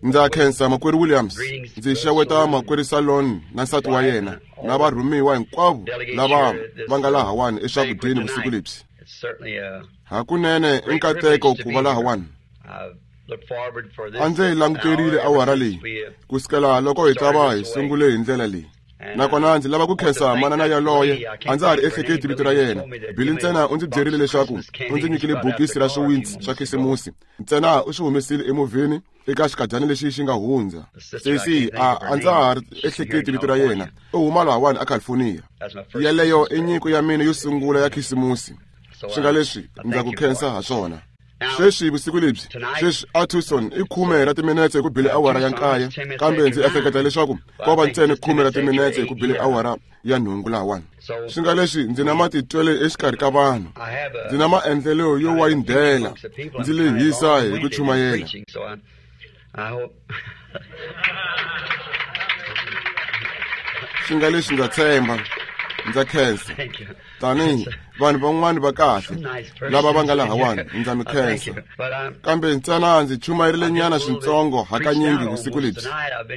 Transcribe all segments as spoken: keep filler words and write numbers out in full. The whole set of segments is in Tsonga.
Ndza khensa makwerhu Williams, ndzi xeweta makwerhu Salon na nsati wa yena na varhumiwa hinkwavo lava va nga lahawani eswakudyeni vusiku lebyi. Hakunene i nkateko ku va lahawani. A ndzi languterile awara leyi kusukela loko hi ta va hi sungule hi ndlela leyi. Nakona ndzi lava ku khensa manana yaloye, a ndza ha ri ehleketi vito ra yena. Billy ntsena u ndzi byerile leswaku u ndzi nyikile bokisi ra swiwintsi swa khisimusi, ntsena u swi humesile emovheni eka xikadyana lexi xi nga hundza. Sesi a a ndza ha ri ehleketi vito ra yena, u huma lahawani a California. Yeleyo i nyiko ya mina yo sungula ya khisimusi, swi nga leswi ndza ku khensa ha swona. Sweswi vusiku lebyi, sweswi a Tucson i khume ra timinetse ku bile awara ya nkaye, kambe ndzi ehleketa leswaku ko va ntsena khume ra timinetse ku bile awara ya nhungu lahawani. Swi nga leswi ndzi na matitwelo exikarhi ka vanhu, ndzi na maendlelo yo wayindela, ndzi lehisa hi ku chumayela. Swi nga leswi ndza tshemba, ndza khensa tanihi vanhu van'wani va kahle lava va nga lahawani, ndza mi khensa. Kambe ntsena ndzi chumayerile nyana swintsongo hakanyingi vusiku lebyi.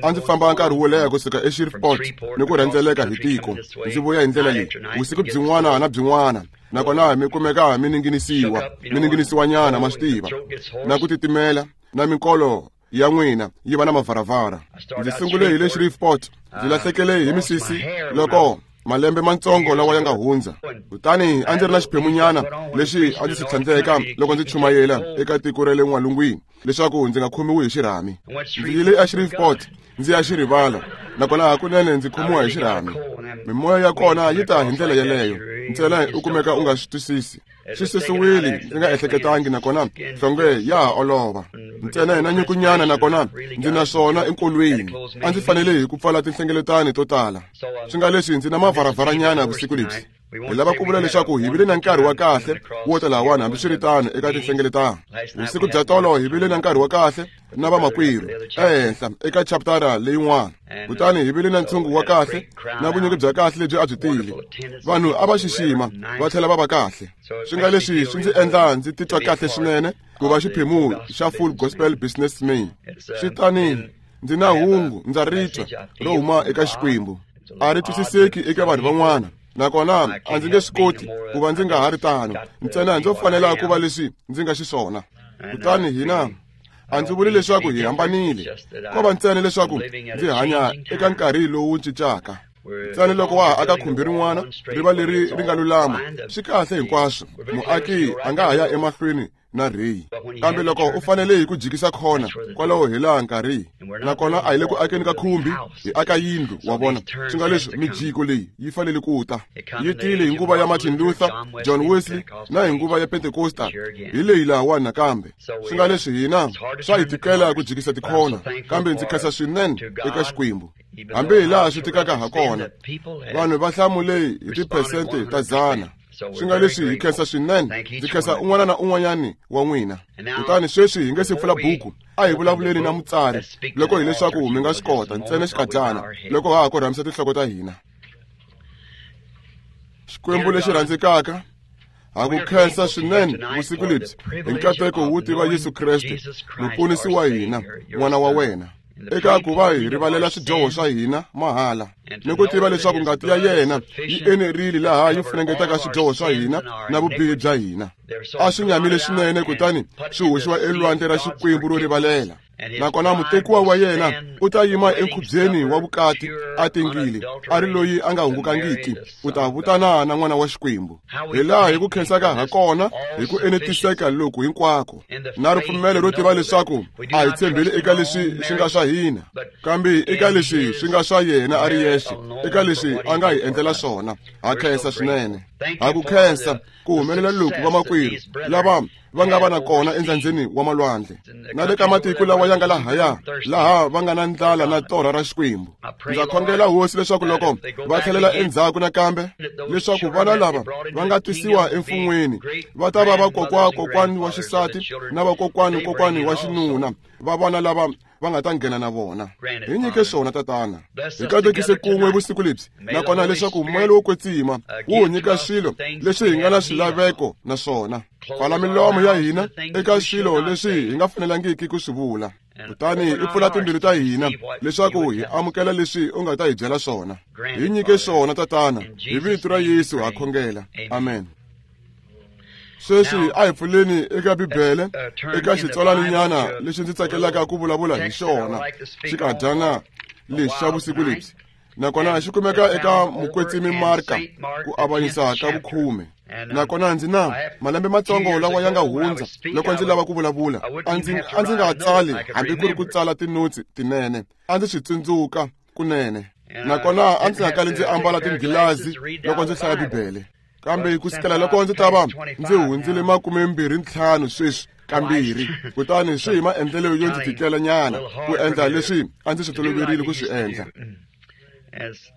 A ndzi famba nkarhi wo leha kusuka eShreveport ni ku rhendzeleka hi tiko, ndzi vuya hi ndlela leyi vusiku byin'wana na byin'wana, nakona mi kumeka mi ninginisiwa mi ninginisiwa nyana, ma swi tiva, na ku titimela na minkolo ya n'wina yi va na mavaravara. Ndzi sungule hi le Shreveport, ndzi lahlekele hi misisi loko malembe mantsongo lawa ya nga hundza. Kutani a ndzi ri na xiphemunyana lexi a ndzi xi tlhandleka loko ndzi chumayela eka tiko ra le n'walungwini leswaku ndzi nga khomiwi hi xirhami. Ndzi yile a Shreveport ndzi ya xi rivala, nakona hakunene ndzi khomiwa hi xirhami. Mimoya ya kona yi ta hi ndlela yeleyo, ntsena u kumeka u nga swi twisisi. Swi susiwile ndzi nga ehleketangi, nakona nhlonge ya ha olova ntsena na nyukunyana, nakona ndzi na swona enkolweni. A ndzi fanele hi ku pfala tinhlengeletano to tala. Swi nga leswi ndzi na mavaravaranyana vusiku lebyi. Hi lava ku vula leswaku hi vile na nkarhi wa kahle wo ta lahawani, hambiswiritano eka tinhlengeletano. Vusiku bya tolo hi vile na nkarhi wa kahle na vamakwerhu ehenhla eka chaptara leyin'wana. Kutani hi vile na ntshungu wa kahle na vunyingi bya kahle lebyi a byi tile. Vanhu a va xixima va tlhela va va kahle. Swi nga leswi swi ndzi endla ndzi titwa kahle swinene ku va xiphemu xa Full Gospel Businessman. Swi tani ndzi na hungu ndza ri twa ro huma eka Xikwembu. A ri twisiseki eka vanhu van'wana, nakona a ndzi nge swi koti ku va ndzi nga ha ri tano, ntsena ndzo fanela ku va leswi ndzi nga xiswona. Kutani hina a ndzi vuli leswaku hi hambanile, ko va ntsena leswaku ndzi hanya eka nkarhi lowu cincaka. Ntsena loko wa ha aka khumbi rin'wana ri va leri ri nga lulama, swi kahle hinkwaswo, muaki a nga ha ya emahlweni na rheyi. Kambe loko u fanele hi ku jikisa khona kwalaho hi laha nkarhi, nakona a hi le ku akeni ka khumbi, hi aka yindlu, wa vona. Swi nga leswi mijiko leyi yi fanele ku ta. Yi tile hi nguva ya Martin Luther, John Wesley na hi nguva ya Pentecostal, hi leyi lahawani nakambe. Swi nga leswi hina swa hi tikela ku jikisa tikhona, kambe ndzi khensa swinene eka Xikwembu. Hambi hi laha swi tikaka ha kona, vanhu va hlamule hi tiphesente ta dzana. Swi nga leswi hi khensa swinene, ndzi khensa un'wana na un'wanyani wa n'wina. Kutani sweswi hi nge se pfula buku, a hi vulavuleni na mutsari loko hileswaku mi nga swi kota ntsena xikadyana loko ha ha korhamisa tinhloko ta hina. Xikwembu lexi rhandzekaka, ha ku khensa swinene vusiku lebyi hi nkateko wo tiva Yesu Kreste muponisi wa hina, n'wana wa wena, eka ku va hi rivalela swidyoho swa hina mahala, ni ku tiva leswaku ngati ya yena yi enerile laha yi funengetaka swidyoho swa hina na vubihi bya hina. A swi nyamile swinene kutani swi hoxiwa elwandle ra Xikwembu ro rivalela. Nakona mutekiwa wa yena u ta yima enkhubyeni wa vukati a tengile, a ri loyi a nga hungukangiki, u ta vutana na n'wana wa Xikwembu. Hi laha hi ku khensaka ha kona hi ku enetiseka loku hinkwako, na ripfumelo ro tiva leswaku a hi tshembeli eka leswi swi nga swa hina, kambe eka leswi swi nga swa yena a ri yexe, eka leswi a nga hi endlela swona. Ha khensa swinene, ha ku khensa ku humelela loku vamakwerhu lava va nga va na kona endzandzeni wa malwandle na le ka matiko lawa ya nga lahaya, laha va nga na ndlala na torha ra Xikwembu. Ndza khongela Hosi leswaku loko va tlhelela endzhaku nakambe, leswaku vana lava va nga tisiwa emfun'weni va ta va vakokwa-kokwani wa xisati na vakokwani-kokwani wa xinuna va vana lava va nga ta nghena na vona. Hi nyike swona Tatana, hi katekise kun'we vusiku lebyi, nakona leswaku moya lowo kwetsima wu hi nyika swilo leswi hi nga na swilaveko na swona. Pfala milomo ya hina eka swilo leswi hi nga fanelangiki ku swi vula. Kutani i pfula timbilu ta hina leswaku hi amukela leswi u nga ta hi byela swona. Hi nyike swona, Tatana, hi vito ra Yesu ha khongela. Amen. Sweswi a hi pfuleni eka Bibele eka xitsalwaninyana lexi ndzi tsakelaka ku vulavula hi xona xikadyana lexi xa vusiku lebyi, nakona xi kumeka eka Mukwetsimi Marka ku avanyisa ka vukhume. Nakona ndzi na malembe matsongo lawa ya nga hundza loko ndzi lava ku vulavula a ndzi a ndzi nga tsali hambi ku ri ku tsala tinotsi tinene, a ndzi swi tsundzuka kunene. Nakona a ndzi nga kali ndzi ambala tinghilazi loko ndzi hlaya Bibele, kambe ku sukela loko ndzi ta va ndzi hundzile makume mbirhi ntlhanu sweswi kambirhi, kutani swi hi maendlelo yo ndzi tikela nyana ku endla leswi a ndzi swi toloverile ku swi endla.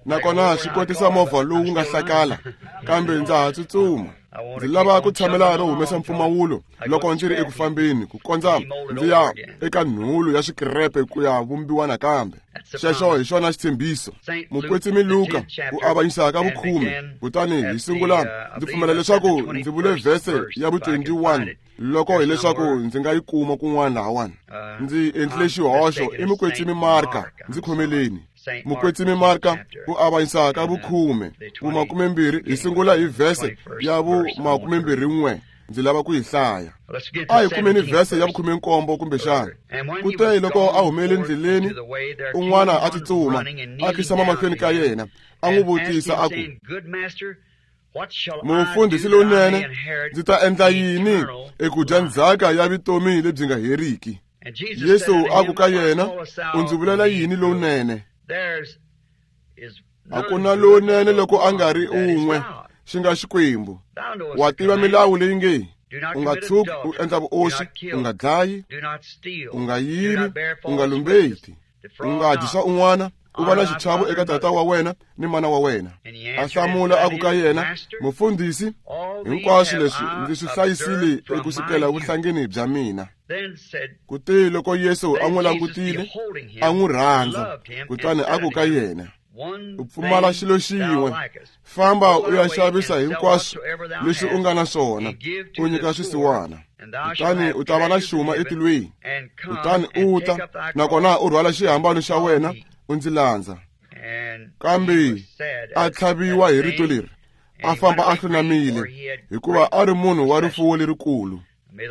Nakona swi kotisa movha lowu nga hlakala, kambe ndza ha tsutsuma. Ndzi lava ku tshamela ro humesa mpfumawulo loko ndzi ri eku fambeni ku kondza ndzi ya eka nhulu ya swikirepe ku ya vumbiwa nakambe. Xexo hi xona xitshembiso. Mukwetsimi Luka ku avanyisa ka vukhume. Kutani hi sungula ndzi pfumela leswaku ndzi vule vhese ya vu twenty-one loko hileswaku ndzi nga yi kuma kun'wana lahawani. Ndzi endlile xihoxo i Mukwetsimi Marka, ndzi khomeleni. Mukwetsimi Marka ku avanyisa ka vukhume vu makumembirhi hi sungula hi vhese ya vu makumembirhi n'we. Ndzi lava ku yi hlaya. A hi kumeni vhese ya vukhume-nkombo kumbexana. Kute loko a humele endleleni, un'wana a tsutsuma a khisama mahlweni ka yena, a n'wi vutisa a ku, Mufundhisi lowunene, ndzi ta endla yini eku dya ndzhaka ya vutomi lebyi nga heriki? Yesu a ku ka yena, u ndzi vulela yini lowunene? A ku na lowunene loko a nga ri un'we, xi nga Xikwembu. Wa tiva milawu leyi nge, u nga tshuki u endla vuoswi, u nga dlayi, u nga yivi, u nga lumbeti, u nga dyi swa un'wana, u va na xichavo eka tata wa wena ni mana wa wena. A hlamula a ku ka yena, Mufundhisi, hinkwaswo leswi ndzi swi hlayisile eku sukela vuhlangeni bya mina. Kute loko Yesu a n'wi langutile, a n'wi rhandza, kutani a ku ka yena, u pfumala xilo xin'we, famba u ya xavisa hinkwaswo leswi u nga na swona, u nyika swisiwana, kutani u ta va na xuma etilweni. Kutani u ta, nakona u rhwala xihambano xa wena, u ndzi landza. Kambe a tlhaviwa hi rito leri, a famba a hlunamile, hikuva a ri munhu wa rifuwo lerikulu.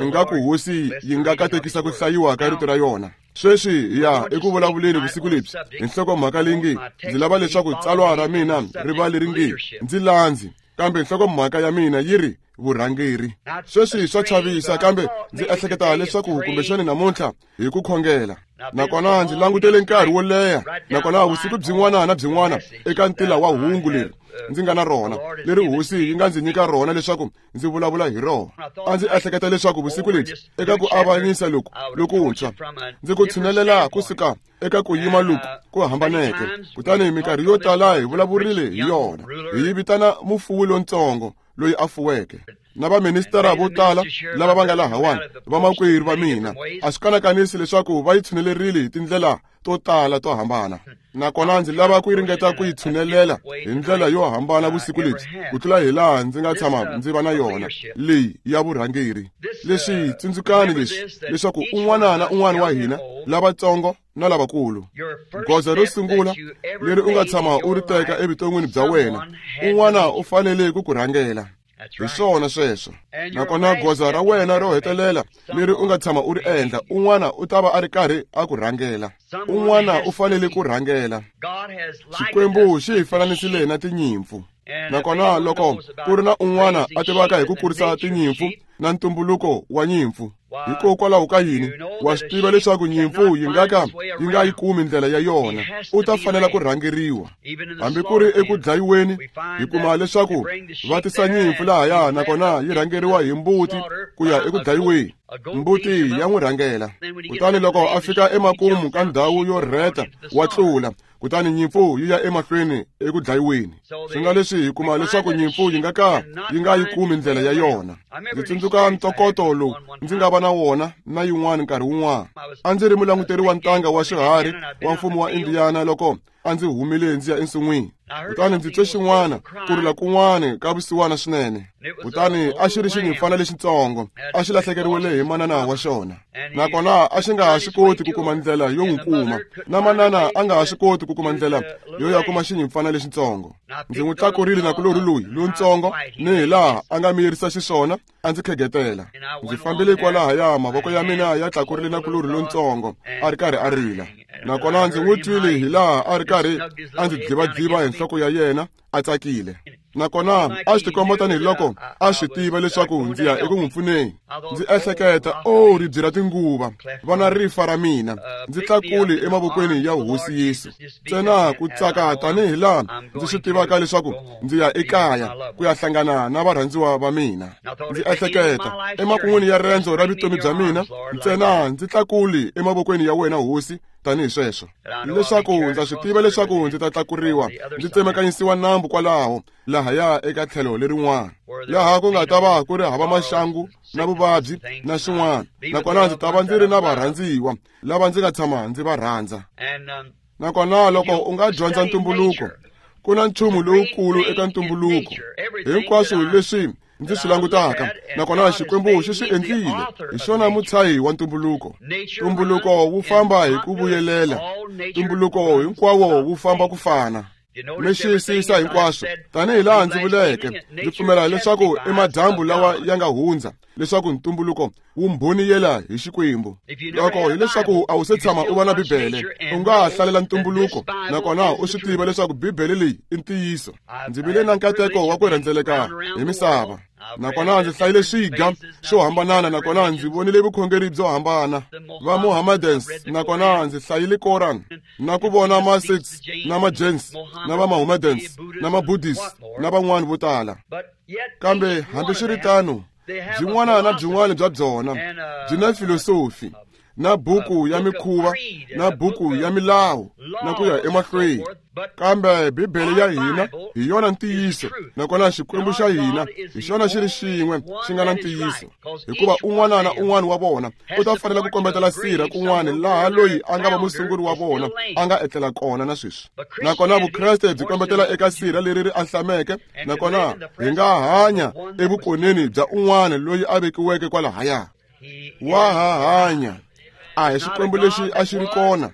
Ingaku Hosi yi nga katekisa ku hlayiwa ka rito ra yona. Sweswi hi ya eku vulavuleni vusiku lebyi hi nhlokomhaka leyi nge, ndzi lava leswaku tsalwa ra mina ri va leri nge, ndzi landzi, kambe nhlokomhaka ya mina yi ri vurhangeri. Sweswi swa chavisa, kambe ndzi ehleketa leswaku kumbexani namuntlha hi ku khongela. Nakona ndzi langutele nkarhi wo leha, nakona vusiku byin'wana na byin'wana eka ntila wa hungu leri ndzi nga na rona, leri Hosi yi nga ndzi nyika rona leswaku ndzi vulavula hi rona. A ndzi ehleketa leswaku vusiku lebyi eka ku avanyisa loku lokuntshwa, ndzi ku tshinelela kusuka eka ku yima loku ku hambaneke. Kutani minkarhi yo tala hi vulavurile hi yona, hi yi vitana mufuwi lontsongo loyi a fuweke, na vaministara vo tala lava va nga lahawani, vamakwerhu va mina, a swi kanakanisi leswaku va yi tshunelerile hi tindlela to tala to hambana. Nakona ndzi lava ku ringeta ku yi tshunelela hi ndlela yo hambana vusiku lebyi ku tlula hi laha ndzi nga tshama ndzi va na yona leyi ya vurhangeri. Leswi tsundzukani leswi leswaku un'wana na un'wana wa hina, lavatsongo na lavakulu, goza ro sungula leri u nga tshama u ri teka evuton'wini bya wena, un'wana u fanele ku ku rhangela. Hi swona sweswo. Nakona goza ra wena ro hetelela leri u nga tshama u ri endla, un'wana u ta va a ri karhi a ku rhangela. Un'wana u fanele ku rhangela. Xikwembu xi hi fananisile na tinyimpfu. Nakona loko ku ri na un'wana a tivaka hi ku kurisa tinyimpfu na ntumbuluko wa nyimpfu, hikokwalaho ka yini, wa swi tiva leswaku nyimpfu yi nga ka yi nga yi kumi ndlela ya yona, u ta fanela ku rhangeriwa. Hambi ku ri eku dlayiweni, hi kuma leswaku va tisa nyimpfu lahaya, nakona yi rhangeriwa hi mbuti ku ya eku dlayiweni. Mbuti ya n'wi rhangela. Kutani loko a fika emakumu ka ndhawu yo rheta, wa tlula, kutani nyimpfu yi ya emahlweni eku dlayiweni. Swi nga leswi hi kuma leswaku nyimpfu yi nga ka yi nga yi kumi ndlela ya yona. Ndzi tsundzuka ntokoto lowu ndzi nga va na wona na yin'wana nkarhi wun'wana. A ndzi ri mulanguteri wa ntanga wa swiharhi wa mfumo wa Indiana loko a ndzi humile ndzi ya ensin'wini. Kutani ndzi twe xin'wana ku rila kun'wana ka vusiwana swinene. Kutani a xi ri xinyimpfana lexitsongo, a xi lahlekeriwile hi manana wa xona. Nakona a xi nga ha swi koti ku kuma ndlela yo n'wi kuma, na manana a nga ha swi koti ku kuma ndlela yo ya kuma xinyimpfana lexitsongo. Ndzi n'wi tlakurile nakulorhi loyi lontsongo, ni hi laha a nga miyerisa xiswona, a ndzi khegetela. Ndzi fambile kwalahaya, mavoko ya mina ya tlakurile nakulorhi lontsongo, a ri karhi a rila. Nakona ndzi n'wi twile hi laha a ri karhi a ndzi dlivadliva hi nhloko ya yena, a tsakile. Nakona a swi tikomba tanihiloko a swi tiva leswaku ndzi ya eku n'wi pfuneni. Ndzi ehleketa, o ribye ra tinguva, vana rifa ra mina, ndzi tlakuli emavokweni ya Hosi Yesu. Ntsena ku tsaka tanihi laha ndzi swi tivaka leswaku ndzi ya ekaya ku ya hlangana na varhandziwa va mina. Ndzi ehleketa, emakun'wini ya rendzo ra vutomi bya mina, ntsena ndzi tlakuli emavokweni ya wena Hosi tanihi sweswo, leswaku ndza swi tiva leswaku ndzi ta tlakuriwa, ndzi tsemakanyisiwa nambu kwalaho lahaya eka tlhelo lerin'wana, laha ku nga ta va ku ri hava maxangu na vuvabyi na swin'wana. Nakona ndzi ta va ndzi ri na varhandziwa lava ndzi nga tshama ndzi va rhandza. Nakona loko u nga dyondza ntumbuluko, ku na nchumu lowukulu eka ntumbuluko. Hinkwaswo leswi ndzi swi langutaka, nakona Xikwembu xi swi endlile, hi xona mutshahi wa ntumbuluko. Ntumbuluko wu famba hi ku vuyelela, ntumbuluko hinkwawo wu famba ku fana. Mi xiyisisa hinkwaswo tanihi laha ndzi vuleke, ndzi pfumela leswaku i madyambu lawa ya nga hundza, leswaku ntumbuluko wu mbhoniyela hi Xikwembu. Loko hileswaku a wu se tshama u va na Bibele, u nga ha hlalela ntumbuluko, nakona u swi tiva leswaku Bibele leyi i ntiyiso. Ndzi vile na nkateko wa ku rhendzeleka hi misava, nakona ndzi hlayile swiga swo hambanana, nakona ndzi vonile vukhongeri byo hambana, va Mohammedans, nakona ndzi hlayile Koran, na ku vona ma Sikhs na ma Jains na va Mohammedans na ma Buddhists na van'wana vo tala. Kambe hambiswiritano, byin'wana na byin'wana bya byona byi na filosofi, na buku ya mikhuva, na buku ya milawu, na ku ya emahlweni. Kambe Bibele ya hina hi yona ntiyiso, nakona Xikwembu xa hina hi xona xi ri xin'we xi nga na ntiyiso. Hikuva un'wana na un'wana wa vona u ta fanela ku kombetela sirha kun'wana laha loyi a nga va musunguri wa vona a nga etlela kona na sweswi. Nakona Vukreste byi kombetela eka sirha leri ri ahlameke, nakona hi nga hanya evukoneni bya un'wana loyi a vekiweke kwalahaya. Wa ha hanya. A hi Xikwembu lexi a xi ri kona,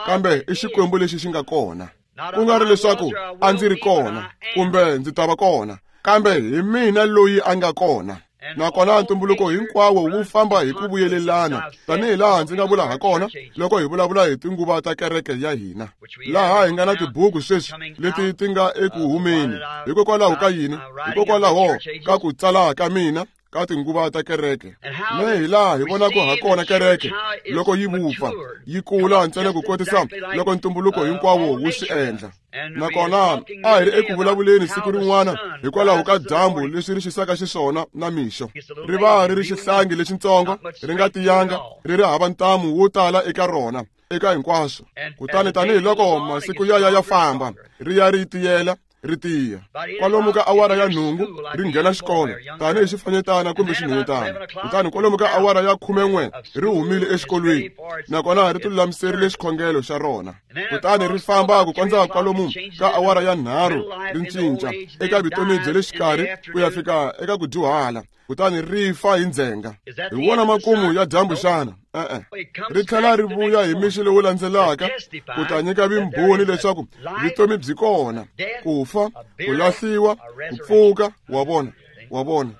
kambe i Xikwembu lexi xi nga kona. Ku nga ri leswaku a ndzi ri kona kumbe ndzi ta va kona, kambe hi mina loyi a nga kona. Nakona ntumbuluko hinkwawo wu famba hi ku vuyelelana, tanihi laha ndzi nga vula ha kona loko hi vulavula hi tinguva ta kereke ya hina, laha hi nga na tibuku sweswi leti ti nga eku humeni. Hikokwalaho ka yini? Hikokwalaho ka ku tsala ka mina ka tinguva ta kereke. Ne hi laha hi vonaka ha kona kereke loko yi vupfa, yi kula ntsena ku kotisa loko ntumbuluko hinkwawo wu swi endla. Nakona a hi ri eku vulavuleni siku rin'wana hikwalaho ka dyambu leswi ri xisaka xiswona na mixo. Ri va ri ri xihlangi lexitsongo, ri nga tiyanga, ri ri hava ntamu wo tala eka rona, eka hinkwaswo. Kutani tanihiloko masiku ya ya ya famba, ri ya ri tiyela, ri tiya. Kwalomu ka awara ya nhungu ri nghena xikolo tanihi xifanyetana kumbe xinhwanyetana. Kutani kwalomu ka awara ya khumen'we ri humile exikolweni, nakona ri tilulamiserile xikhongelo xa rona. Kutani ri famba ku kondza kwalomu ka awara ya nharhu ri cinca eka vutomi bya le xikarhi ku ya fika eka ku dyuhala, kutani ri fa hi ndzhenga. Hi wona makumu ya dyambu xana? E-e. Ri tlhela ri vuya hi mixo lowu landzelaka ku ta nyika vumbhoni leswaku vutomi byi kona, ku fa, ku lahliwa, ku pfuka. Wa vona, wa vona.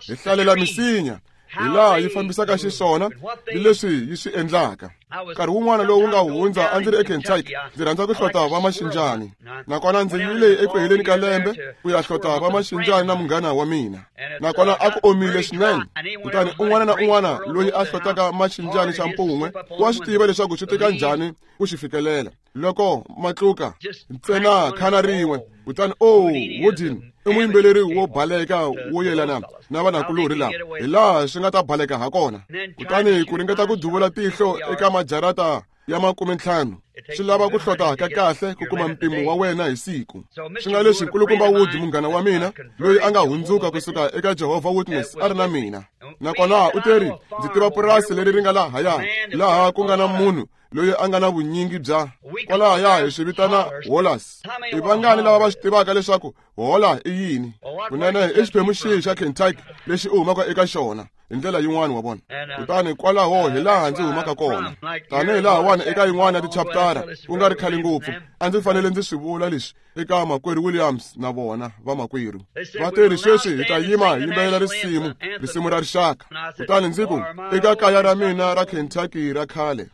Hi hlalela misinya hi laha yi fambisaka xiswona ni leswi yi swi endlaka. Nkarhi wun'wana lowu nga hundza a ndzi ri eKentucky, ndzi rhandza ku hlota va maxinjani. Nakona ndzi yile eku heleni ka lembe ku ya hlota va maxinjani na munghana wa mina. Nakona a ku omile swinene. Kutani un'wana na un'wana loyi a hlotaka maxinjani xa mpun'we wa swi tiva leswaku swi tika njhani ku xi fikelela. Loko matluka ntsena khana rin'we, kutani o Woodin i muyimbeleri wo baleka wo yelana na vanakulorhi lava, hi laha swi nga ta baleka ha kona. Kutani ku ringeta ku duvula tihlo eka majarata ya makume ntlhanu. Swi lava ku hlota ka kahle ku kuma mpimo wa wena hi siku. Swi nga leswi nkulukumba Wood, munghana wa mina, loyi a nga hundzuka kusuka eka Jehovah Witness, a ri na mina. Nakona u teri, ndzi tiva purasi leri ri nga lahaya, laha ku nga na munhu loyi a nga na vunyingi bya kwalahaya hi swi vitana holas. I vangani lava va swi tivaka leswaku hola i yini? Kunene i xiphemu xihi xa Kentucky lexi u humaka eka xona hi ndlela yin'wana wa vona. Kutani kwalaho hi laha ndzi humaka kona. Tanihi lahawani eka yin'wana ya tichaptara ku nga ri khale ngopfu, a ndzi fanele ndzi swi vula leswi eka makwerhu Williams na vona vamakwerhu. Va teri sweswi hi ta yima hi yimbelela risimu, risimu ra rixaka. Kutani ndzi ku eka kaya ra mina ra Kentucky ra khale.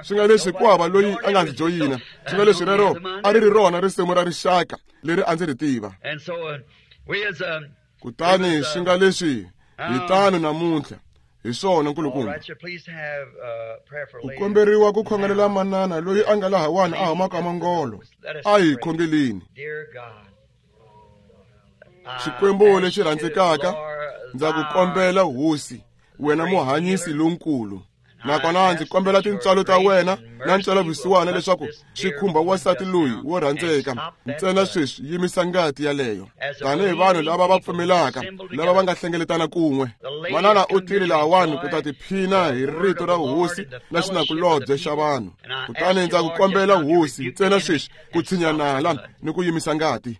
Swi nga leswi ku hava loyi a nga ndzi joyina. Swi nga leswi rero a ri ri rona risimu ra rixaka leri a ndzi ri tiva. Kutani swi nga leswi hi tano namuntlha. Hi swona nkulukumba. Ku komberiwa ku khongelela manana loyi a nga lahawani a humaka mangolo. A hi khongeleni. Xikwembu lexi rhandzekaka, ndza ku kombela Hosi, wena muhanyisi lonkulu. Nakona ndzi kombela tintswalo ta wena na ntswelavusiwana leswaku swi khumba wansati loyi wo rhandzeka. Ntsena sweswi yimisa ngati yaleyo. Tanihi vanhu lava va pfumelaka, lava va nga hlengeletana kun'we. Manana u tile lahawani ku ta tiphina hi rito ra Hosi na xinakulobye xa vanhu. Kutani ndza ku kombela Hosi ntsena sweswi ku tshinya nala ni ku yimisa ngati.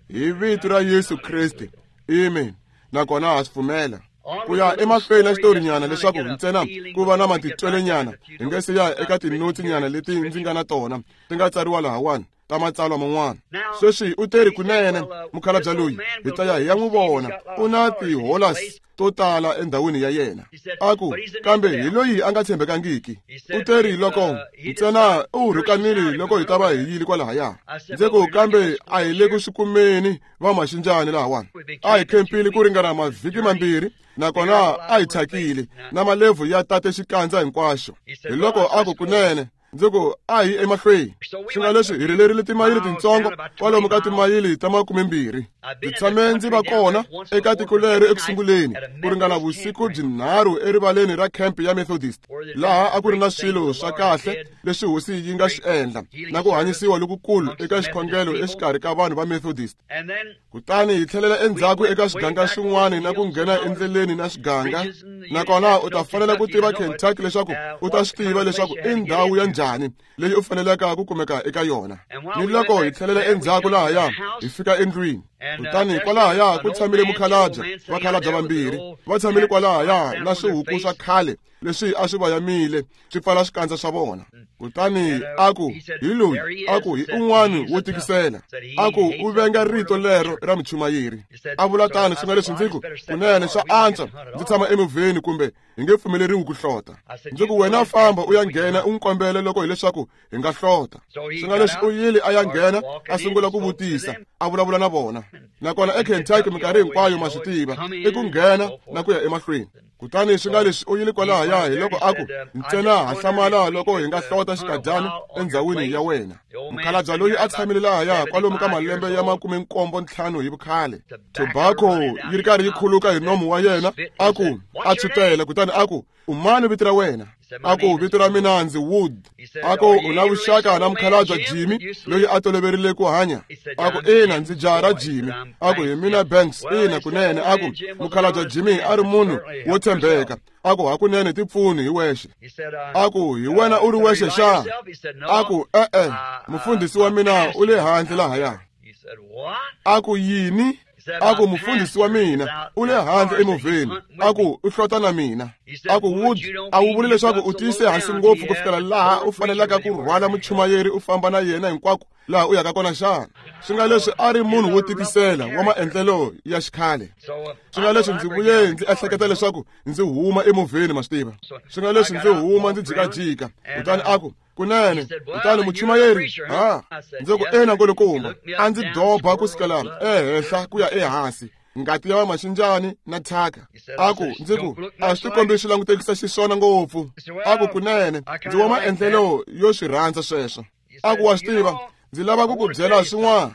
Hi vito ra Yesu Kriste. Amen. Nakona ha swi pfumela. Ku ya emahlweni na xitorinyana leswaku ntsena ku va na matitwelenyana hi nga se ya eka tinotsinyana leti ndzi nga na tona ti nga tsariwa lahawani ta matsalwa man'wana. Sweswi u teri kunene mukhalabye loyi hi ta ya hi ya n'wi vona, u na tiholas to tala endhawini ya yena. A ku kambe hi loyi a nga tshembekangiki. U teri loko ntsena u rhukanile loko hi ta va hi yile kwalahaya. Ndzi ku kambe a hi le ku swi kumeni va maxinjani lahawani. A hi khempile ku ringana mavhiki mambirhi, nakona a hi thyakile na malevhu ya tate xikandza hinkwaxo. Hi loko a ku kunene, ndzi ku a hi emahlweni. Swi nga leswi hi rhelerile timayili tintsongo kwalomu ka timayili ta makumembirhi. Ndzi tshame ndzi va kona eka tiko lero ekusunguleni ku ringana vusiku byinharhu erivaleni ra camp ya Methodist, laha a ku ri na swilo swa kahle leswi Hosi yi nga swi endla na ku hanyisiwa lokukulu eka xikhongelo exikarhi ka vanhu va Methodist. Kutani hi tlhelela endzhaku eka swiganga swin'wana na ku nghena endleleni na swiganga. Nakona u ta fanela ku tiva Kentucky leswaku u ta swi tiva leswaku i ndhawu ya njhani leyi u fanelaka ku kumeka eka yona. Ni loko hi tlhelela endzhaku lahaya hi fika endlwini. Kutani kwalahaya ku tshamile mukhalabye, vakhalabye vambirhi va tshamile kwalahaya na swihuku swa khale leswi a swi vayamile swi pfala swikandza swa vona. Kutani a ku hi loyi, a ku hi un'wana wo tikisela. A ku u venga rito lero ra muchumayeri. A vula tano swi nga leswi ndzi ku kunene swa antswa ndzi tshama emovheni kumbe hi nge pfumeleriwi ku hlota. Ndzi ku wena famba u ya nghena u n'wi kombela loko hileswaku hi nga hlota. Swi nga leswi u yile a ya nghena a sungula ku vutisa, a vulavula na vona. Nakona eKentucky minkarhi hinkwayo ma swi tiva i ku nghena na ku ya emahlweni. Kutani swi nga leswi u yile kwalahaya hi loko a ku ntsena ha hlamala loko hi nga hlota xikadyana endhawini ya wena. Mukhalabye loyi a tshamile lahaya kwalomu ka malembe ya makume nkombo ntlhanu hi vukhale, tobacco yi ri karhi yi khuluka hi nomu wa yena. A ku a tshutela, kutani a ku u mani vito ra wena? A ku vito ra mina ndzi Wood. A ku u na vuxaka na mukhalabye Jimmy loyi a toloverile ku hanya? A ku ina, ndzi jaha ra Jimmy. A ku hi mina Banks. Ina kunene. A ku mukhalabye Jimmy a ri munhu wo tshembeka. A ku hakunene tipfuni hi wexe. A ku hi wena u ri wexe xa? A ku e-e, mufundhisi wa mina u le handle lahaya. A ku yini? A ku mufundhisi wa mina u le handle emovheni. A ku u hlota na mina. A ku Wood, a wu vuli leswaku u tiyise hansi ngopfu ku fikela laha u fanelaka ku rhwala muchumayeri u famba na yena hinkwako laha u yaka kona xana? Swi nga leswi a ri munhu wo tikisela wa maendlelo ya xikhale. Swi nga leswi ndzi vuye ndzi ehleketa leswaku ndzi huma emovheni, ma swi tiva. Swi nga leswi ndzi huma ndzi jikajika. Kutani a ku kunene, kutani muchumayeri, ha ndzi ku ina nkulukumba, a ndzi doba ku sukela ehenhla ku ya ehansi, ngati ya vamaxinjani na thyaka. A ku ndzi ku a swi tikombi swi langutekisa xiswona ngopfu. A ku kunene, ndzi wa maendlelo yo swi rhandza sweswo. A ku wa swi tiva, ndzi lava ku ku byela swin'wana.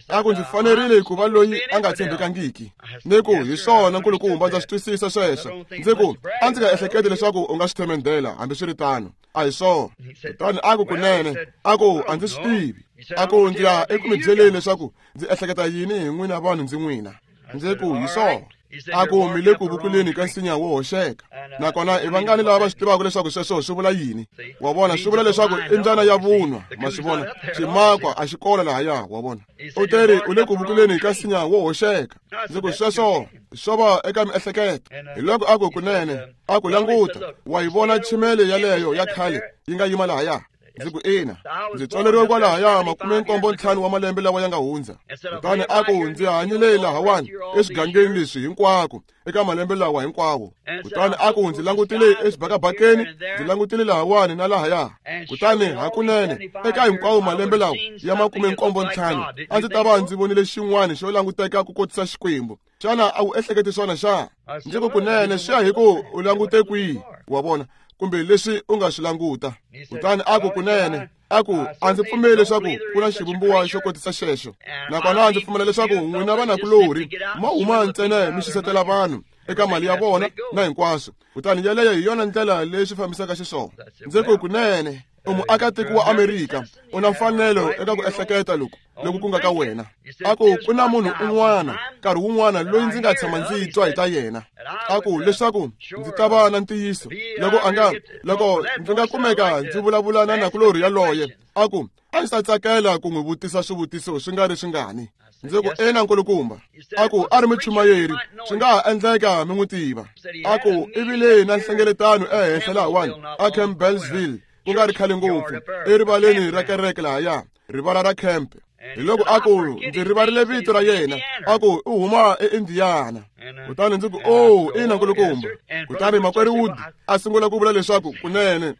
A ku ndzi fanerile ku va loyi a nga tshembekangiki. Ni ku hi swona nkulukumba, ndza swi twisisa sweswo. Ndzi ku a ndzi nga ehleketi leswaku u nga swi themendela hambiswiritano. A hi swona. Kutani a ku kunene, a ku a ndzi swi tivi. A ku ndzi ya eku mi byeleni leswaku ndzi ehleketa yini hi n'wina vanhu ndzi n'wina. Ndzi ku hi swona. A ku mi le ku vukuleni ka nsinya wo hoxeka. Nakona i vangani lava va swi tivaka leswaku sweswo swi vula yini? Wa vona, swi vula leswaku i mbyana ya vunwa, ma swi vona. Ximakwa a xi kona lahaya, wa vona. U teri u le ku vukuleni ka nsinya wo hoxeka. Ndzi ku sweswo swo va eka miehleketo. Hi loko a ku kunene, a ku languta, wa yi vona chimele yaleyo ya khale yi nga yima lahaya. Ndzi ku ina, ndzi tswaleriwe kwalahaya makume nkombo ntlhanu wa malembe lawa ya nga hundza. Kutani a ku ndzi hanyile lahawani eswigangeni leswi hinkwako eka malembe lawa hinkwawo. Kutani a ku ndzi langutile exibakabakeni, ndzi langutile lahawani na lahaya. Kutani hakunene eka hinkwawo malembe lawa ya makume nkombo ntlhanu a ndzi ta va ndzi vonile xin'wana xo languteka ku kotisa Xikwembu. Xana a wu ehleketi swona xa? Ndzi ku kunene swi ya hi ku u langute kwihi, wa vona, kumbe leswi u nga swi languta. Kutani a ku kunene, a ku a ndzi pfumeli leswaku ku na xivumbiwa xo kotisa xexo. Nakona ndzi pfumela leswaku n'wina vanakulorhi ma huma ntsena mi xisetela vanhu eka mali ya vona na hinkwaswo. Kutani yeleyo hi yona ndlela leyi swi fambisaka xiswona. Ndzi ku kunene, u muakatiko wa Amerika, u na mfanelo eka ku ehleketa loku loku ku nga ka wena. A ku ku na munhu un'wana nkarhi wun'wana loyi ndzi nga tshama ndzi twa hi ta yena. A ku leswaku ndzi ta va na ntiyiso loko a nga loko ndzi nga kumeka ndzi vulavula na nakulorhi yaloye. A ku a ndzi ta tsakela ku n'wi vutisa swivutiso swi nga ri swingani. Ndzi ku ina nkulukumba. A ku a ri muchumayeri, swi nga ha endleka mi n'wi tiva. A ku i vile na nhlengeletano ehenhla lahawani a Campbellsville, ku nga ri khale ngopfu, erivaleni ra kereke lahaya, rivala ra camp. Hi loko a ku ndzi rivarile vito ra yena. A ku u huma eIndiana. Kutani ndzi ku oh, ina nkulukumba. Kutani makwerhu Wood a sungula ku vula leswaku kunene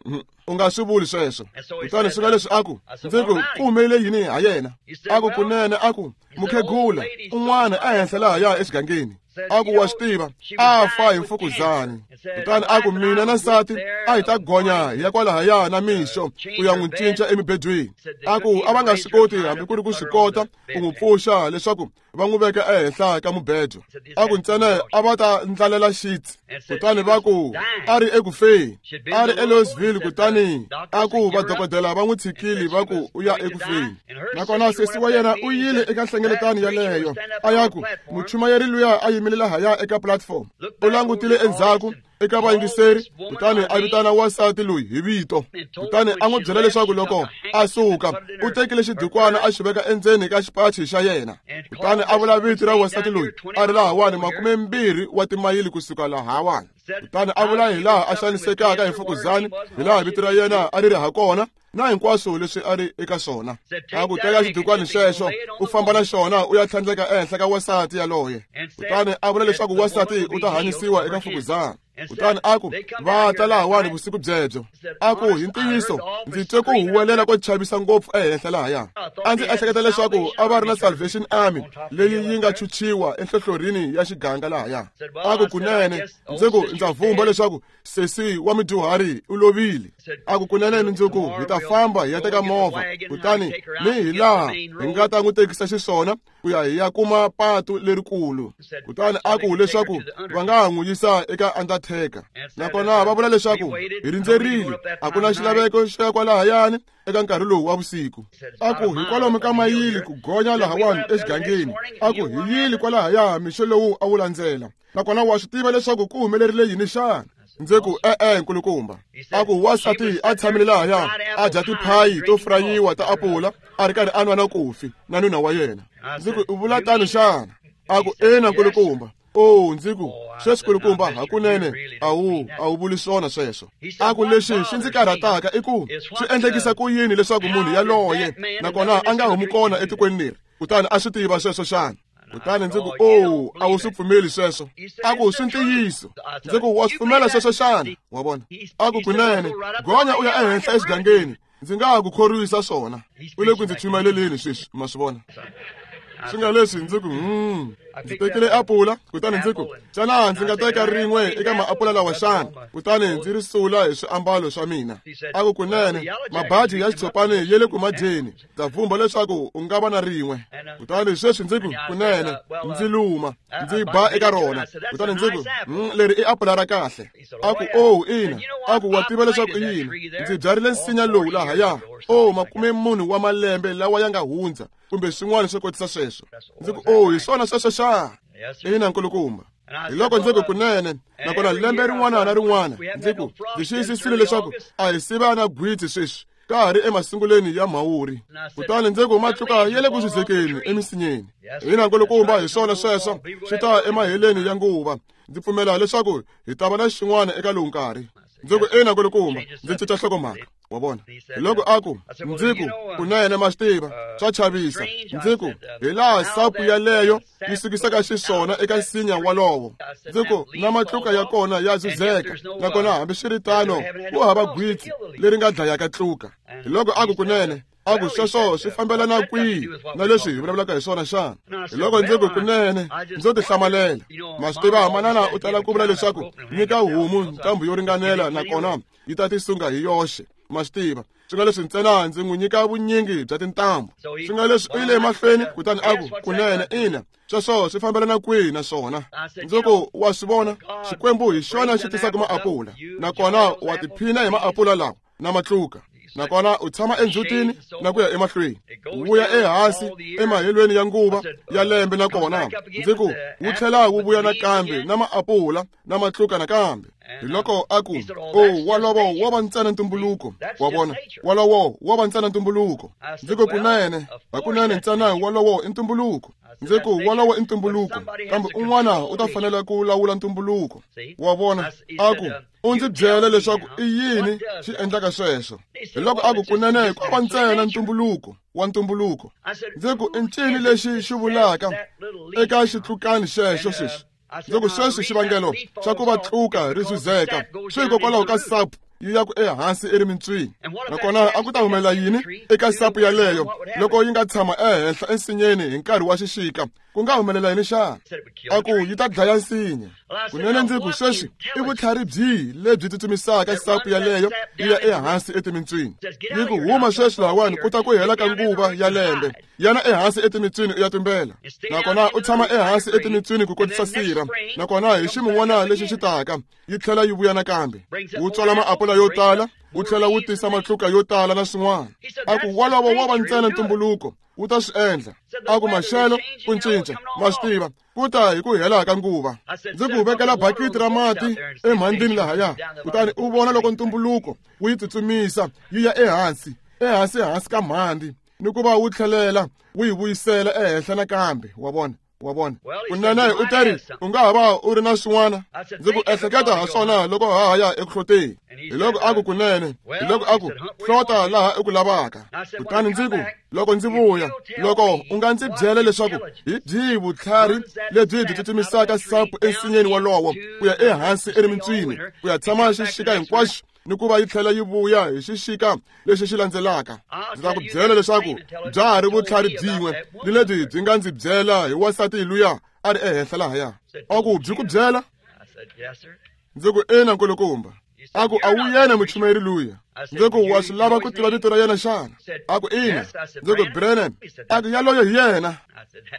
u nga swi vuli sweswo. Kutani swi nga leswi a ku ndzi ku ku humelele yini ha yena? A ku kunene, a ku mukhegula un'wana ehenhla lahaya exigangeni. A ku wa swi tiva, a fa hi mfukuzani. Kutani a ku mina na nsati a hi ta gonya hi ya kwalahaya na mixo ku ya n'wi cinca emibedweni. A ku a va nga swi koti hambi ku ri ku swi kota ku n'wi pfuxa leswaku va n'wi veka ehenhla ka mubedo. A ku ntsena a va ta ndlalela xitsi. Kutani va ku a ri eku feni, a ri eLouisville. Kutani a ku vadokodela va n'wi tshikile va ku u ya eku feni. Nakona sesi wa yena u yile eka nhlengeletano yaleyo, a ya ku muchumayeri luya a yimile lahaya eka platform. U langutile endzhaku eka vayingiseri, kutani a vitana wansati loyi hi vito. Kutani a n'wi byela leswaku loko a suka u tekile xidukwana a xi veka endzeni ka xipachi xa yena. Kutani a vula vito ra wansati loyi a ri lahawani makume mbirhi wa timayili kusuka lahawani. Kutani a vula hi laha a xanisekaka hi mfukuzani, hi laha vito ra yena a ri ri ha kona na hinkwaswo leswi a ri eka swona. A ku teka xidukwani xexo u famba na xona u ya tlhandleka ehenhla ka wansati yaloye. Kutani a vula leswaku wansati u ta hanyisiwa eka mfukuzani. Kutani a ku va ta lahawani vusiku byebyo. A ku hi ntiyiso ndzi twe ku huwelela ko chavisa ngopfu ehenhla lahaya. A ndzi ehleketa leswaku a va ri na Salvation Army leyi yi nga chuchiwa enhlohlorhini ya xiganga lahaya. A ku kunene, ndzi ku ndza vumba leswaku sesi wa mudyuhari u lovile. A ku kunene mundzuku hi ta famba hi ya teka movha, kutani ni hi laha hi nga ta n'wi tekisa xiswona ku ya hi ya kuma patu lerikulu. Kutani a ku leswaku va nga ha n'wi yisa eka undertaker. Nakona va vula leswaku hi rindzerile, a ku na xilaveko xo ya kwalahayani eka nkarhi lowu wa vusiku. A ku hi kwalomu ka mayili ku gonya lahawani exigangeni. A ku hi yile kwalahaya mixo lowu a wu landzela. Nakona wa swi tiva leswaku ku humelerile yini xana? Ndzi ku e-e nkulukumba. A ku wansati a tshamile lahaya a dya tiphayi to frayiwa ta apula a ri karhi a nwa na kofi na nuna wa yena. Ndzi ku u vula tano xana? A ku ina nkulukumba. Oh, ndzi ku sweswi nkulukumba hakunene a wu a wu vuli swona sweswo. A ku lexi xi ndzi karhataka i ku swi endlekisa ku yini leswaku munhu yaloye nakona a nga humi kona etikweni leri, kutani a swi tiva sweswo xana? Kutani ndzi ku oh, a wu swi pfumeli sweswo. A ku swi ntiyiso. Ndzi ku wa swi pfumela sweswo xana? Wa vona? A ku kunene, gonya u ya ehenhla exigangeni, ndzi nga ha ku khorwisa swona. U le ku ndzi chumayeleleni sweswi, ma swi vona. Swi nga leswi ndzi ku hmm ndzi tekile apula, kutani ndzi ku xana ndzi nga teka rin'we eka maapula lawa xana? Kutani ndzi ri sula hi swiambalo swa mina. A ku kunene mabaji ya xitshopani ya le ku madyeni, ndza vhumba leswaku u nga va na rin'we. Kutani sweswi ndzi ku kunene ndzi luma ndzi ba eka rona. Kutani ndzi ku leri i apula ra kahle. A ku oh ina, a ku wa tiva leswaku i yini, ndzi byarile nsinya lowu lahaya oh makume munhu wa malembe lawa ya nga hundza kumbe swin'wana swo kotisa sweswo. Ndzi ku oh hi swona sweswo xa? Ina nkulukumba. Hi loko ndzi ku kunene, nakona lembe rin'wana na rin'wana ndzi ku ndzi xiyisisile leswaku a hi siva na gwitsi sweswi ka ha ri emasungulweni ya mhawuri. Kutani ndzi ku matluka ya le ku zuzekeni emisinyeni. Ina nkulukumba, hi swona sweswo swi ta emaheleni ya nguva. Ndzi pfumela leswaku hi ta va na xin'wana eka lowu nkarhi. Ndzi ku ina nkulukumba, ndzi cinca nhlokomhaka. Wa vona? Hi loko a ku ndzi ku kunene ma swi tiva swa chavisa. Ndzi ku hi laha sapu yaleyo yi sukisaka xiswona eka nsinya walowo. Ndzi ku na matluka ya kona ya zuzeka, nakona hambiswiritano ku hava gwitsi leri nga dlayaka tluka. Hi loko a ku kunene, a ku sweswo swi fambelana kwihi na leswi hi vulavulaka hi swona xana? Hi loko ndzi ku kunene ndzo tihlamalela. Ma swi tiva manana u tala ku vula leswaku nyika homu ntambu yo ringanela nakona yi ta tisunga hi yoxe. Ma swi tiva swi nga leswi ntsena ndzi n'wi nyika vunyingi bya tintambu. Swi nga leswi u yile emahlweni kutani a ku kunene ina sweswo swi fambelana kwihi na swona? Ndzi ku wa swi vona, Xikwembu hi xona xi tisaka maapula, nakona wa tiphina hi maapula lawa na matluka, nakona u tshama endzhutini na ku ya emahlweni, wu vuya ehansi emahelweni ya nguva ya lembe, nakona ndzi ku wu tlhela wu vuya nakambe na maapula na matluka nakambe. Hi loko a ku oh walowo wo va ntsena ntumbuluko. Wa vona? Walowo wo va ntsena ntumbuluko. Ndzi ku kunene, hakunene ntsena walowo i ntumbuluko. Ndzi ku walowo i ntumbuluko, kambe un'wana u ta fanela ku lawula ntumbuluko. Wa vona? A ku u ndzi byela leswaku i yini xi endlaka sweswo. Hi loko a ku kunene ko va ntsena ntumbuluko wa ntumbuluko. Ndzi ku i ncini lexi xi vulaka eka xitlukani xexo sweswi? Ndzi ku sweswi xivangelo xa ku va tluka ri zuzeka swi hikokwalaho ka sapu yi ya ku ehansi erimintswini, nakona a ku ta humelela yini eka sapu yaleyo loko yi nga tshama ehenhla ensinyeni hi nkarhi wa xixika? Ku nga humelela yini xana? A ku yi ta dlaya nsinya. Kunene ndzi ku sweswi i vutlhari byihi lebyi tsutsumisaka sapu yaleyo yi ya ehansi etimintswini? Yi ku huma sweswi lahawani ku ta ku hela ka nguva ya lembe, yana ehansi etimintswini u ya tumbela, nakona u tshama ehansi etimintswini ku kotisa sirha, nakona hi ximun'wana lexi xi taka yi tlhela yi vuya nakambe, wu tswala maapula yo tala, wu tlhela wu tisa matluka yo tala na swin'wana. A ku wolowo wo va ntsena ntumbuluko wu ta swi endla. A ku maxelo ku cinca, ma swi tiva ku ta hi ku hela ka nguva. Ndzi ku vekela bakiti ra mati emhandlini lahaya, kutani u vona loko ntumbuluko wu yi tsutsumisa yi ya ehansi ehansi hansi ka mhandzi, ni ku va wu tlhelela wu yi vuyisela ehenhla nakambe. Wa vona? Wa vona? Kunene u ta ri u nga ha va u ri na swin'wana. Ndzi ku ehleketa ha swona loko ha ha ya eku hloteni. Hi loko a ku kunene, hi loko a ku hlota laha u ku lavaka. Kutani ndzi ku loko ndzi vuya, loko u nga ndzi byela leswaku hi byihi vutlhari lebyi byi tsutsumisaka sapu ensinyeni wolowo ku ya ehansi erimintswini ku ya tshama xixika hinkwaxo ni ku va yi tlhela yi vuya hi xixika lexi xi landzelaka, ndzi ta ku byela leswaku bya ha ri vutlhari byin'we ni lebyi byi nga ndzi byela hi wansati luya a ri ehenhla lahaya. A ku byi ku byela? Ndzi ku ina nkulukumba. A ku a wu yena muchumayeri luya? Ndzi ku wa swi lava ku tiva vito ra yena xana? A ku ina. Ndzi ku Brennan. A ku yaloyo hi yena.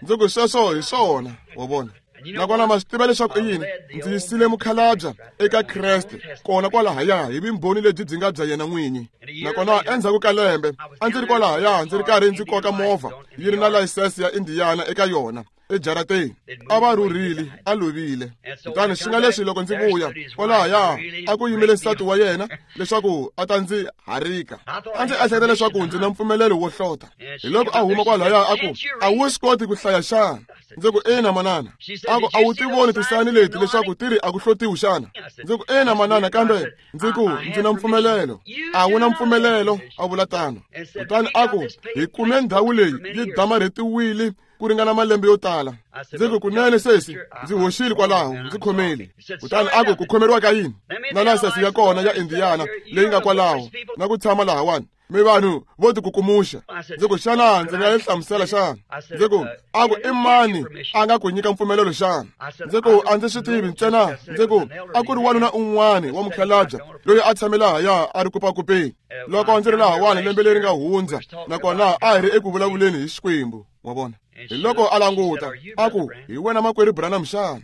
Ndzi ku sweswo hi swona. Wa vona? Nakona ma swi tiva leswaku i yini? Ndzi yisile mukhalabya eka Kreste kona kwalahaya hi vumbhoni lebyi byi nga bya yena n'winyi. Nakona endzhaku ka lembe a ndzi ri kwalahaya ndzi ri karhi ndzi koka movha yi ri na layisense ya Indiana eka yona ejarateni. A va rhurhile, a lovile. Kutani swi nga leswi loko ndzi vuya kwalahaya a ku yimile nsati wa yena leswaku a ta ndzi harika. A ndzi ehleketa leswaku ndzi na mpfumelelo wo hlota. Hi loko a huma kwalahaya a ku a wu swi koti ku hlaya xana? Ndzi ku ina manana. A ku a wu ti voni tisani leti leswaku ti ri a ku hlotiwi xana? Ndzi ku ina manana, kambe ndzi ku ndzi na mpfumelelo. A wu na mpfumelelo, a vula tano. Kutani a ku hi kume ndhawu leyi yi damarhetiwile ku ringana malembe yo tala. Ndzi ku kunene sesi, ndzi hoxile kwalaho, ndzi khomeli. Kutani a ku ku khomeriwa ka yini? Na layisense ya kona ya Indiana leyi nga kwalaho na ku tshama lahawani. Mi vanhu vo tikukumuxa. Ndzi ku xana ndzi nga yi hlamusela xana? Ndzi ku a ku i mani a nga ku nyika mpfumelelo xana? Ndzi ku a ndzi swi tivi ntsena. Ndzi ku a ku ri wanuna un'wana wa mukhalabye loyi a tshame lahaya a ri kupakupeni loko ndzi ri lahawani lembe leri nga hundza, nakona a hi ri eku vulavuleni hi Xikwembu. Wa vona? Hi loko a languta a ku hi wena makwerhu Branham xana?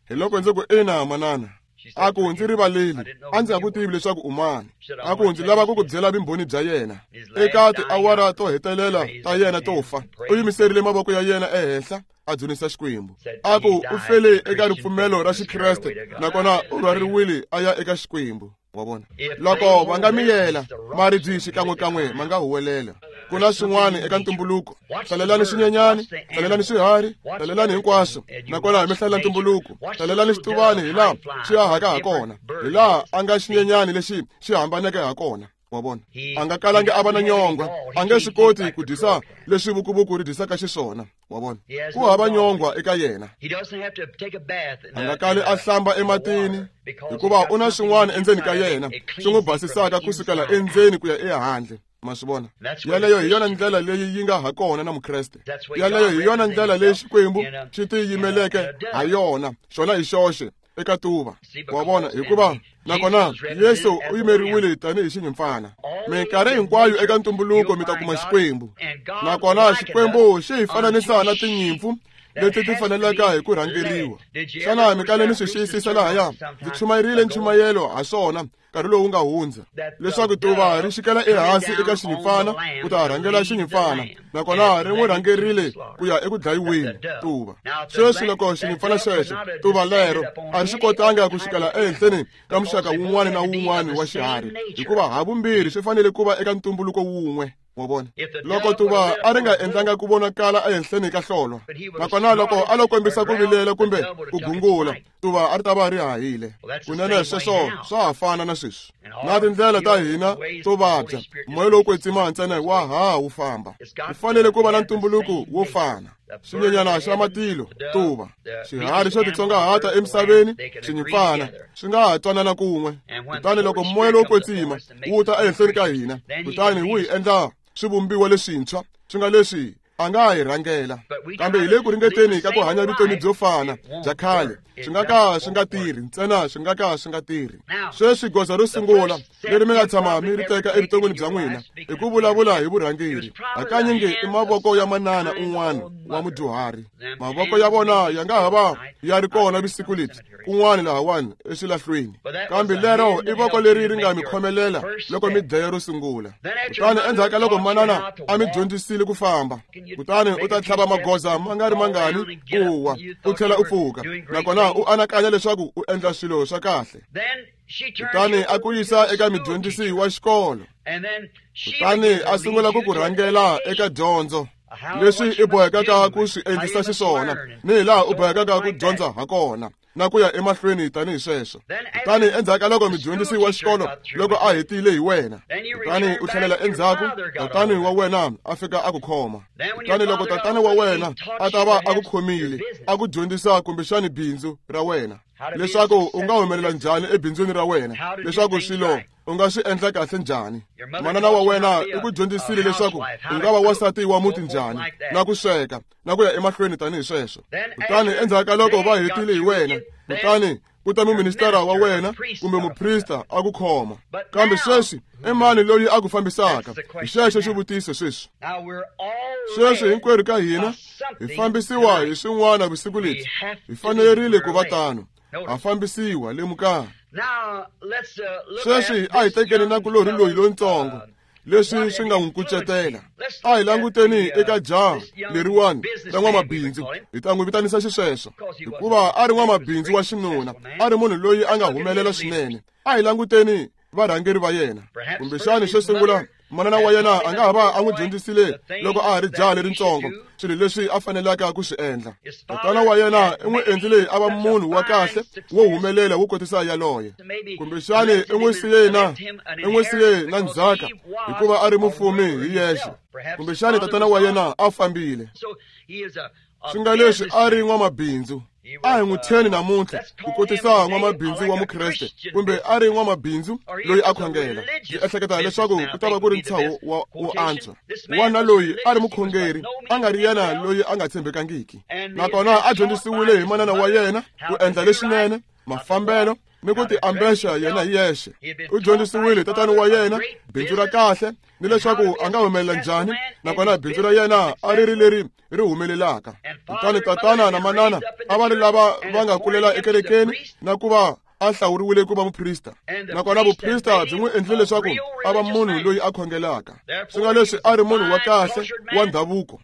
Hi loko ndzi ku ina manana. A ku ndzi rivaleli, a ndzi nga ku tivi leswaku u mani. A ku ndzi lava ku ku byela vumbhoni bya yena. Eka tiawara to hetelela ta yena to fa, u yimiserile mavoko ya yena ehenhla a dzunisa Xikwembu. A ku u fele eka ripfumelo ra Xikreste, nakona u rhwariwile a ya eka Xikwembu. Wa vona? Loko va nga miyela, maribye xikan'wekan'we ma nga huwelela. Ku na swin'wana eka ntumbuluko. Hlalelani swinyenyani, hlalelani swiharhi, hlalelani hinkwaswo, nakona mi hlalela ntumbuluko. Hlalelani xituvani hi laha xi hahaka ha kona, hi laha a nga xinyenyani lexi xi hambaneke ha kona. Wa vona? A nga kalangi a va na nyongwa, a nge swi koti ku dyisa leswi vukuvuku ri dyisaka xiswona. Wa vona? Ku hava nyongwa eka yena. A nga kali a hlamba ematini, hikuva u na swin'wana endzeni ka yena swi n'wi basisaka kusukela endzeni ku ya ehandle. Ma swi vona? Yaleyo hi yona ndlela leyi yi nga ha kona na Mukreste. Yaleyo hi yona ndlela leyi Xikwembu xi tiyimeleke ha yona, xona hi xoxe eka tuva. Wa vona? Hikuva nakona Yesu u yimeriwile tanihi xinyimpfana. Minkarhi hinkwayo eka ntumbuluko mi ta kuma Xikwembu, nakona Xikwembu xi hi fananisa na tinyimpfu leti ti fanelaka hi ku rhangeriwa. Xana mi kale mi swi xiyisisa lahaya? Ndzi chumayerile nchumayelo ha swona nkarhi lowu nga hundza, leswaku tuva ri xikela ehansi eka xinyimpfana ku ta rhangela xinyimpfana, nakona ri n'wi rhangerile ku ya eku dlayiweni tuva. Sweswi loko xinyimpfana xexo, tuva lero, a ri swi kotanga ku xikela ehenhleni ka muxaka wun'wana na wun'wana wa xiharhi, hikuva havumbirhi swi fanele ku va eka ntumbuluko wun'we. Wa vona? Loko tuva a ri nga endlanga ku vonakala ehenhleni ka hlolwa, nakona loko a lo kombisa ku vilela kumbe ku gungula, tuva a ri ta va ri hahile. Kunene sweswo swa ha fana na sweswi. Na tindlela ta hina to vabya, moya lowu kwetsima ntsena wa ha wu famba. Ku fanele ku va na ntumbuluko wo fana. Xinyenyana xa matilo, tuva, xiharhi xo titsongahata emisaveni, xinyimpfana, swi nga ha twanana kun'we. Kutani loko moya lowu kwetsima wu ta ehenhleni ka hina, kutani wu hi endla swivumbiwa leswintshwa, swi nga leswi a nga hi rhangela. Kambe hi le ku ringeteni ka ku hanya vutomi byo fana bya khale, swi nga ka swi nga tirhi ntsena, swi nga ka swi nga tirhi. Sweswi goza ro sungula leri mi nga tshama mi ri teka evuton'wini bya n'wina i ku vulavula hi vurhangeri. Hakanyingi i mavoko ya manana un'wana wa mudyuhari. Mavoko ya vona ya nga ha va ya ri kona vusiku lebyi kun'wana lahawani eswilahlweni, kambe lero i voko leri ri nga mi khomelela loko mi dlaya ro sungula. Kutani endzhaku ka loko manana a mi dyondzisile ku famba, kutani u ta tlhava magoza ma nga ri mangani u wa, u tlhela u pfuka, nakona u anakanya leswaku u endla swilo swa kahle. Kutani a ku yisa eka mudyondzisi wa xikolo, kutani a sungula ku ku rhangela eka dyondzo, leswi i bohekaka ku swi endlisa xiswona, ni hi laha u bohekaka ku dyondza ha kona, na ku ya emahlweni tanihi sweswo. Kutani endzhaku ka loko mudyondzisi wa xikolo loko a hetile hi wena, kutani u tlhelela endzhaku, tatani wa wena a fika a ku khoma. Kutani loko tatana wa wena a ta va a ku khomile, a ku dyondzisa kumbexani bindzu ra wena, leswaku u nga humelela njhani ebindzwini ra wena, leswaku swilo u nga swi endla kahle njhani. Manana wa wena i ku dyondzisile leswaku u nga va wansati wa muti njhani, na ku sweka, na ku ya emahlweni tanihi sweswo. Kutani endzhaku ka loko va hetile hi wena, kutani ku ta muministara wa wena kumbe muprista a ku khoma. Kambe sweswi i mani loyi a ku fambisaka? Hi xexo xivutiso sweswi. Sweswi hinkwerhu ka hina hi fambisiwa hi swin'wana vusiku lebyi. Hi fanerile ku va tano. Ha fambisiwa, lemukani. Sweswi a hi tekeni nakulorhi loyi lontsongo, leswi swi nga n'wi kucetela. A hi languteni eka jaha leriwani ra n'wamabindzu, hi ta n'wi vitanisa xisweswo, hikuva a ri n'wamabindzu wa xinuna, a ri munhu loyi a nga humelela swinene. A hi languteni varhangeri va yena. Kumbexani xo sungula, manana wa yena a nga ha va a n'wi dyondzisile loko a ha ri jaha lerintsongo swilo leswi a fanelaka ku swi endla. Tatana wa yena i n'wi endlile a va munhu wa kahle wo humelela wo kotisa yaloye. Kumbexani i n'wi siye na i n'wi siye na ndzhaka hikuva a ri mufumi hi yexe. Kumbexani tatana wa yena a fambile. Swi nga leswi a ri n'wamabindzu. A hi n'wi thyeni namuntlha ku kotisa n'wamabindzu wa mukreste kumbe a ri n'wamabindzu loyi a khongela. Ndzi ehleketa leswaku ku ta va ku ri ntshaho wa wo antswa. N'wana loyi a ri mukhongeri, a nga ri yena loyi a nga tshembekangiki. Nakona a dyondzisiwile hi manana wa yena ku endla leswinene, mafambelo ni ku tiambexa yena hi yexe. U dyondzisiwile tatana wa yena bindzu ra kahle ni leswaku a nga humelela njhani, nakona bindzu ra yena a ri ri leri ri humelelaka. Kutani tatana na manana a va ri lava va nga kulela ekerekeni na ku va a hlawuriwile ku va muprista. Nakona vuprista byi n'wi endlile leswaku a va munhu loyi a khongelaka. Swi nga leswi a ri munhu wa kahle wa ndhavuko,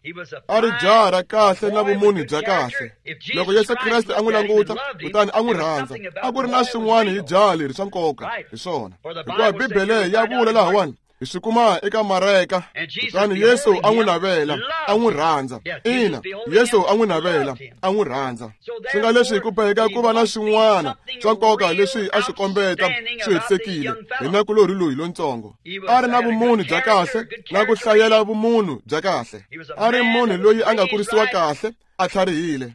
a ri jaha ra kahle na vumunhu bya kahle. Loko Yesu Kreste a n'wi languta kutani a n'wi rhandza, a ku ri na swin'wana hi jaha leri swa nkoka hi swona. Hikuva Bibele ya vula lahawani, hi swi kuma eka Mareka, kutani Yesu a n'wi navela, a n'wi rhandza. Ina, Yesu a n'wi navela, a n'wi rhandza. Swi nga leswi ku boheka ku va na swin'wana swa nkoka leswi a swi kombeta swi hetisekile hi nakulorhi loyi lontsongo. A ri na vumunhu bya kahle na ku hlayela vumunhu bya kahle. A ri munhu loyi a nga kurisiwa kahle, a tlharihile,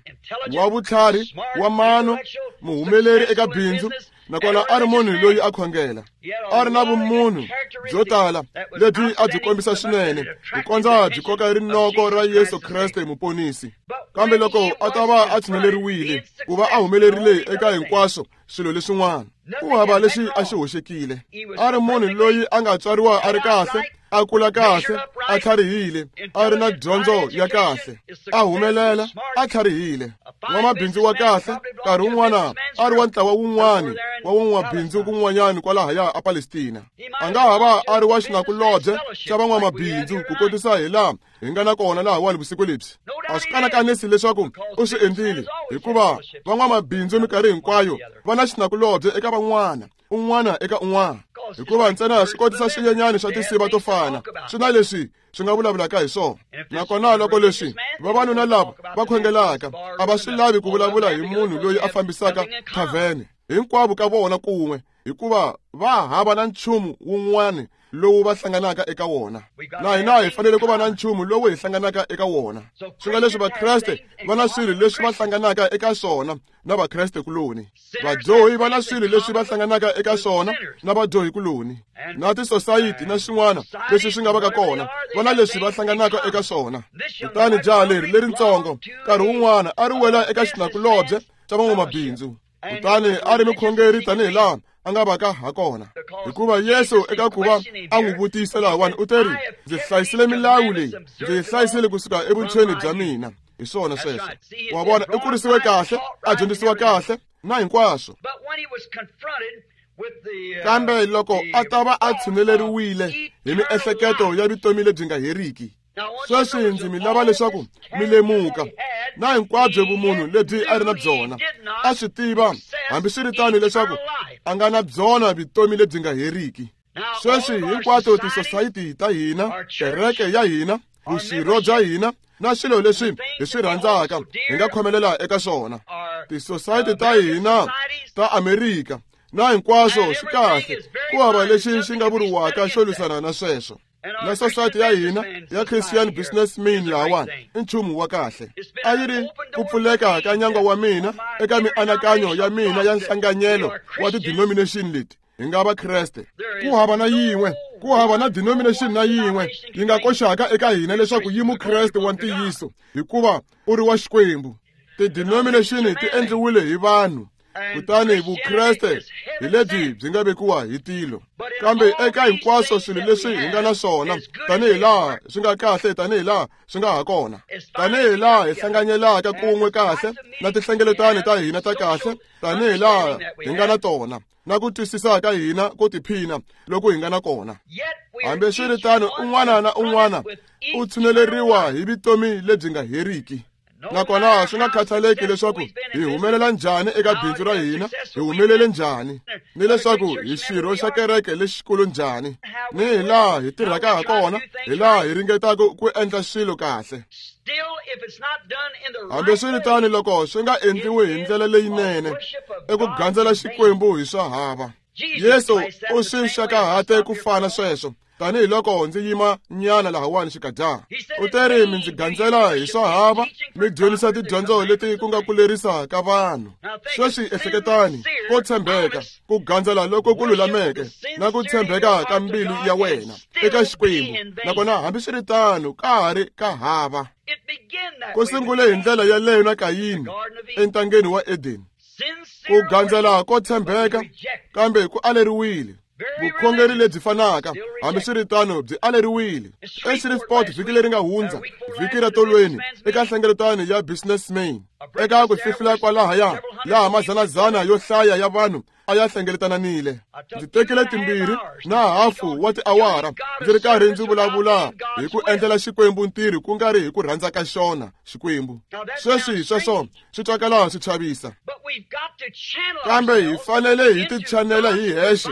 wa vutlhari, wa mano, muhumeleri eka bindzu, nakona a ri munhu loyi a khongela. A ri na vumunhu byo tala lebyi a byi kombisa swinene ku kondza byi koka rinoko ra Yesu Kreste muponisi. Kambe loko a ta va a tshineleriwile ku va a humelerile eka hinkwaswo swilo leswin'wana, ku hava lexi a xi hoxekile. A ri munhu loyi a nga tswariwa a ri kahle, a kula kahle, a tlharihile, a ri na dyondzo ya kahle, a humelela, a tlharihile, n'wamabindzu wa kahle. Nkarhi wun'wana a ri wa ntlawa wun'wana wa van'wamabindzu kun'wanyana kwalahaya a Palestina. A nga ha va a ri wa xinakulobye xa van'wamabindzu ku kotisa hi laha hi nga na kona lahawani vusiku lebyi. A swi kanakanisi leswaku u swi endlile, hikuva van'wamabindzu minkarhi hinkwayo va na xinakulobye eka van'wana, un'wana eka un'wana. Hikuva ntsena swi kotisa swinyenyani swa tinsiva to fana, swi na leswi swi nga vulavulaka hi swona. Nakona loko leswi vavanuna lava va khongelaka a va swi lavi ku vulavula hi munhu loyi a fambisaka thavene, hinkwavo ka vona kun'we, hikuva va hava na nchumu wun'wana lowu va hlanganaka eka wona. Na hina hi fanele ku va na nchumu lowu hi hlanganaka eka wona. Swi nga leswi Vakreste va na swilo leswi va hlanganaka eka swona na Vakreste kuloni. Vadyohi va na swilo leswi va hlanganaka eka swona na vadyohi kuloni. Na tisosayiti na swin'wana leswi swi nga vaka kona, va na leswi va hlanganaka eka swona. Kutani jaha leri leritsongo nkarhi wun'wana a ri wela eka xinakulobye xa van'wamabindzu. Kutani a ri mukhongeri tanihi laha a nga vaka ha kona. Hikuva Yesu eka ku va a n'wi vutisa lahawani u teri, ndzi hlayisile milawu leyi, ndzi yi hlayisile kusuka evuntshweni bya mina. Hi swona sweswo. Wa vona, u kurisiwe kahle, a dyondzisiwa kahle na hinkwaswo. Kambe loko a ta va a tshineleriwile hi miehleketo ya vutomi lebyi nga heriki, sweswi ndzi mi lava leswaku mi lemuka na hinkwabyo vumunhu lebyi a ri na byona. A swi tiva hambiswiritano leswaku a nga na byona vutomi lebyi nga heriki. Sweswi hinkwato tisosayiti ta hina, kereke ya hina, vuxirho bya hina na swilo leswi hi swi rhandzaka hi nga khomelela eka swona. Tisosayiti ta hina ta Amerika na hinkwaswo swi kahle, ku hava lexi xi nga vuriwaka xo lwisana na sweswo. Na society ya hina ya Christian businessman lahawani i nchumu wa kahle. A yi ri ku pfuleka ka nyangwa wa mina eka mianakanyo ya mina ya nhlanganyelo wa ti-denomination leti hi nga Vakreste. Ku hava na yin'we, ku hava na denomination na yin'we yi nga koxaka eka hina leswaku yi Mukreste wa ntiyiso, hikuva u ri wa Xikwembu. Ti-denomination ti endliwile hi vanhu, kutani Vukreste hi lebyi byi nga vekiwa hi tilo. Kambe eka hinkwaswo swilo leswi hi nga na swona, tanihi laha swi nga kahle, tanihi laha swi nga ha kona, tanihi laha hi hlanganyelaka kun'we kahle na tinhlengeletano ta hina ta kahle, tanihi laha hi nga na tona na ku twisisa ka hina ko tiphina loko hi nga na kona. Hambiswiritano, un'wana na un'wana u tshineleriwa hi vutomi lebyi nga heriki. Nakona swi nga khathaleki leswaku hi humelela njhani eka bindzu ra hina, hi humelele njhani, ni leswaku hi xirho xa kereke lexikulu njhani, ni hi laha hi tirhaka ha kona, hi laha hi ringetaka ku endla swilo kahle. Hambiswiritano, loko swi nga endliwi hi ndlela leyinene, i ku gandzela Xikwembu hi swa hava. Yesu u swi xakahate ku fana sweswo. Tanihiloko ndzi yima nyana lahawani xikadyana. U teri mi ndzi gandzela hi swa hava, mi dyondzisa tidyondzo leti ku nga ku lerisa ka vanhu. Sweswi ehleketani ko tshembeka, ku gandzela loko ku lulameke na ku tshembeka ka mbilu ya wena eka Xikwembu, nakona hambiswiritano ka ha ri ka hava. Ku sungule hi ndlela yaleyo na Kayini entangeni wa Edeni. Ku gandzela ko tshembeka, kambe ku aleriwile. Vukhongeri lebyi fanaka, hambiswiritano byi aleriwile. EShreveport vhiki leri nga hundza, vhiki ra tolweni, eka nhlengeletano ya businessman, eka ku fihlula kwalahaya, laha mazanazana yo hlaya ya vanhu a ya hlengeletananile. Ndzi tekile timbirhi na hafu wa tiawara ndzi ri karhi ndzi vulavula hi ku endlela Xikwembu ntirho ku nga ri hi ku rhandza ka xona Xikwembu. Sweswi sweswo swi twakala swi chavisa, kambe hi fanele hi tichanela hi hexe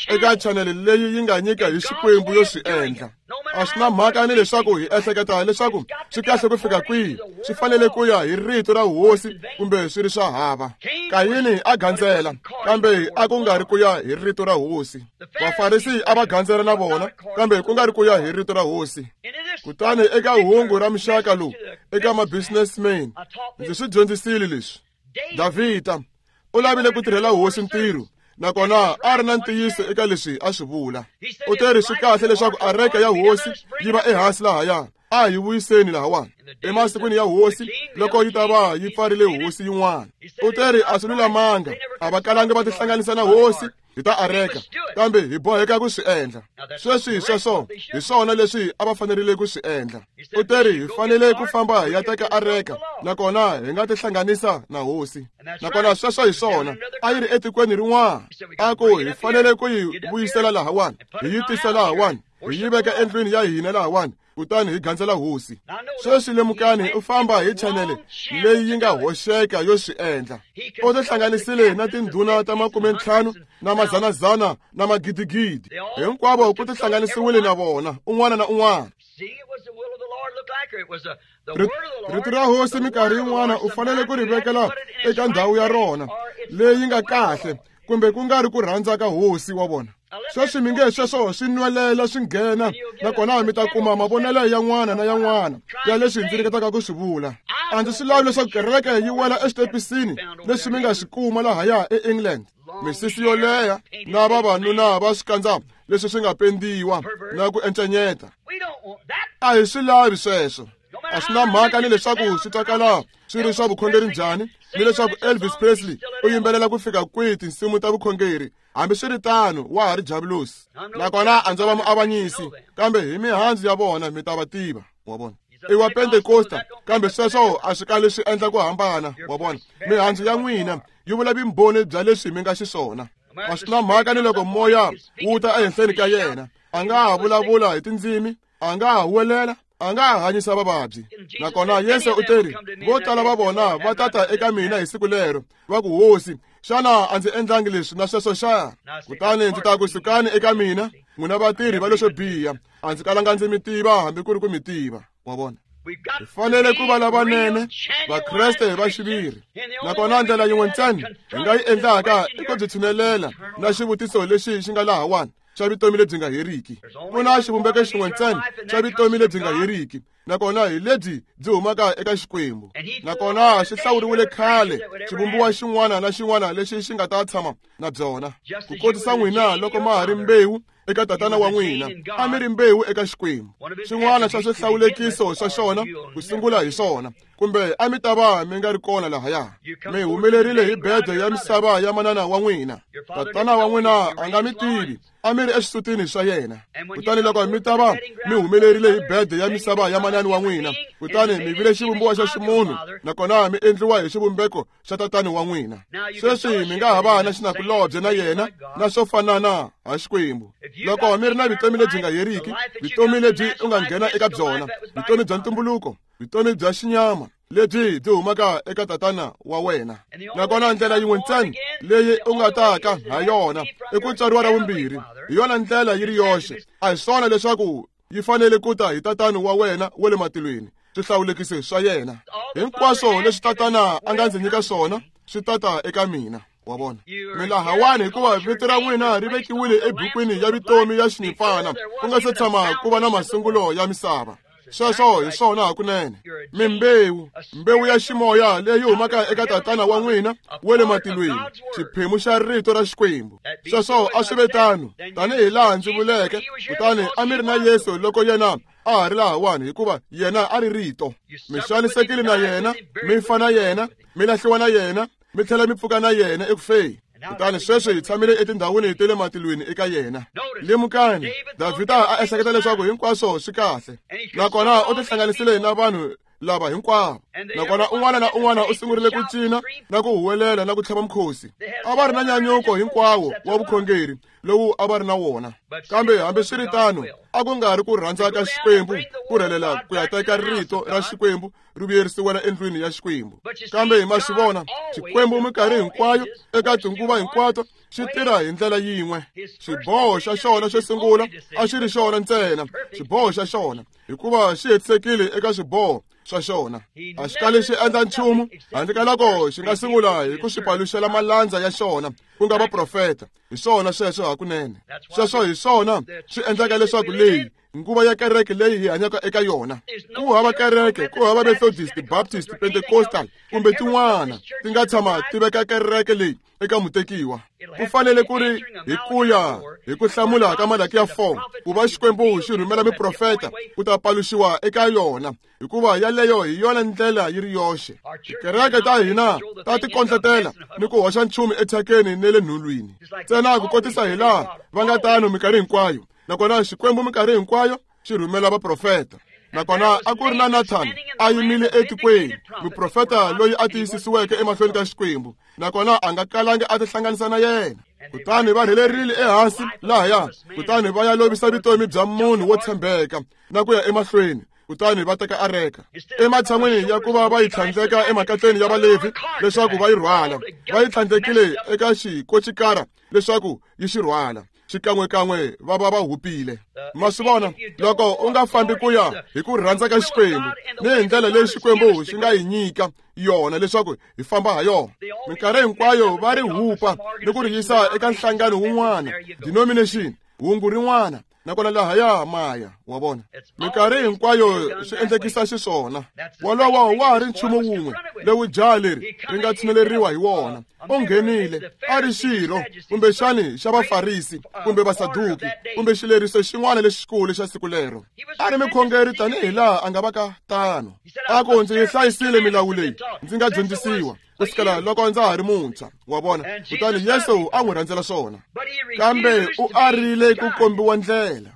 eka chanele leyi yi nga nyika hi Xikwembu yo swi endla. A swi na mhaka ni leswaku hi ehleketa leswaku swi kahle ku fika kwihi, swi fanele ku ya hi rito ra hosi kumbe swi ri swa hava. Kayini a gandzela, kambe a ku nga ri ku ya hi rito ra hosi. Vafarisi a va gandzela na vona, kambe ku nga ri ku ya hi rito ra hosi. Kutani eka hungu ra muxaka lowu, eka ma-businessman, ndzi swi dyondzisile leswi. Davhida u lavile ku tirhela hosi ntirho, nakona a ri na ntiyiso eka leswi a swi vula. U teri swi kahle leswaku areka ya hosi yi va ehansi lahaya, a hi vuyiseni lahawani emasikwini ya hosi loko yi ta va yi pfarile hosi yin'wana. U teri a swi lulamanga, a va kalangi va tihlanganisa na hosi hi ta areka, kambe hi boheka ku swi endla. Sweswi sweswo hi swona leswi a va fanerile ku swi endla. U teri hi fanele ku famba hi ya teka areka, nakona hi nga tihlanganisa na hosi. Nakona sweswo hi swona, a yi ri etikweni rin'wana. A ku hi fanele ku yi vuyisela lahawani, hi yi tisa lahawani, hi yi veka endlwini ya hina lahawani, kutani hi gandzela hosi. Sweswi lemukani, u famba hi chanele leyi yi nga hoxeka yo swi endla. U tihlanganisile na tindhuna ta makumentlhanu na mazanazana na magidigidi, hinkwavo ku tihlanganisiwile na vona un'wana na un'wana. Rito ra hosi minkarhi yin'wana u fanele ku ri vekela eka ndhawu ya rona leyi nga kahle, kumbe ku nga ri ku rhandza ka hosi wa vona. Sweswi mi nge sweswo swi nwelela swi nghena, nakona mi ta kuma mavonelo yan'wana na yan'wana ya leswi ndzi ringetaka ku swi vula. A ndzi swi lavi leswaku kereke yi wela exitepisini leswi mi nga swi kuma lahaya eEngland. Misisi yo leha na vavanuna va swikandza leswi swi nga pendiwa na ku encenyeta. A hi swi lavi sweswo. A swi na mhaka ni leswaku swi twakala swi ri swa vukhongeri njhani, ni leswaku Elvis Presley u yimbelela ku fika kwihi tinsimu ta vukhongeri, hambiswiritano wa ha ri javulosi. Nakona a ndzi va muavanyisi, kambe hi mihandzu ya vona mi ta va tiva. Wa vona, i wa Pentekosta, kambe sweswo a swi kali swi endla ku hambana. Wa vona, mihandzu ya n'wina yi vula vumbhoni bya leswi mi nga xiswona. A swi na mhaka ni loko moya wu ta ehenhleni ka yena, a nga ha vulavula hi tindzimi, a nga ha huwelela, a nga ha hanyisa vavabyi. Nakona Yesu u teri vo tala va vona va tata eka mina hi siku lero, va ku, Hosi, xana a ndzi endlangi leswi na sweswo xa? Kutani ndzi ta ku, sukani eka mina, n'wina vatirhi va leswo biha, a ndzi kalanga ndzi mi tiva hambi ku ri ku mi tiva. Wa vona, hi fanele ku va lavanene, Vakreste va xiviri. Nakona ndlela yin'we ntsena hi nga yi endlaka i ku byi tshinelela na xivutiso lexi xi nga lahawani xa vutomi lebyi nga heriki. Ku na xivumbeko xin'we ntsena xa vutomi lebyi nga heriki, nakona hi lebyi byi humaka eka Xikwembu. Nakona xi hlawuriwile khale xivumbiwa xin'wana na xin'wana lexi xi nga ta tshama na byona, ku kotisa n'wina loko ma ha ri mbewu eka tatana wa n'wina, a mi ri mbewu eka Xikwembu. Xin'wana xa swihlawulekiso swa xona ku sungula hi swona, kumbe a mi ta va mi nga ri kona lahaya. Mi humelerile hi bedo ya misava ya manana wa n'wina. Tatana wa n'wina a nga mi tivi, a mi ri exisutini swa yena. Kutani loko mi ta va mi humelerile hi bedo ya misava ya manana wa n'wina, kutani mi vile xivumbiwa xa ximunhu, nakona mi endliwa hi xivumbeko xa tatana wa n'wina. Sweswi mi nga ha va na xinakulobye na yena na swo fanana ha Xikwembu. Loko mi ri na vutomi lebyi nga heriki, vutomi lebyi u nga nghena eka byona, vutomi bya ntumbuluko, vutomi bya xinyama lebyi byi humaka eka tatana wa wena. Nakona ndlela yin'we ntsena leyi u nga taka ha yona i ku tswariwa ra vumbirhi. Hi yona ndlela yi ri yoxe. A hi swona leswaku yi fanele ku ta hi tatana wa wena wa le matilweni, swihlawulekisi swa yena hinkwaswo leswi tatana a nga ndzi nyika swona swi tata eka mina. Wa vona, mi lahawani hikuva vito ra n'wina ri vekiwile ebukwini ya vutomi ya xinyimpfana ku nga se tshama ku va na masungulo ya misava. Sweswo hi swona hakunene. Mi mbewu, mbewu ya ximoya leyi humaka eka tatana wa n'wina wa le matilweni, xiphemu xa rito ra Xikwembu. Sweswo a swi ve tano tanihi laha ndzi vuleke, kutani a mi ri na Yesu loko yena a ha ri lahawani, hikuva yena a ri rito. Mi xanisekile na yena, mi fa na yena, mi lahliwa na yena, mi tlhela mi pfuka na yena eku feni. Kutani sweswi hi tshamile etindhawini ta le matilweni eka yena. Lemukani, Davhida a ehleketa leswaku hinkwaswo swi kahle, nakona u tihlanganisile na vanhu lava hinkwavo, nakona un'wana na un'wana u sungurile ku cina na ku huwelela na ku tlhava mukhosi. A va ri na nyanyuko hinkwawo wa vukhongeri lowu a va ri na wona, kambe hambiswiritano a ku nga ri ku rhandza ka Xikwembu ku rhelela ku ya teka rito ra Xikwembu ri vuyerisiwela endlwini ya Xikwembu. Kambe ma swi vona, Xikwembu minkarhi hinkwayo eka tinguva hinkwato xi tirha hi ndlela yin'we. Xiboho xa xona xo sungula a xi ri xona ntsena xiboho xa xona, hikuva xi hetisekile eka swiboho swa xona. A xi kali xi endla nchumu handle ka loko xi nga sungula hi ku xi paluxela malandza ya xona, ku nga vaprofeta. Hi swona sweswo hakunene. Sweswo hi swona swi endlaka leswaku leyi nguva ya kereke leyi hi hanyaka eka yona, ku hava kereke, ku hava Methodist, Baptist, Pentecostal kumbe tin'wana ti nga tshama ti veka kereke leyi eka mutekiwa. Ku fanele ku ri hi ku ya hi ku hlamula ka Malakiya four, ku va Xikwembu xi rhumela miprofeta ku ta paluxiwa eka yona, hikuva yaleyo hi yona ndlela yi ri yoxe. Tikereke ta hina ta ti kondletela ni ku hoxa nchumu ethyakeni ne le nhulwini ntsena ku kotisa hi laha va nga tano minkarhi hinkwayo. Nakona Xikwembu minkarhi hinkwayo xi rhumela vaprofeta. Nakona a ku ri na Nathan a yimile etikweni, muprofeta loyi a tiyisisiweke emahlweni ka Xikwembu, nakona a nga kalangi a tihlanganisa na yena. Kutani va rhelerile ehansi lahaya, kutani va ya lovisa vutomi bya munhu wo tshembeka na ku ya emahlweni, kutani va teka areka ematshan'wini ya ku va va yi tlhandleka emakatleni ya Valevhi leswaku va yi rhwala, va yi tlhandlekile eka xikocikara leswaku yi xi rhwala. Xikan'wekan'we va va va hupile. Ma swi vona, loko u nga fambi ku ya hi ku rhandza ka Xikwembu ni hi ndlela leyi Xikwembu xi nga hi nyika yona leswaku hi famba ha yona, minkarhi hinkwayo va ri hupa ni ku ri yisa eka nhlangano wun'wana, denomination, hungu rin'wana, nakona lahaya maya. Wa vona, minkarhi hinkwayo swi endlekisa xiswona. Wolowo wa ha ri nchumu wun'we lowu jaha leri ri nga tshineleriwa hi wona. U nghenile a ri xirho kumbexani xa Vafarisi kumbe Vasaduki kumbe xileriso xin'wana lexikulu xa siku lero. A ri mukhongeri tanihi laha a nga va ka tano. A ku, ndzi yi hlayisile milawu leyi ndzi nga dyondzisiwa ku sukela loko ndza ha ri muntshwa. Wa vona, kutani Yesu a n'wi rhandzela swona, kambe u arile ku kombiwa ndlela.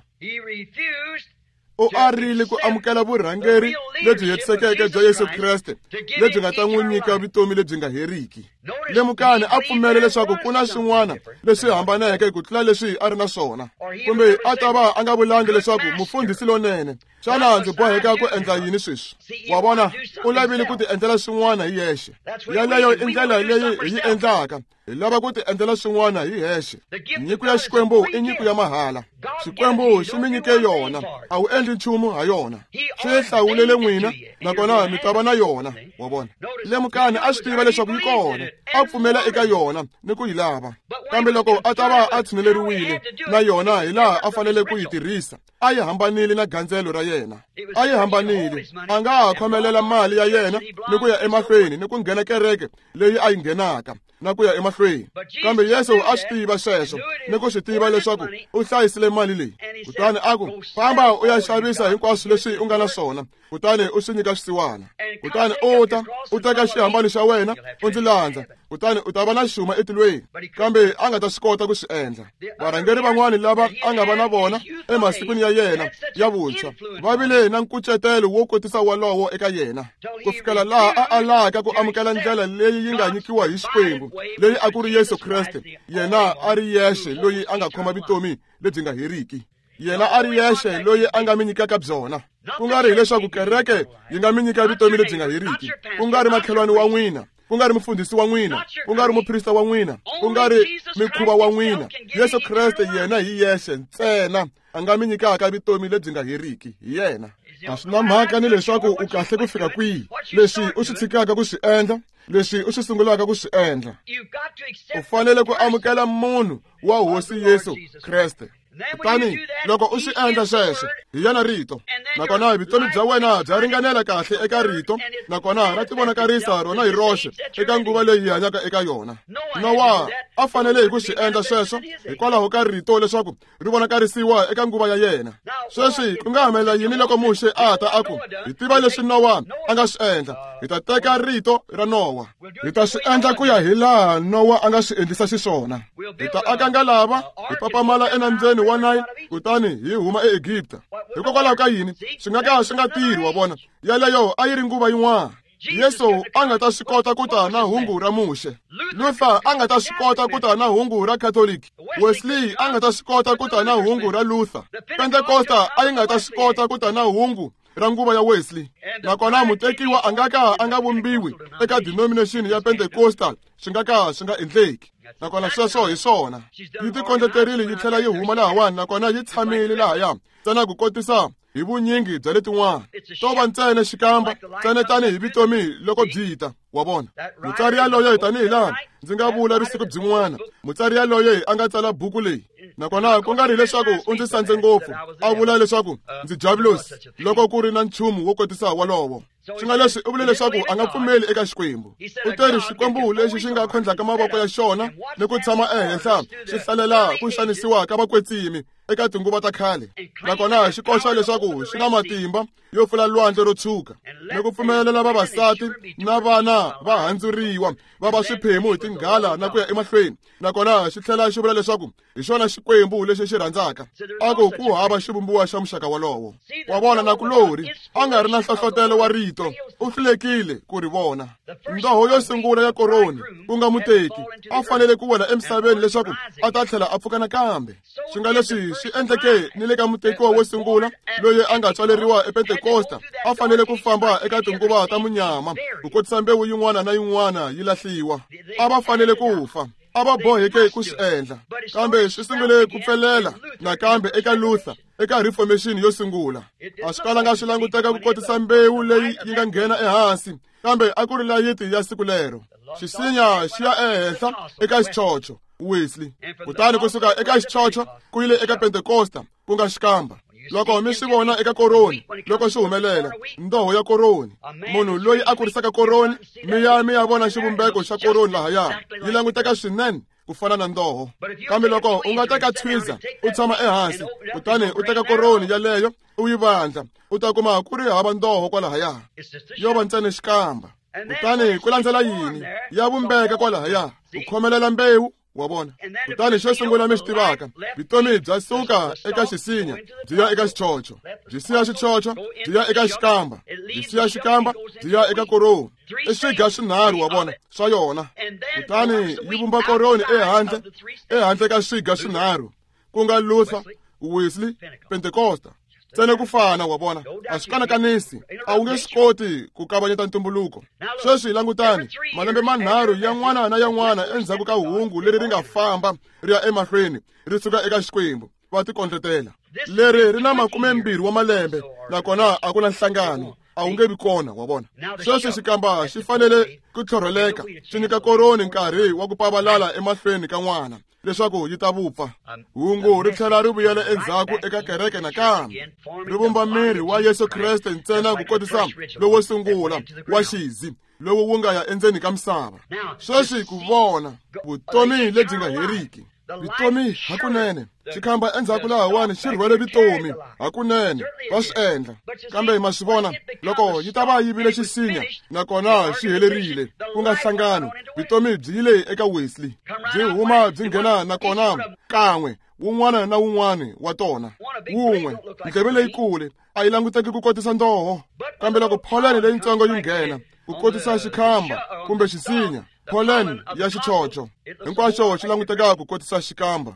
U arile ku amukela vurhangeri lebyi hetisekeke bya Yesu Kreste lebyi nga ta n'wi nyika vutomi lebyi nga heriki. Lemukani, a pfumele leswaku ku na swin'wana leswi hambaneke ku tlula leswi a ri na swona, kumbe a ta va a nga vulangi leswaku mufundhisi lonene, xana ndzi boheka ku endla yini sweswi? Wa vona, u lavile ku ti endlela swin'wana hi yexe. Yaleyo i ndlela leyi hi yi endlaka. Hi lava ku ti endlela swin'wana hi hexe. Nyiko ya Xikwembu i nyiko ya mahala. Xikwembu xi mi nyike yona, a wu endli nchumu ha yona. Xi hlawulele n'wina, nakona mi ta va na yona. Wa vona, lemukani, a swi tiva leswaku yi kona, a pfumela eka yona ni ku yi lava. Kambe loko a ta va a tshineleriwile na yona hi laha a fanele ku yi tirhisa, a yi hambanile na gandzelo ra yena. A yi hambanile. A nga ha khomelela mali ya yena ni ku ya emahlweni ni ku nghena kereke leyi a yi nghenaka na ku ya emahlweni. Kambe Yesu a swi tiva sweswo ni ku swi tiva leswaku u hlayisile mali leyi. Kutani a ku, famba u ya xavisa hinkwaswo leswi u nga na swona, kutani u swi nyika swisiwana. Kutani u ta u teka xihambano xa wena u ndzi landza, kutani u ta va na xuma etilweni. Kambe a nga ta swi kota ku swi endla. Varhangeri van'wani lava a nga va na vona emasikwini ya yena ya vuntshwa va vile na nkucetelo wo kotisa wolowo eka yena, ku fikela laha a alaka ku amukela ndlela leyi yi nga nyikiwa hi Xikwembu, leyi a ku ri Yesu Kreste, yena a ri yexe loyi a nga khoma vutomi lebyi nga heriki. Yena a ri yexe loyi a nga mi nyikaka byona. Ku nga ri hileswaku kereke yi nga mi nyika vutomi lebyi nga heriki, ku nga ri makhelwani wa n'wina, ku nga ri mufundhisi wa n'wina, ku nga ri muprista wa n'wina, ku nga ri mikhuva wa n'wina. Yesu Kreste yena hi yexe ntsena a nga mi nyikaka vutomi lebyi nga heriki, hi yena. A swi na mhaka ni leswaku u kahle ku fika kwihi, leswi u swi tshikaka ku swi endla, Leswi u swi sungulaka ku swi endla. U fanele ku amukela munhu wa Hosi Yesu Kreste. Kutani loko u swi endla sweswo, hi yena rito. Nakona vutomi bya wena bya ringanela kahle eka rito, nakona ra tivonakarisa rona hi roxe eka nguva leyi hi hanyaka eka yona. Nowa a fanele hi ku swi endla sweswo hikwalaho ka rito leswaku ri vonakarisiwa eka nguva ya yena. Sweswi ku nga humelela yini loko Muxe a ta a ku, hi tiva leswi Nowa a nga swi endla, hi ta teka rito ra Nowa, hi ta swi endla ku ya hi laha Nowa a nga swi endlisa xiswona. Hi ta aka ngalava, hi papamala enambyeni wa Nile, kutani hi huma eEgipta. Hikokwalaho ka yini swi nga ka swi nga tirhi? Wa vona, yaleyo a yi ri nguva yin'wana. Yesu a nga ta swi kota ku ta na hungu ra Muxe. Luther a nga ta swi kota ku ta na hungu ra Catholic. Wesley a nga ta swi kota ku ta na hungu ra Luther. Pentecosta a yi nga ta swi kota ku ta na hungu ra nguva ya Wesley. Nakona mutekiwa a nga ka a nga vumbiwi eka denomination ya Pentecostal, swi nga ka swi nga endleki. Nakona sweswo hi swona. Yi tikondleterile yi tlhela yi huma lahawani, nakona yi tshamile lahaya ntsena ku kotisa hi vunyingi bya letin'wana. To va ntsena xikamba, ntsena tanihi vutomi loko byi ta. Wa vona, mutsari yaloye tanihi laha ndzi nga vula vusiku byin'wana, mutsari yaloye a nga tsala buku leyi, nakona ku nga ri leswaku u ndzi sandze ngopfu, a vula leswaku ndzi diabolos loko ku ri na nchumu wo kotisa wolowo. Swi nga leswi u vule leswaku a nga pfumeli eka Xikwembu. U teri Xikwembu lexi xi nga khondlaka mavoko ya xona ni ku tshama ehenhla xi hlalela ku xanisiwa ka vakwetsimi eka tinguva ta khale, nakona xi koxa leswaku xi na matimba yo pfula lwandle ro tshuka ni ku pfumelela vavasati na vana va handzuriwa va va swiphemu hi tinghala na ku ya emahlweni. Nakona xi tlhela xi vula leswaku hi xona Xikwembu lexi xi rhandzaka, a ku ku hava xivumbiwa xa muxaka wolowo. Wa vona, nakulorhi a nga ri na nhlohlotelo wa rito, u hlulekile ku ri vona. Ndoho yo sungula ya koroni, ku nga muteki, a fanele ku wela emisaveni leswaku a ta tlhela a pfuka nakambe. Swi nga leswi swi endleke ni le ka mutekiwa wo sungula loyi a nga tswaleriwa ePentecosta, a fanele ku famba eka tinguva ta munyama ku kotisa mbewu yin'wana na yin'wana yi lahliwa. A va fanele ku fa, a va boheke ku swi endla, kambe swi sungule ku pfelela nakambe eka Luther eka Reformation yo sungula. A swi kalanga swi languteka ku kotisa mbewu leyi yi nga nghena ehansi, kambe a ku ri layiti ya siku lero. Xisinya xi ya ehenhla eka xichocho Wesley, kutani kusuka eka xichocho ku yile eka Pentecosta, ku nga xikamba. Loko mi swi vona eka koroni, loko swi humelela ndoho ya koroni, munhu loyi a kurisaka koroni, mi ya mi ya vona xivumbeko xa koroni lahaya, yi languteka swinene ku fana na ndoho. Kambe loko u nga teka twiza u tshama ehansi, kutani u teka koroni yaleyo u yi vandla, u ta kuma ku ri hava ndoho kwalahaya, yo va ntsena xikamba. Kutani ku landzela yini? Ya vumbeka kwalahaya, ku khomelela mbewu. Wa vona, kutani xo sungula mi swi tivaka, vutomi bya suka eka xisinya byi ya eka xichocho, byi siya xichocho byi ya eka xikamba, byi siya xikamba byi ya eka koroni. I swiga swinharhu, wa vona, swa yona. Kutani yi vumba koroni ehandle, ehandle ka swiga swinharhu, ku nga Luther, Wesley, Pentecosta. Ntsena ku fana, wa vona, a swi kanakanisi, a wu nge swi koti ku kavanyeta ntumbuluko. Sweswi langutani, malembe manharhu yan'wana na yan'wana endzhaku ka hungu leri ri nga famba ri ya emahlweni ri suka eka Xikwembu, va tikondletela. Leri ri na makumembirhi wa malembe, nakona a ku na nhlangano, a wu nge vi kona, wa vona. Sweswi xikamba xi fanele ku tlhorheleka, xi nyika koroni nkarhi wa ku pavalala emahlweni ka n'wana leswaku yi ta vupfa. Hungu ri tlhela ri vuyela endzhaku eka kereke nakambe, ri vumba miri wa Yesu Kreste ntsena ku kotisa lowo sungula wa xizi lowu wu nga ya endzeni ka misava. Sweswi ku vona vutomi lebyi nga heriki, vutomi hakunene. Xikhamba endzhaku lahawani xi rhwele vutomi hakunene, va swi endla. Kambe ma swi vona, loko yi ta va yi vile xisinya nakona xi helerile, ku nga nhlangano, vutomi byi yile eka Wesley, byi huma byi nghena nakona kan'we wun'wana na wun'wana wa tona. Wun'we, ndleve leyikulu a yi languteki ku kotisa ndoho, kambe loko pollen leyitsongo yi nghena ku kotisa xikhamba kumbe xisinya, pollen ya xichocho hinkwaxo xi languteka ku kotisa xikamba.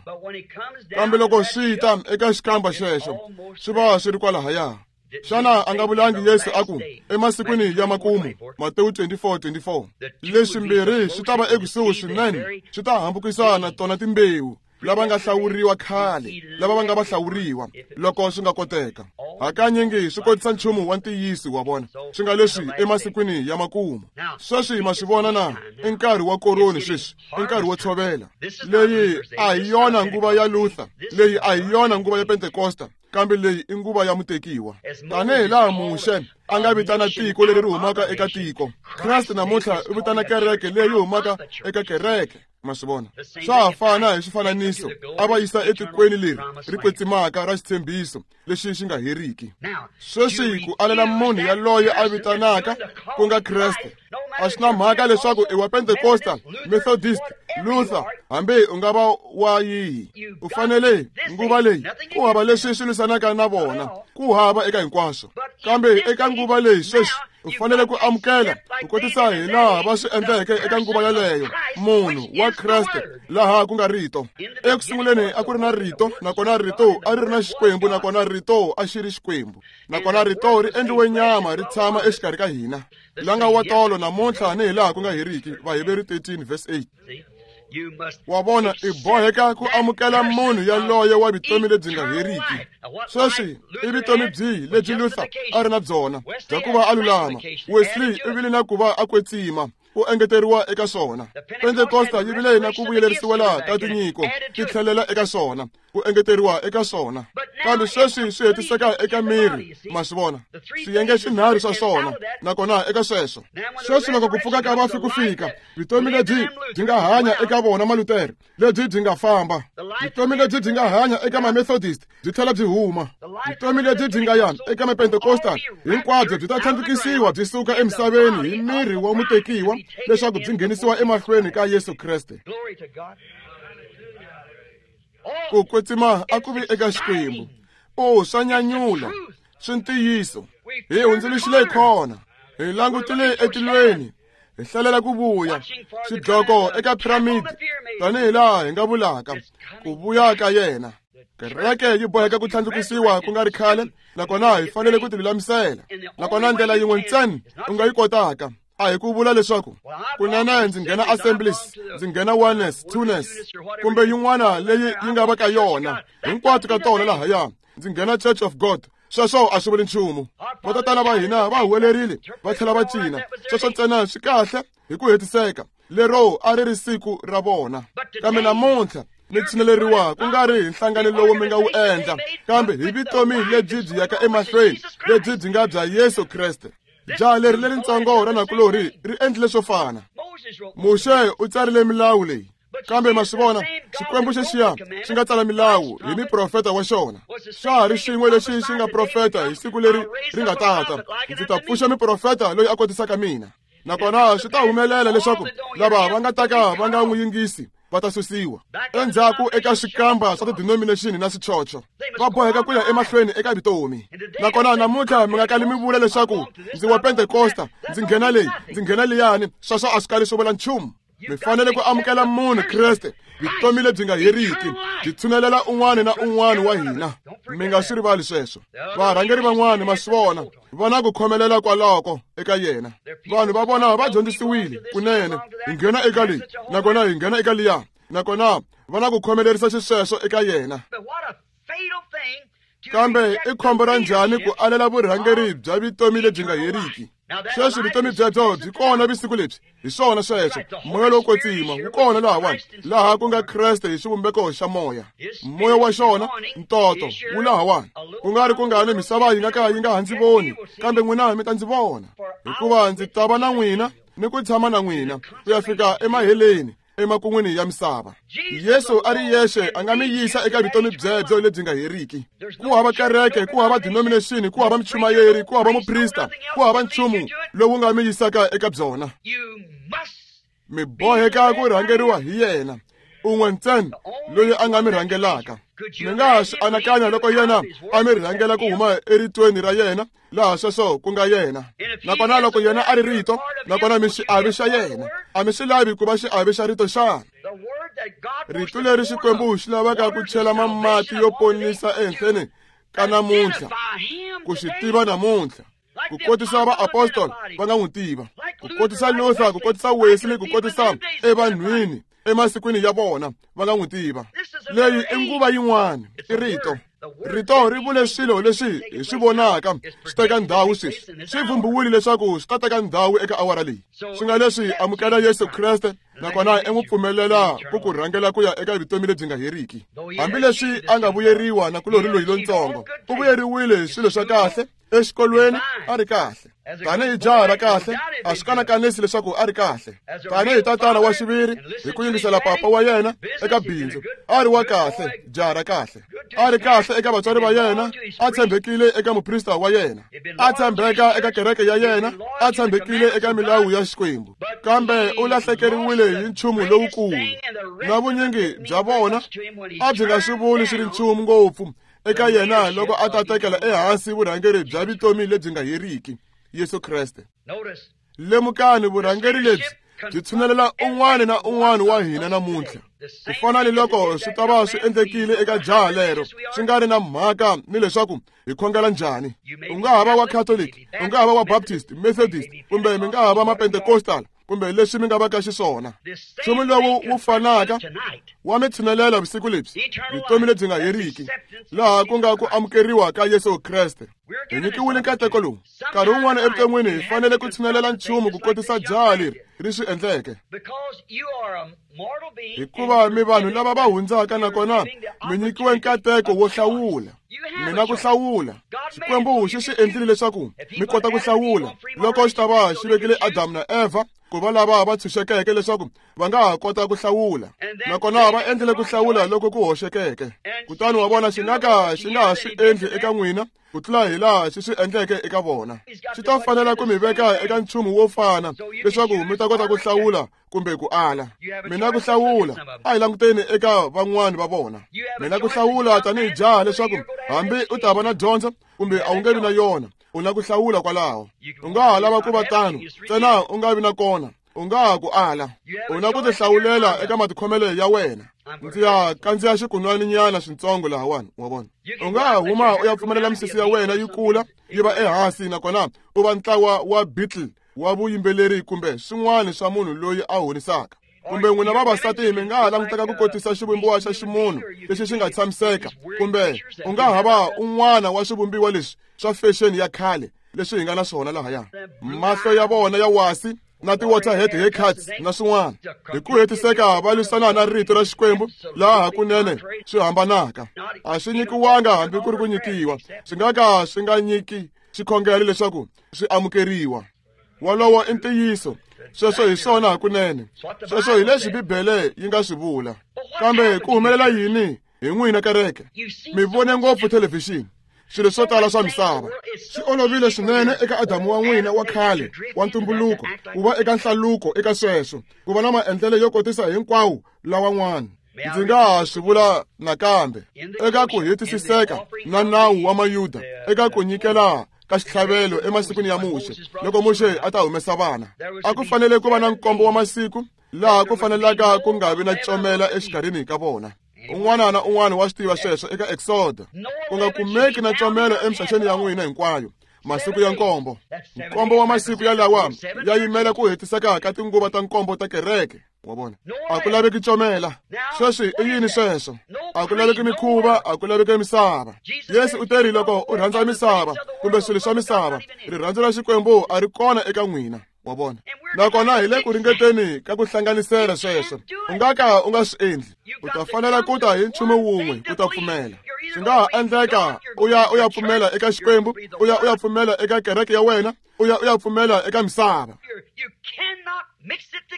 Kambe loko swi ta eka xikamba xexo, swi va swi ri kwalahaya. Xana a nga vulangi Yesu a ku emasikwini ya makumu, Matewu twenty-four twenty-four, leswimbirhi swi ta va ekusuhi swinene, swi ta hambukisana tona timbewu lava nga hlawuriwa khale, lava va nga va hlawuriwa, loko swi nga koteka. Hakanyingi swi kotisa nchumu wa ntiyiso wa vona. Swi nga leswi emasikwini ya makumu. Sweswi ma swi vona na i nkarhi wa koroni sweswi, i nkarhi wo tshovela. Leyi a hi yona nguva ya Luther, leyi a hi yona nguva ya Pentekosta, kambe leyi i nguva ya mutekiwa. Tanihi laha Muxe a nga vitana tiko leri ri humaka eka tiko, Kreste namuntlha u vitana kereke leyi humaka eka kereke. Ma swi vona? Swa ha fana hi xifananiso, a va yisa etikweni leri ri kwetsimaka ra xitshembiso lexi xi nga heriki. Sweswi ku alela munhu yaloye a vitanaka ku nga Kreste, a swi na mhaka leswaku i wa Pentekosta, Methodist, Luther, hambi u nga va wa yihi, u fanele nguva leyi ku hava leswi swi lwisanaka na vona, ku hava eka hinkwaswo. Kambe eka nguva leyi sweswi u fanele ku amukela ku kotisa hi laha va swi endleke eka nguva yaleyo, munhu wa Kreste laha ku nga rito. Eku sunguleni a ku ri na rito, nakona rito a ri ri na Xikwembu, nakona rito a xi ri Xikwembu, nakona rito ri endliwe nyama ri tshama exikarhi ka hina. La nga wa tolo namuntlha ni hi laha ku nga heriki. Vaheberi thirteen verse eight. Wa vona, i boheka ku amukela munhu yaloye wa vutomi lebyi nga heriki. Sweswi i vutomi byihi lebyi Luther a ri na byona bya ku va a lulama? Wesley u vile na ku va a kwetsima, ku engeteriwa eka swona. Pentekosta yi vile na ku vuyelerisiwela ka tinyiko, ti tlhelela eka swona, ku engeteriwa eka swona. Kambe sweswi swi hetiseka eka miri, ma swi vona, swiyenge swinharhu swa swona, nakona eka sweswo. Sweswi loko ku pfuka ka vafi ku fika, vutomi lebyi byi nga hanya eka vona Malutere, lebyi byi nga famba. Vutomi lebyi byi nga hanya eka ma-Methodist byi tlhela byi huma. Vutomi lebyi byi nga ya eka ma-Pentecostal hinkwabyo byi ta tlhandlukisiwa byi suka emisaveni hi miri wa mutekiwa leswaku byi nghenisiwa emahlweni ka Yesu Kreste. Ku kwetsima a ku vi eka Xikwembu. O, swa nyanyula, swi ntiyiso. Hi hundzuluxile khona, hi langutile etilweni, hi hlalela ku vuya xidloko eka piramidi, tanihi laha hi nga vulaka ku vuya ka yena. Kereke yi boheka ku tlhandlukisiwa ku nga ri khale, nakona hi fanele ku tilulamisela. Nakona ndlela yin'we ntsena u nga yi kotaka a hi ku vula leswaku kunene ndzi nghena Assemblies, ndzi nghena Oneness, Twoness, kumbe yin'wana leyi yi nga va ka yona, hinkwato ka tona lahaya, ndzi nghena Church of God. Sweswo a swi vuli nchumu. Vatatana va hina va huwelerile va tlhela va cina. Sweswo ntsena swi kahle hi ku hetiseka. Lero a ri ri siku ra vona. Kambe namuntlha mi tshineleriwa ku nga ri hi nhlangano lowu mi nga wu endla, kambe hi vutomi lebyi byi yaka emahlweni, lebyi byi nga bya Yesu Kreste. Jaha leri leritsongo ra nakulorhi ri endlile swo fana. Muxe u tsarile milawu leyi, kambe ma swi vona, Xikwembu xexiya xi nga tsala milawu hi miprofeta wa xona. Xa ha ri xin'we lexi xi nga profeta hi siku leri ri nga tata, ndzi ta pfuxa miprofeta loyi a kotisaka mina. Nakona swi ta humelela leswaku lava va nga ta ka va nga n'wi yingisi va ta susiwa endzhaku eka swikamba swa ti-denomination na swichocho, va boheka ku ya emahlweni eka vutomi. Nakona namuntlha mi nga kali mi vula leswaku ndzi wa Pentekosta, ndzi nghena leyi, ndzi nghena liyani, sweswo a swi kali swi vula nchumu. Mi fanele ku amukela munhu Kreste, vutomi lebyi nga heriki, byi tshunelela un'wana na un'wana wa hina. Mi nga swi rivali sweswo. Varhangeri van'wana ma swi vona, va na ku khomelela kwaloko eka yena. Vanhu va vona va dyondzisiwile kunene, hi nghena eka leyi, nakona hi nghena eka liya, nakona va na ku khomelerisa xisweswo eka yena. Kambe i khombo ra njhani ku alela vurhangeri bya vutomi lebyi nga heriki? Sweswi vutomi byebyo byi kona vusiku lebyi. Hi swona sweswo, moya lowo kwetsima wu kona lahawani, laha ku nga Kreste hi xivumbeko xa moya. Moya wa xona, ntoto, wu lahawani. Ku nga ri kungani misava yi nga ka yi nga ha ndzi voni, kambe n'wina mi ta ndzi vona, hikuva ndzi ta va na n'wina ni ku tshama na n'wina ku ya fika emaheleni, emakun'wini ya misava. Yesu a ri yexe a nga mi yisa eka vutomi byebyo lebyi nga heriki. Ku hava kereke, ku hava denomination, ku hava muchumayeri, ku hava muprista, ku hava nchumu lowu nga mi yisaka eka byona. Mi boheka ku rhangeriwa hi yena, un'we ntsena loyi a nga mi rhangelaka. Mi nga ha swi anakanya loko yena a mi rhangela ku huma eritweni ra yena, laha sweswo ku nga yena. Nakona loko yena a ri rito, nakona mi xiave xa yena, a mi swi lavi ku va xiave xa rito xana? Rito leri Xikwembu xi lavaka ku chela mamati yo ponisa ehenhleni ka namuntlha, ku xi tiva namuntlha, ku kotisa vaapostoli va nga n'wi tiva, ku kotisa Luther, ku kotisa Wesley, ku kotisa evanhwini Emasikwini ya vona va nga n'wi tiva. Leyi i nguva yin'wana, i rito. Rito ri vule swilo leswi hi swi vonaka swi teka ndhawu sweswi. Swi vhumbiwile leswaku swi ta teka ndhawu eka awara leyi. Swi nga leswi amukela Yesu Kreste nakona i n'wi pfumelela ku ku rhangela ku ya eka vutomi lebyi nga heriki. Hambileswi a nga vuyeriwa na kulorhi loyi lontsongo, u vuyeriwile hi swilo swa kahle exikolweni a ri kahle. Tanihi jaha ra kahle, a swi kanakanisi leswaku a ri kahle. Tanihi tatana wa xiviri, hi ku yingisela papa wa yena eka bindzu, a ri wa kahle, jaha ra kahle. A ri kahle eka vatswari va yena, a tshembekile eka muprista wa yena, a tshembeka eka kereke ya yena, a tshembekile eka milawu ya Xikwembu. Kambe u lahlekeriwile hi nchumu lowukulu. Na vunyingi bya vona a byi nga swi vuli swi ri nchumu ngopfu eka yena loko a ta tekela ehansi vurhangeri bya vutomi lebyi nga heriki, Yesu Kreste. Lemukani vurhangeri lebyi byi tshunelela un'wana na un'wana wa hina namuntlha. Ku fana ni loko swi ta va swi endlekile eka jaha lero, swi nga ri na mhaka ni leswaku hi khongela njhani. U nga ha va wa Catholic, u nga ha va wa Baptist, Methodist, kumbe mi nga ha va ma-Pentecostal, kumbe leswi mi nga va ka xiswona. Nchumu lowu wu fanaka wa mi tshunelela vusiku lebyi, vutomi lebyi nga heriki, laha ku nga ku amukeriwa ka Yesu Kreste. Hi nyikiwile nkateko lowu. Nkarhi wun'wana evuton'wini hi fanele ku tshunelela nchumu ku kotisa jaha leri ri swi endleke. Hikuva mi vanhu lava va hundzaka nakona mi nyikiwe nkateko wo hlawula. Mina ku hlawula. Xikwembu xi swi endlile leswaku mi kota ku hlawula. Loko xi ta va xi vekile Adamu na Eva ku va lava va tshunxekeke leswaku va nga ha kota ku hlawula. Nakona va endlile ku hlawula loko ku hoxekeke. Kutani wa vona xi nga ka xi nga ha swi endli eka n'wina ku tlula hi laha xi swi endleke eka vona. Xi ta fanela ku mi veka eka nchumu wo fana leswaku mi ta kota ku hlawula kumbe ku ala. Mina ku hlawula, a hi languteni eka van'wani va vona. Mina ku hlawula tanihi jaha leswaku hambi u ta va na dyondzo kumbe a wu nge vi na yona, u na ku hlawula kwalaho. U nga ha lava ku va tano, ntsena u nga vi na kona, u nga ha ku ala. U na ku tihlawulela eka matikhomelo ya wena. Ndzi ya kandziya xikunwaninyana swintsongo lahawani, wa vona. U nga ha huma u ya pfumelela misisi ya wena yi kula yi va ehansi nakona u va ntlawa wa Beatle wa vuyimbeleri kumbe swin'wana swa munhu loyi a honisaka. Kumbe n'wina vavasati mi nga ha languteka ku kotisa xivumbiwa xa ximunhu lexi xi nga tshamiseka, kumbe u nga ha va un'wana wa swivumbiwa leswi swa fashion ya khale leswi hi nga na swona lahaya. Mahlo ya vona ya wasi na ti-waterhead haircuts na swin'wana. Hi ku hetiseka va lwisana na rito ra Xikwembu laha hakunene swi hambanaka. A swi nyikiwanga hambi ku ri ku nyikiwa, swi nga ka swi nga nyiki xikhongelo leswaku swi amukeriwa. Wolowo i ntiyiso. Sweswo hi swona hakunene. Sweswo hi leswi Bibele yi nga swi vula. Kambe ku humelela yini hi n'wina kereke? Mi vone ngopfu thelevhixini, swilo swo tala swa misava. Swi olovile swinene eka Adamu wa n'wina wa khale wa ntumbuluko ku va eka nhlaluko eka sweswo, ku va na maendlelo yo kotisa hinkwawo lawan'wana. Ndzi nga ha swi vula nakambe eka ku hetisiseka na nawu wa Mayuda eka ku nyikela ka xitlhavelo emasikwini ya Muxe. Loko Muxe a ta humesa vana, a ku fanele ku va na nkombo wa masiku laha ku fanelaka ku nga vi na comela exikarhini ka vona. Un'wana na un'wana wa swi tiva sweswo eka Exodo. Ku nga kumeki na comelo emixaxeni ya n'wina hinkwayo masiku ya nkombo. Nkombo wa masiku yalawa ya yimela ku hetiseka ka tinguva ta nkombo ta kereke. Wa vona, a ku laveki comela. Sweswi i yini sweswo? A ku laveki mikhuva, a ku laveki misava. Yesu u teri loko u rhandza misava kumbe swilo swa misava, rirhandzu ra Xikwembu a ri kona eka n'wina. Wa vona, nakona hi le ku ringeteni ka ku hlanganisela sweswo. U nga ka u nga swi endli. U ta fanela ku ta hi nchumu wun'we ku ta pfumela. Swi nga ha endleka u ya u ya pfumela eka Xikwembu, u ya u ya pfumela eka kereke ya wena, u ya u ya pfumela eka misava.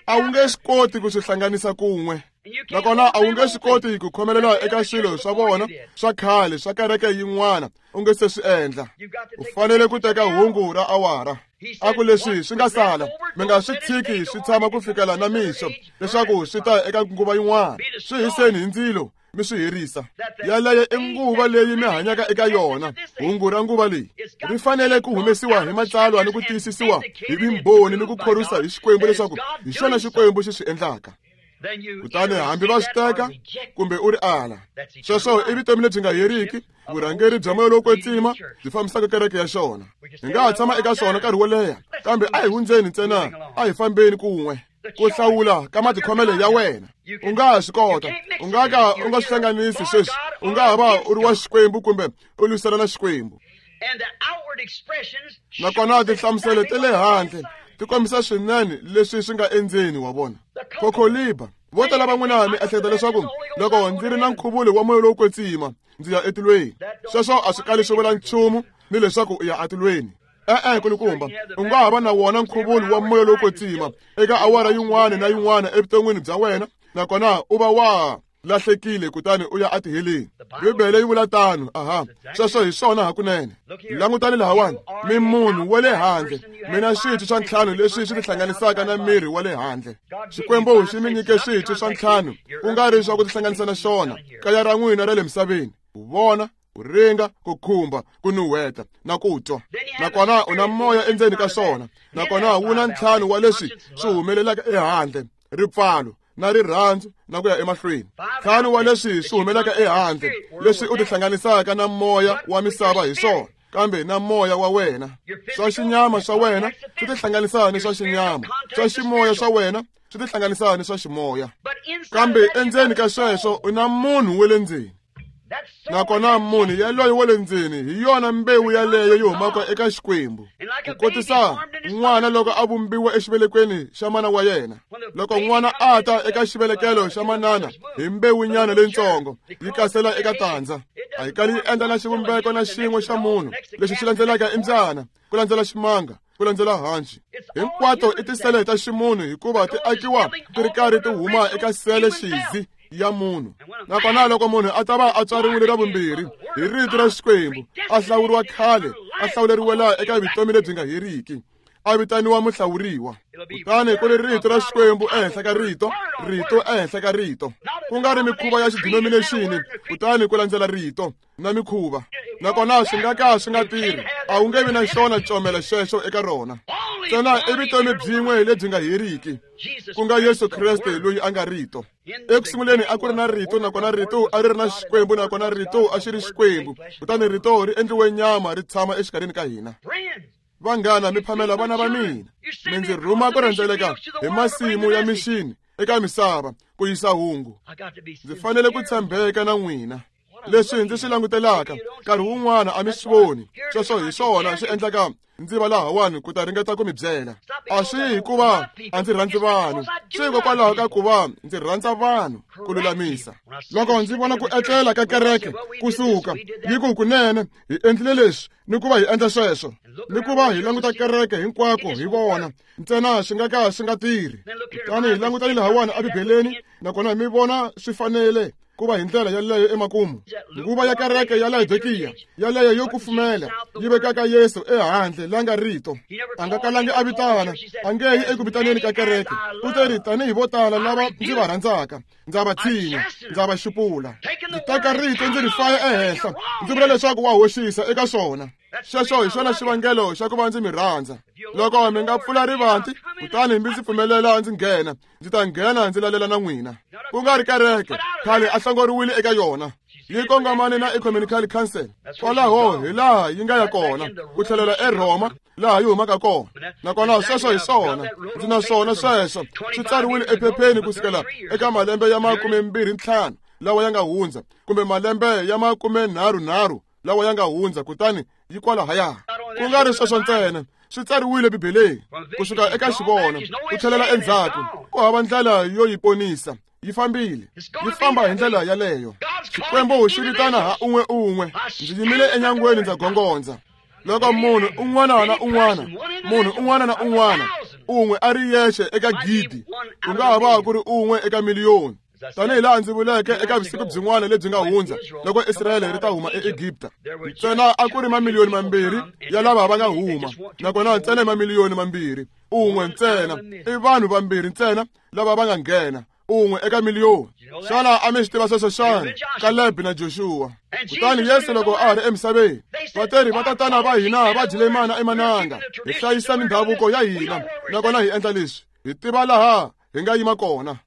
A wu nge swi koti ku swi hlanganisa kun'we. Nakona a wu nge swi koti ku khomelela eka swilo swa vona swa khale swa kereke yin'wana u nge se swi endla. U fanele ku teka hungu ra awara. A ku leswi swi nga sala, mi nga swi tshiki swi tshama ku fikela na mixo leswaku swi ta eka nguva yin'wana. Swi hiseni hi ndzilo mi swi herisa. Yaleyo i nguva leyi mi hanyaka eka yona. Hungu ra nguva leyi ri fanele ku humesiwa hi matsalwa ni ku tiyisisiwa hi vumbhoni ni ku khorwisa hi Xikwembu leswaku hi xona Xikwembu xi swi endlaka. Kutani hambi va swi teka kumbe u ri ala, sweswo i vutomi lebyi nga heriki, vurhangeri bya moya lowo kwetsima byi fambisaka kereke ya xona. Hi nga ha tshama eka swona nkarhi wo leha, kambe a hi hundzeni ntsena, a hi fambeni kun'we. Ku hlawula ka matikhomelo ya wena. U nga ha swi kota, u nga ka u nga swi hlanganisi sweswi. U nga ha va u ri wa Xikwembu kumbe u lwisana na Xikwembu. Nakona tinhlamuselo ta le handle ti kombisa swinene leswi swi nga endzeni wa vona. Khokholiba, vo tala va n'wina mi ehleketa leswaku loko ndzi ri na nkhuvulo wa moya lowo kwetsima ndzi ya etilweni. Sweswo a swi kali swi vula nchumu ni leswaku u ya etilweni. E-e, kulukumba, u nga ha va na wona nkhuvulo wa moya lowo kwetsima eka awara yin'wana na yin'wana evuton'wini bya wena, nakona u va wa lahlekile kutani u ya etiheleni. Bibele yi vula tano. Aha, sweswo hi swona hakunene. Langutani lahawani, mi munhu wa le handle, mina switwi swa ntlhanu leswi swi tihlanganisaka na miri wa le handle. Xikwembu xi mi nyike switwi swa ntlhanu, ku nga ri swa ku tihlanganisa na xona, kaya ra n'wina ra le misaveni. Ku vona, ku ringa, ku khumba, ku nuheta na ku twa. Nakona u na moya endzeni ka swona, nakona wu na ntlhanu wa leswi swi humelelaka ehandle, ripfalo na rirhandzu na ku ya emahlweni. Ntlhanu wa leswi swi humelaka ehandle, leswi u tihlanganisaka na moya wa misava hi swona, kambe na moya wa wena. Swa xinyama swa wena swi tihlanganisa ni swa xinyama, swa ximoya swa wena swi tihlanganisa ni swa ximoya. Kambe endzeni ka sweswo u na munhu wa le ndzeni. Nakona munhu yaloye wa le ndzeni hi yona mbewu yaleyo yi humaka eka Xikwembu. Ku kotisa n'wana loko a vumbiwa exivelekweni xa mana wa yena. Loko n'wana a ta eka xivelekelo xa manana hi mbewunyana leyitsongo, yi kasela eka tandza. A yi kali yi endla na xivumbeko na xin'we xa munhu lexi xi landzelaka i mbyana, ku landzela ximanga, ku landzela hanci. Hinkwato i tisele ta ximunhu hikuva ti akiwa ti ri karhi ti huma eka sele xizi ya munhu. Nakona loko munhu a ta va a tswariwile ra vumbirhi hi rito ra Xikwembu, a hlawuriwa khale, a hlawuleriwe laha eka vutomi lebyi nga heriki, a vitaniwa muhlawuriwa. Kutani ku ri rito ra Xikwembu ehenhla ka rito, rito ehenhla ka rito, ku nga ri mikhuva ya xidinominexini, kutani ku landzela rito na mikhuva. Nakona swi nga ka swi nga tirhi, a wu nge vi na xona comela xexo eka rona. Ntsena i vutomi byin'we lebyi nga heriki, ku nga Yesu Kreste loyi a nga rito. Eku sunguleni a ku ri na rito, nakona rito a ri ri na Xikwembu, nakona rito a xi ri Xikwembu. Kutani rito ri endliwe nyama ri tshama exikarhini ka hina. Vanghana, mi phamela vana va mina, mi ndzi rhuma ku rhendzeleka hi masimu ya mixini eka misava ku yisa hungu. Ndzi fanele ku tshembeka na n'wina. Leswi ndzi swi langutelaka nkarhi wun'wana a mi swi voni. Sweswo hi swona swi endlaka ndzi va lahawani ku ta ringeta ku mi byela. A swi hikuva a ndzi rhandzi vanhu, swi hikokwalaho ka ku va ndzi rhandza vanhu ku lulamisa. Loko ndzi vona ku etlela ka kereke kusuka yi ku kunene hi endlile leswi ni ku va hi endla sweswo, ni ku va hi languta kereke hinkwako hi vona ntsena swi nga ka swi nga tirhi. Kutani hi langutani lahawani ebibeleni, nakona mi vona swi fanele ku va hi ndlela yaleyo emakumu. Nguva ya kereke ya Laodikiya yaleyo yo kufumela yi vekaka Yesu ehandle la nga rito. A nga kalangi a vitana, a nge yi eku vitaneni ka kereke. U te ri tanihi vo tala lava ndzi va rhandzaka, ndza va tshinya, ndza va xupula. Ndzi teka rito ndzi ri faya ehenhla, ndzi vula leswaku wa hoxisa eka swona. Xexo hi xona xivangelo xa ku va ndzi mi rhandza. Loko mi nga pfula rivanti, kutani mi ndzi pfumelela ndzi nghena, ndzi ta nghena ndzi lalela na n'wina. Ku nga ri kereke, khale a hlongoriwile eka yona. Yi kongomane na Ecumenical Council. Kwalaho hi laha yi nga ya kona, ku tlhelela eRhoma laha yi humaka kona. Nakona sweswo hi swona, ndzi na swona sweswo swi tsariwile ephepheni kusukela eka malembe ya makume mbirhi ntlhanu lawa ya nga hundza, kumbe malembe ya makume nharhu nharhu lawa ya nga hundza, kutani yi kwalahaya. Ku nga ri sweswo ntsena, swi tsariwile Bibeleni kusuka eka xivono ku tlhelela endzhaku. Ku hava ndlela yo yi ponisa, yi fambile, yi famba hi ndlela yaleyo. Xikwembu xi vitana ha un'we un'we. Ndzi yimile enyangweni ndza gongondza. Loko munhu un'wana na un'wana, munhu un'wana na un'wana, un'we a ri yexe eka gidi, ku nga ha va ku ri un'we eka miliyoni. Tanihi laha ndzi vuleke eka vusiku byin'wana lebyi nga hundza, loko Israyele ri ta huma eEgipta, ntsena a ku ri mamiliyoni mambirhi ya lava va nga huma, nakona ntsena mamiliyoni mambirhi, un'we ntsena, i vanhu vambirhi ntsena lava va nga nghena, un'we eka miliyoni. Xana a mi swi tiva sweswo xana? Kaleb na Joshua. Kutani Yesu loko a ha ri emisaveni, vatirhi va tatana va hina va dyile mana emananga, hi hlayisa mindhavuko ya hina, nakona hi endla leswi, hi tiva laha hi nga yima kona.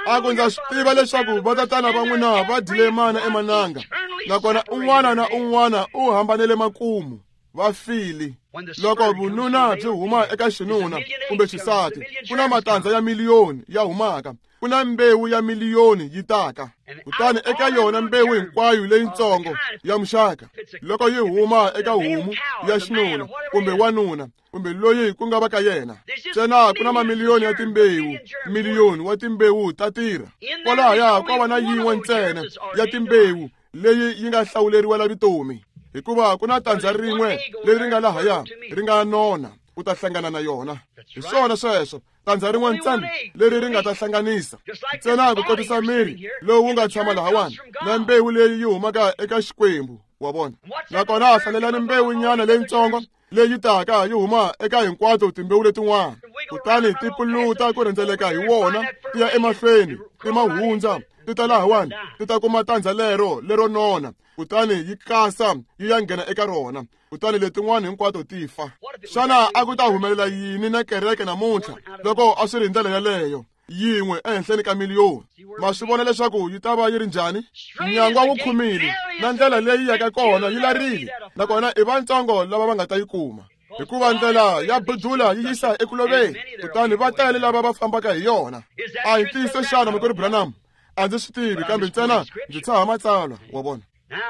A ku ndza swi tiva leswaku vatatana va n'wina va dyile mana emananga, nakona un'wana na un'wana u hambanele makumu. Va file. Loko vununa byi huma eka xinuna kumbe xisati, ku na matandza ya miliyoni ya humaka, ku na mbewu ya miliyoni yi taka. Kutani eka yona mbewu hinkwayo leyitsongo ya muxaka, loko yi huma eka homu ya xinuna kumbe wanuna kumbe loyi ku nga va ka yena, ntsena ku na mamiliyoni ya timbewu, miliyoni wa timbewu ta tirha. Kwalahaya ko va na yin'we ntsena ya timbewu leyi yi nga hlawuleriwela vutomi, hikuva ku na tandza rin'we leri nga lahaya ri nga nona, u ta hlangana na yona. Hi swona sweswo, tandza rin'we ntsena leri ri nga ta hlanganisa ntsena ku kotisa miri lowu wu nga tshama lahawani na mbewu leyi yi humaka eka Xikwembu, wa vona. Nakona hlalelani mbewu nyana leyitsongo leyi taka yi huma eka hinkwato timbewu letin'wana, kutani ti puluta ku rhendzeleka hi wona ti ya emahlweni, ti ma hundza, ti ta lahawani, ti ta kuma tandza lero lero nona, kutani yi kasa yi ya nghena eka rona, kutani letin'wana hinkwato ti fa. Xana a ku ta humelela yini na kereke namuntlha loko a swi ri hi ndlela yaleyo, yin'we ehenhleni ka miliyoni? Ma swi vona leswaku yi ta va yi ri njhani? Nyangwa wu khumile, na ndlela leyi yaka kona yi larile, nakona i vatsongo lava va nga ta yi kuma, hikuva ndlela ya budula yi yisa eku loveni, kutani va tele lava va fambaka hi yona. A hi ntiyiso xana, makwerhu Branham? A ndzi swi tivi, kambe ntsena ndzi tshaha matsalwa, wa vona.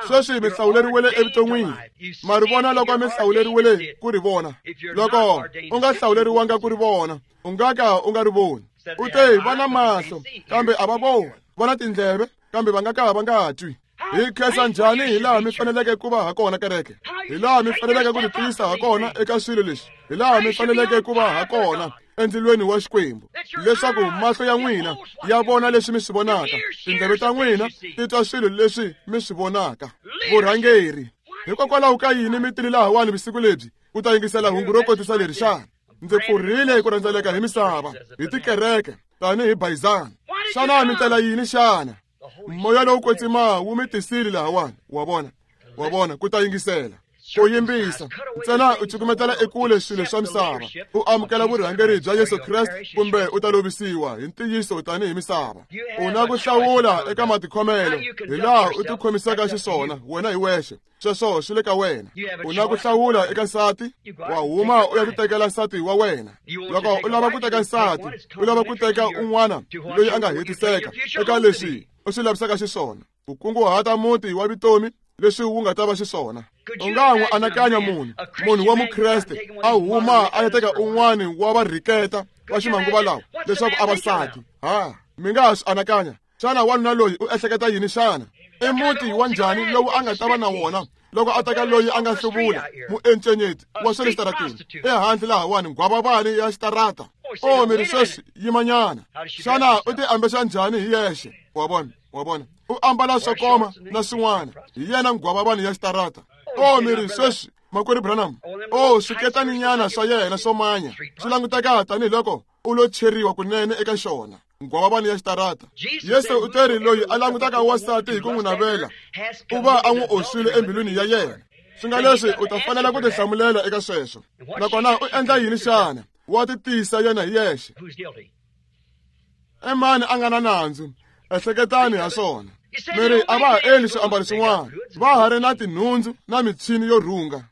Sweswi mi hlawuleriwele evuton'wini. Ma ri vona loko mi hlawuleriwele ku ri vona. Loko u nga hlawuleriwanga ku ri vona, u nga ka u nga ri voni. U te va na mahlo kambe a va voni, va na tindleve kambe va nga ka va nga twi. Hi khensa njhani hi laha mi faneleke ku va ha kona kereke, hi laha mi faneleke ku titiyisa ha kona eka swilo leswi, hi laha mi faneleke ku va ha kona endzilweni wa Xikwembu, leswaku mahlo ya n'wina ya vona leswi mi swi vonaka, tindleve ta n'wina ti twa swilo leswi mi swi vonaka. Vurhangeri, hikokwalaho ka yini mi tile lahawani vusiku lebyi ku ta yingisela hungu ro kotisa leri xana? Ndzi pfurhile ku rhendzeleka hi misava hi tikereke tanihi bayizana. Xana mi tela yini xana? Moya lowu kwetsima wu mi tisile lahawani, wa vona, wa vona, ku ta yingisela, ku yimbisa. Ntsena u cukumetela ekule swilo swa misava, u amukela vurhangeri bya Yesu Kreste, kumbe u ta lovisiwa hi ntiyiso tanihi misava. U na ku hlawula eka matikhomelo hi laha u tikhomisaka xiswona wena hi wexe, sweswo swi le ka wena. U na ku hlawula eka nsati, wa huma u ya titekela nsati wa wena. Loko u lava ku teka nsati, u lava ku teka un'wana loyi a nga hetiseka eka leswi u swi lavisaka xiswona, ku kunguhata muti wa vutomi leswi wu nga ta va xiswona. U nga n'wi anakanya munhu, munhu wa Mukreste a huma a ya teka un'wana wa varhiketa va ximanguva lawa leswaku a va nsati. Ha, mi nga ha swi anakanya. Xana wanuna loyi u ehleketa yini xana? I muti wa njhani lowu a nga ta va na wona loko a teka loyi a nga hluvula muencenyeti wa swa le xitarateni ehandle lahawani, nghwavavani ya xitarata? O mi ri sweswi, yimanyana. Xana u ti ambexa njhani hi yexe? Wa vona, wa vona, u ambala swo koma na swin'wana, hi yena nghwavavani ya xitarata. O mi ri sweswi, makwerhu Branham, o swiketaninyana swa yena swo manya swi languteka tanihiloko u lo cheriwa kunene eka xona, nghwavavani ya xitarata. Yesu u teri loyi a langutaka wansati hi ku n'wi navela u va a n'wi oswile embilwini ya yena. Swi nga leswi u ta fanela ku tihlamulela eka sweswo. Nakona u endla yini xana? Wa titisa yena hi yexe. I mani a nga na nandzu? Ehleketani ha swona. Mi ri a va ha endli swiambalo swin'wana, va ha ri na tinhundzu na michini yo rhunga.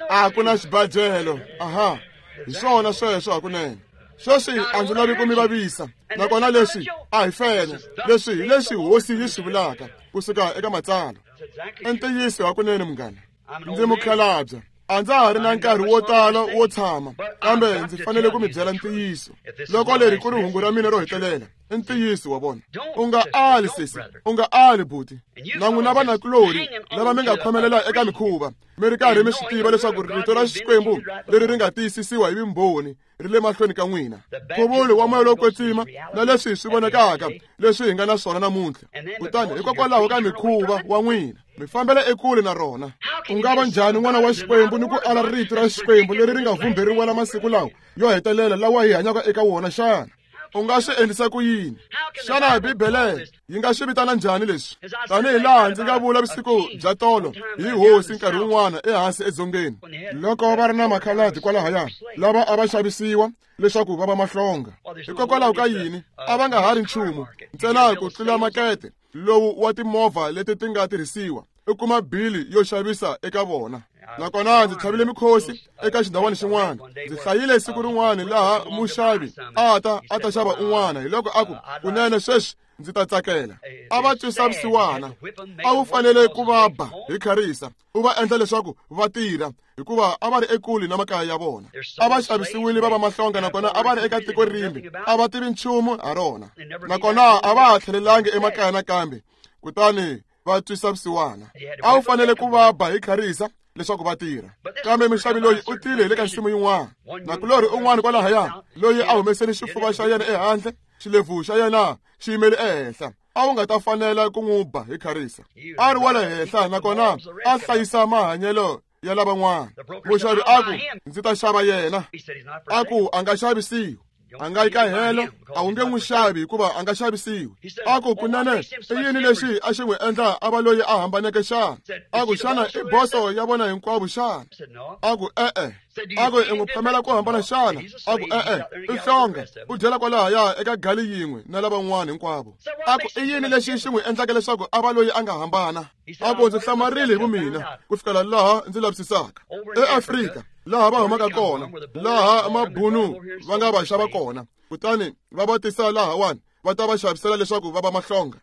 A ku na xibajelo. Aha, hi swona sweswo hakunene. Sweswi a ndzi lavi ku mi vavisa, nakona leswi a hi fene. Leswi hi leswi hosi yi swi vulaka kusuka eka matsalwa. I ntiyiso hakunene munghana. Ndzi mukhalabye, a ndza ha ri na nkarhi wo tala wo tshama, kambe ndzi fanele ku mi byela ntiyiso. Loko leri ku ri hungu ra mina ro hetelela, i ntiyiso, wa vona. U nga ali sesi, u nga ali buti, na n'wina vanakulorhi lava mi nga khomelela eka mikhuva, mi ri karhi mi swi tiva leswaku rito ra Xikwembu leri ri nga tiyisisiwa hi vumbhoni ri le mahlweni ka n'wina. Nkhuvulo wa moya lowo kwetsima na leswi swi vonakaka leswi hi nga na swona namuntlha, kutani hikokwalaho ka mikhuva wa n'wina mi fambela ekule na rona. U nga va njhani n'wana wa Xikwembu ni ku ala rito ra Xikwembu leri ri nga vhumberiwela masiku lawa yo hetelela lawa hi hanyaka eka wona xana? U nga swi endlisa ku yini? Xana Bibele yi nga swi vitana njhani leswi? Tanihi laha ndzi nga vula vusiku bya tolo hi hosi nkarhi wun'wana ehansi edzongeni, loko va ri na makhaladi kwalahaya lava a va xavisiwa leswaku va va mahlonga. Hikokwalaho ka yini a va nga ha ri nchumu ntsena ku tlula makete lowu wa timovha leti ti nga tirhisiwa, u kuma bili yo xavisa eka vona. Nakona ndzi tlhavile mikhosi eka xindhawana xin'wana. Ndzi hlayile siku rin'wana laha muxavi a ta a ta xava un'wana, hi loko a ku, kunene sweswi ndzi ta tsakela. A va twisa vusiwana. A wu fanele ku va ba hi kharisa, u va endla leswaku va tirha, hikuva a va ri ekule na makaya ya vona. A va xavisiwile va va mahlonga, nakona a va ri eka tiko rimbe, a va tivi nchumu ha rona, nakona a va ha tlhelelangi emakaya nakambe. Kutani va twisa vusiwana. A wu fanele ku va ba hi kharisa leswaku va tirha. Kambe mixavi loyi u tile hi le ka nsimu yin'wana. Nakulorhi un'wana kwalahaya loyi a humesele xifuva xa yena ehandle, xilevu xa yena xi yimele ehenhla. A wu nga ta fanela ku n'wi ba hi kharisa. A ri wa le henhla, nakona a hlayisa mahanyelo ya lavan'wana. Muxavi a ku, ndzi ta xava yena. A ku, a nga xavisiwi. A nga yi ka helo, a wu nge n'wi xavi hikuva a nga xavisiwi. A ku, kunene i yini lexi a xi n'wi endla a va loyi a hambaneke xana? A ku, xana i boso ya vona hinkwavo xana? A ku, e-e. A ku, i n'wi phamela ku hambana xana? A ku, e-e, i hlonga, u dyela kwalahaya eka gali yin'we na lavan'wana hinkwavo. A ku, i yini lexi xi n'wi endlaka leswaku a va loyi a nga hambana? A ku, ndzi hlamarile hi vumina ku fikela laha ndzi lavisisaka. EAfrika, laha va humaka kona, laha mabunu va nga va xava kona, kutani va va tisa lahawani, va ta va xavisela leswaku va va mahlonga.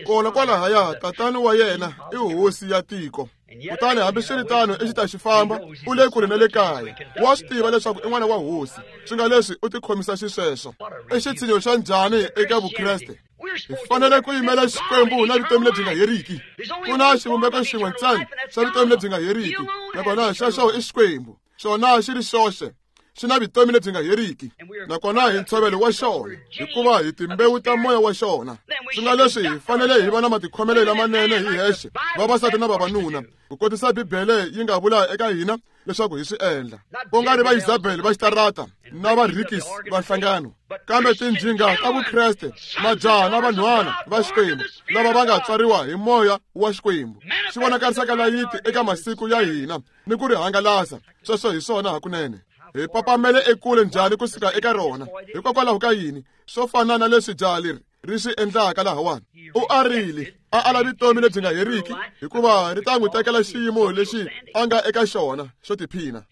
Kona kwalahaya, tatana wa yena i hosi ya tiko. Kutani hambiswiritano i xi ta xi famba, u le kule na le kaya. Wa swi tiva leswaku i n'wana wa hosi, swi nga leswi u tikhomisa xisweswo. I xitshinyo xa njhani eka Vukreste? Hi fanele ku yimela Xikwembu na vutomi lebyi nga heriki. Ku na xivumbeko xin'we ntsena xa vutomi lebyi nga heriki, nakona xexo i Xikwembu. Xona xi ri xoxe, xi na vutomi lebyi nga heriki, nakona hi ntshovelo wa xona, hikuva hi timbewu ta moya wa xona. Swi nga leswi hi fanele hi va na matikhomelo lamanene hi hexe, vavasati na vavanuna, ku kotisa Bibele yi nga vula eka hina leswaku hi swi endla. Ku nga ri va Isabel va xitarata na va Rikis va nhlangano, kambe tinjhinga ta Vukreste, majaha na vanhwana va Xikwembu lava va nga tswariwa hi moya wa Xikwembu, xi vonakarisaka layiti eka masiku ya hina ni ku ri hangalasa. Sweswo hi swona hakunene. Hi papamele ekule njhani kusuka eka rona? Hikokwalaho ka yini? Swo fana na leswi jaha leri ri swi endlaka lahawani. U arile, a ala vutomi lebyi nga heriki, hikuva ri ta n'wi tekela xiyimo lexi a nga eka xona xo tiphina.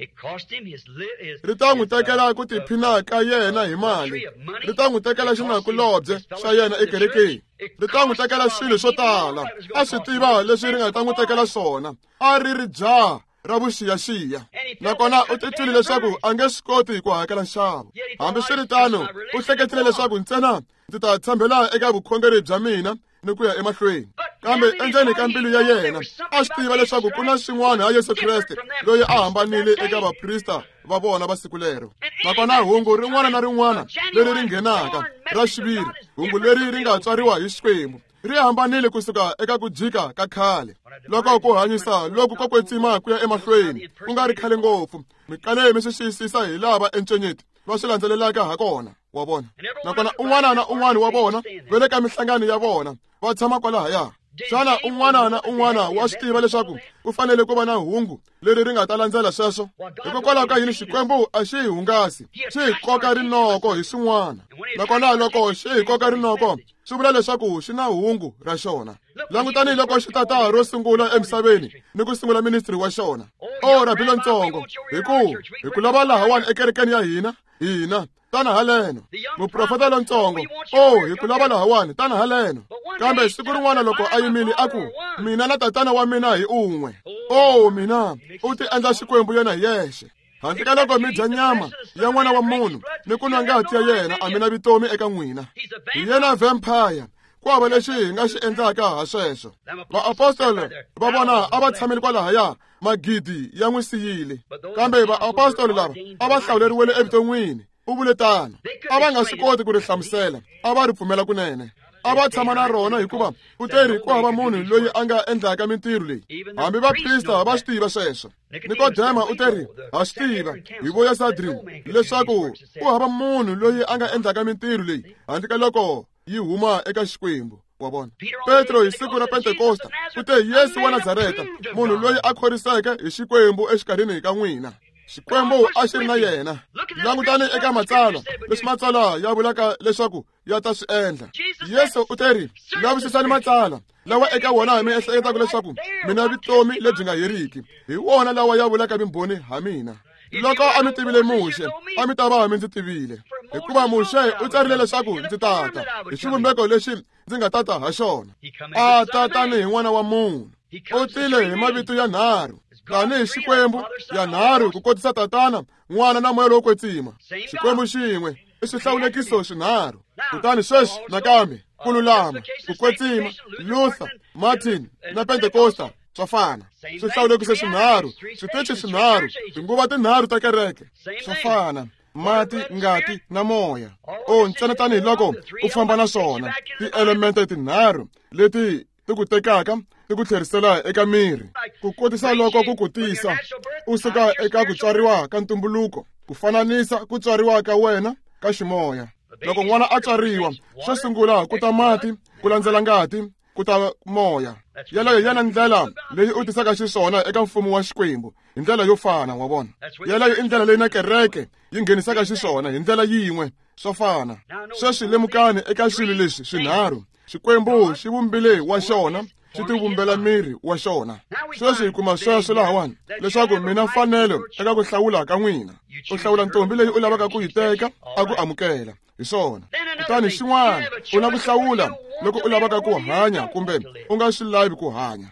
Ri ta n'wi tekela ku tiphina ka yena hi mali. Ri ta n'wi tekela xinakulobye xa yena ekerekeni. Ri ta n'wi tekela swilo swo tala. A swi tiva leswi ri nga ta n'wi tekela swona. A ri ri jaha ra vuxiyaxiya, nakona u titwile leswaku a nge swi koti ku hakela nxavo. Hambiswiritano, u hleketile leswaku ntsena ndzi ta tshembela eka vukhongeri bya mina ni ku ya emahlweni. Kambe endzeni ka mbilu ya yena a swi tiva leswaku ku na swin'wana ha Yesu Kreste loyi a hambanile eka vaprista va vona va siku lero. Nakona hungu rin'wana na rin'wana leri ri nghenaka ra xiviri, hungu leri ri nga tswariwa hi Xikwembu, ri hambanile kusuka eka ku jika ka khale. Loko ku hanyisa loku ko kwetsima ku ya emahlweni ku nga ri khale ngopfu, mi kale mi swi xiyisisa hi lava encenyeti va swi landzelelaka ha kona, wa vona. Nakona un'wana na un'wana wa vona va le ka minhlangano ya vona, va tshama kwalahaya. Xana un'wana na un'wana wa swi tiva leswaku ku fanele ku va na hungu leri ri nga ta landzela sweswo? Hikokwalaho ka yini Xikwembu a xi hi hungasi, xi hi koka rinoko hi swin'wana? Nakona loko xi hi koka rinoko, swi vula leswaku xi na hungu ra xona. Langutani loko xi tata ro sungula emisaveni ni ku sungula ministry wa xona. O rabi lontsongo, hi ku hi ku lava lahawani ekerekeni ya hina, hina tana haleno. Muprofeta lontsongo, o hi ku lava lahawani, tana haleno. Kambe siku rin'wana loko a yimile a ku, mina na tatana wa mina hi un'we. O mina, u ti endla Xikwembu yena hi yexe. Handle ka loko mi dya nyama ya n'wana wa munhu ni ku nwa ngati ya yena, a mi na vutomi eka n'wina. Hi yena vampire. Ku hava lexi hi nga xi endlaka ha sweswo. Vaapostolo va vona a va tshamile kwalahaya, magidi ya n'wi siyile. Kambe vaapostolo lava a va hlawuleriwile evuton'wini. U vule tano. A va nga swi koti ku ri hlamusela, a va ri pfumela kunene. A va tshama na rona hikuva u teri ku hava munhu loyi a nga endlaka mintirho leyi. Hambi vaprista va swi tiva sweswo. Nikodema u teri, ha swi tiva hi voya Sadrin leswaku ku hava munhu loyi a nga endlaka mintirho leyi handle ka loko yi huma eka Xikwembu. Wa vona. Petro hi siku ra Pentekosta u te, Yesu wa Nazareta, munhu loyi a khoriseke hi Xikwembu exikarhini ka n'wina. Xikwembu a xi ri na yena. Langutani eka matsalwa, leswi matsalwa ya vulaka leswaku ya ta swi endla. Yesu u teri, lavisisani matsalwa, lawa eka wona mi ehleketaka leswaku mina vutomi lebyi nga heriki hi wona lawa ya vulaka vumbhoni ha mina. Loko a mi tivile Muxe, a mi ta va mi ndzi tivile, hikuva Muxe u tsarile leswaku ndzi tata hi xivumbeko lexi ndzi nga tata ha xona. A ta tanihi n'wana wa munhu, u tile hi mavito ya nharhu, tanihi Xikwembu ya nharhu ku kotisa Tatana, N'wana na Moya lowo Kwetsima. Xikwembu xin'we i swihlawulekiso swinharhu. Kutani sweswi nakambe ku lulama, ku kwetsima, Luther, Martin na Pentecosta swa fana. Swihlawulekiso swinharhu, switichi swinharhu, tinguva tinharhu ta kereke swa fana. Mati, ngati na moya. O ntsena tanihiloko u famba na swona tielemente tinharhu leti ti ku tekaka ti ku tlherisela eka miri, ku kotisa loko ku ku tisa u suka eka ku tswariwa ka ntumbuluko, ku fananisa ku tswariwa ka wena ka ximoya. Loko n'wana a tswariwa, xo sungula ku ta mati, ku landzela ngati, ku ta moya. Yeleyo hi yona ndlela leyi u tisaka xiswona eka mfumo wa Xikwembu hi ndlela yo fana, wa vona. Yeleyo i ndlela leyi na kereke yi nghenisaka xiswona hi ndlela yin'we, swo fana. Sweswi lemukani eka swilo leswi swinharhu. Xikwembu xi vumbile wa xona, xi tivumbela miri wa xona. Sweswi hi kuma sweswo lahawani leswaku mina mfanelo eka ku hlawula ka n'wina. U hlawula ntombi leyi u lavaka ku yi teka a ku amukela, hi swona. Kutani xin'wana, u na ku hlawula loko u lavaka ku hanya kumbe u nga swi lavi ku hanya.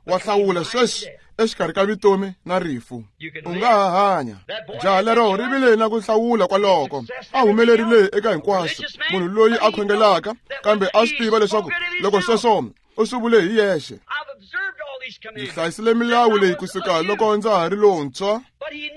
Wa hlawula sweswi exikarhi ka vutomi na rifu. U nga ha hanya. Jaha lero ri vile na ku hlawula kwaloko. A humelerile eka hinkwaswo, munhu loyi a khongelaka, kambe a swi tiva leswaku loko sweswo u swi vule hi yexe. Ndzi hlayisile milawu leyi kusuka loko ndza ha ri lontshwa,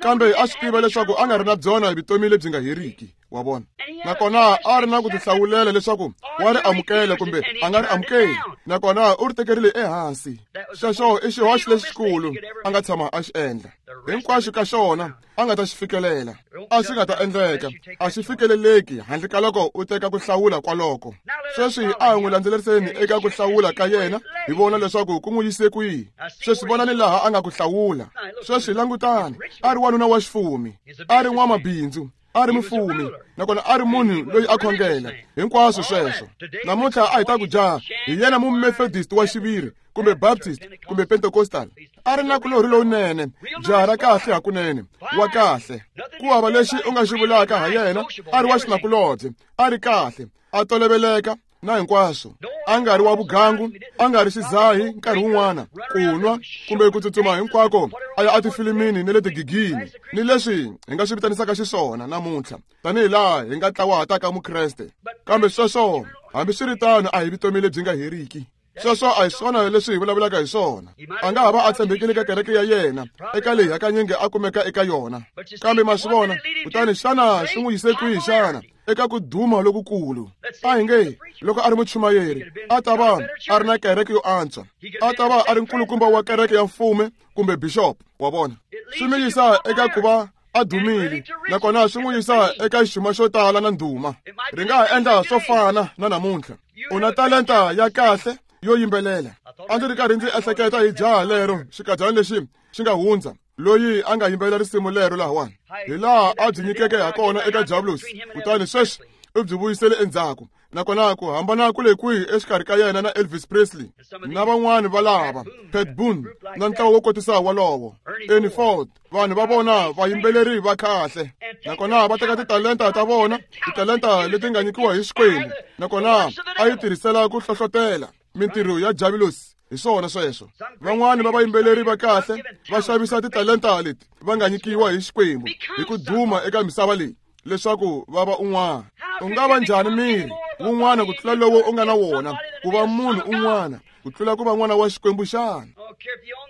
kambe a swi tiva leswaku a nga ri na byona vutomi lebyi nga heriki, wa vona. Nakona a ri na ku tihlawulela leswaku wa ri amukela kumbe a nga ri amukeli, nakona u ri tekerile ehansi. Xexo i xihoxo lexikulu a nga tshama a xi endla. Hinkwaswo ka xona a nga ta xi fikelela, a swi nga ta endleka, a xi fikeleleki handle ka loko u teka ku hlawula kwaloko. Sweswi a hi n'wi landzeleriseni eka ku hlawula ka yena, hi vona leswaku ku n'wi yise kwihi. Sweswi vonani laha a nga ku hlawula. Sweswi langutani, a ri wanuna wa xifumi, a ri n'wamabindzu, a ri mufumi, nakona a ri munhu loyi a khongela. Hinkwaswo sweswo. Namuntlha a hi ta ku jaha hi yena mumethodist wa xiviri kumbe Baptist kumbe Pentecostal. A ri na kulorhi lowunene, jaha ra kahle hakunene, wa kahle. Ku hava lexi u nga xi vulaka ha yena, a ri wa xinakulobye, a ri kahle, a toloveleka na hinkwaswo. A nga ri wa vugangu, a nga ri xizahi nkarhi wun'wana, ku nwa kumbe ku tsutsuma hinkwako a ya etifilimini ni le tigigini, ni leswi hi nga swi vitanisaka xiswona namuntlha tanihi laha hi nga tlawahataka Mukreste. Kambe sweswo, hambiswiritano, a hi vutomi lebyi nga heriki. Sweswo a hi swona leswi hi vulavulaka hi swona. A nga ha va a tshembekile ka kereke ya yena, eka leyi hakanyingi a kumeka eka yona. Kambe ma swi vona, kutani xana swi n'wi yise kwihi xana? Eka ku duma lokukulu. A hi nge loko a ri muchumayeri, a ta va a ri na kereke yo antswa, a ta va a ri nkulukumba wa kereke ya mfumo kumbe bishop, wa vona. Swi n'wi yisa eka ku va a dumile, nakona swi n'wi yisa eka xuma xo tala na ndhuma. Ri nga ha endla swo fana na namuntlha. U na talenta ya kahle yo yimbelela. A ndzi ri karhi ndzi ehleketa hi jaha lero xikadyana lexi xi nga hundza, loyi a nga yimbelela risimu lero lahawani, hi laha a byi nyikeke ha kona eka Diablos, kutani sweswi u byi vuyisele endzhaku. Nakona ku hambana ku le kwihi exikarhi ka yena na Elvis Presley na van'wani va lava, Pat Boone na ntlawa wo kotisa walowo, Ernie Ford, vanhu va vona vayimbeleri va kahle. Nakona va teka titalenta ta vona, titalenta leti nga nyikiwa hi Xikwembu, nakona a yi tirhisela ku hlohlotela mintirho ya Diablos. Hi swona sweswo. Van'wani va vayimbeleri va kahle va xavisa titalenta leti va nga nyikiwa hi Xikwembu hi ku duma eka misava leyi leswaku va va un'wana. U nga va njhani miri wun'wana ku tlula lowo u nga na wona, ku va munhu un'wana ku tlula ku va n'wana wa Xikwembu xana?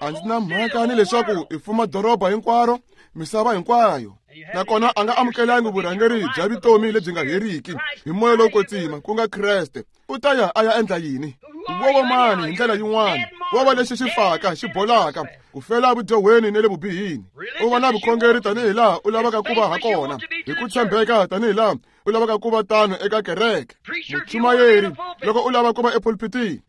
A ndzi na mhaka ni leswaku i fuma doroba hinkwaro, misava hinkwayo. Nakona a nga amukelangi vurhangeri bya vutomi lebyi nga heriki hi moya lowo kwetsima, ku nga Kreste. U ta ya a ya endla yini? Wo va mani hi ndlela yin'wana, wo va lexi xi faka xi bolaka, ku fela vudyohweni ni le vubihini. U va na vukhongeri tanihi laha u lavaka ku va ha kona, hi ku tshembeka tanihi laha u lavaka ku va tano eka kereke. Muchumayeri, loko u lava ku va epulpitini,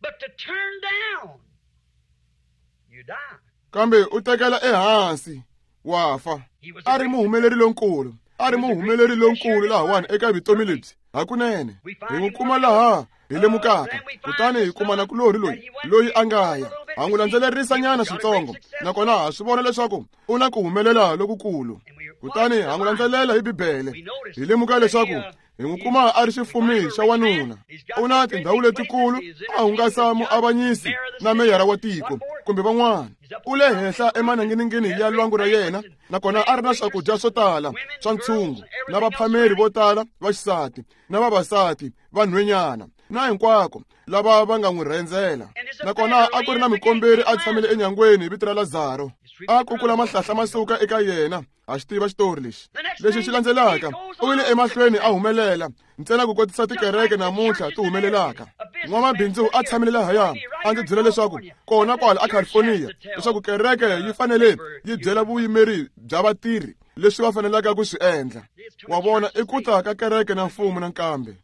kambe u tekela ehansi, wa fa. A ri muhumeleri lonkulu, a ri muhumeleri lonkulu lahawani eka vutomi lebyi hakunene. Hi n'wi kuma laha hi lemukaka kutani hi kuma nakulorhi loyi loyi a nga ya ha n'wi landzelerisa nyana switsongo nakona ha swi vona leswaku u na ku humelela lokukulu kutani ha n'wi landzelela hi bibele hi lemuka leswaku hi n'wi kuma a ri xifumi xa wanuna u na tindhawu letikulu a hungasa muavanyisi na meyara wa tiko kumbe van'wana u le henhla emaninginingini ya lwangu ra yena nakona a ri na swakudya swo tala swa ntshungu na vaphameri vo tala va xisati na vavasati vanhwenyana na hinkwako lava va nga n'wi rhendzela nakona a ku ri na mukomberi a tshamile enyangweni hi vito ra Lazaro a kukula mahlahla ma suka eka yena ha xi tiva xitori lexi lexi xi landzelaka u yile emahlweni a humelela ntsena ku kotisa tikereke namuntlha ti humelelaka n'wamabindzu a tshamile lahaya a ndzi byela leswaku kona kwala a California leswaku kereke yi fanele yi byela vuyimeri bya vatirhi leswi va fanelaka ku swi endla wa vona i ku ta ka kereke na mfumo nakambe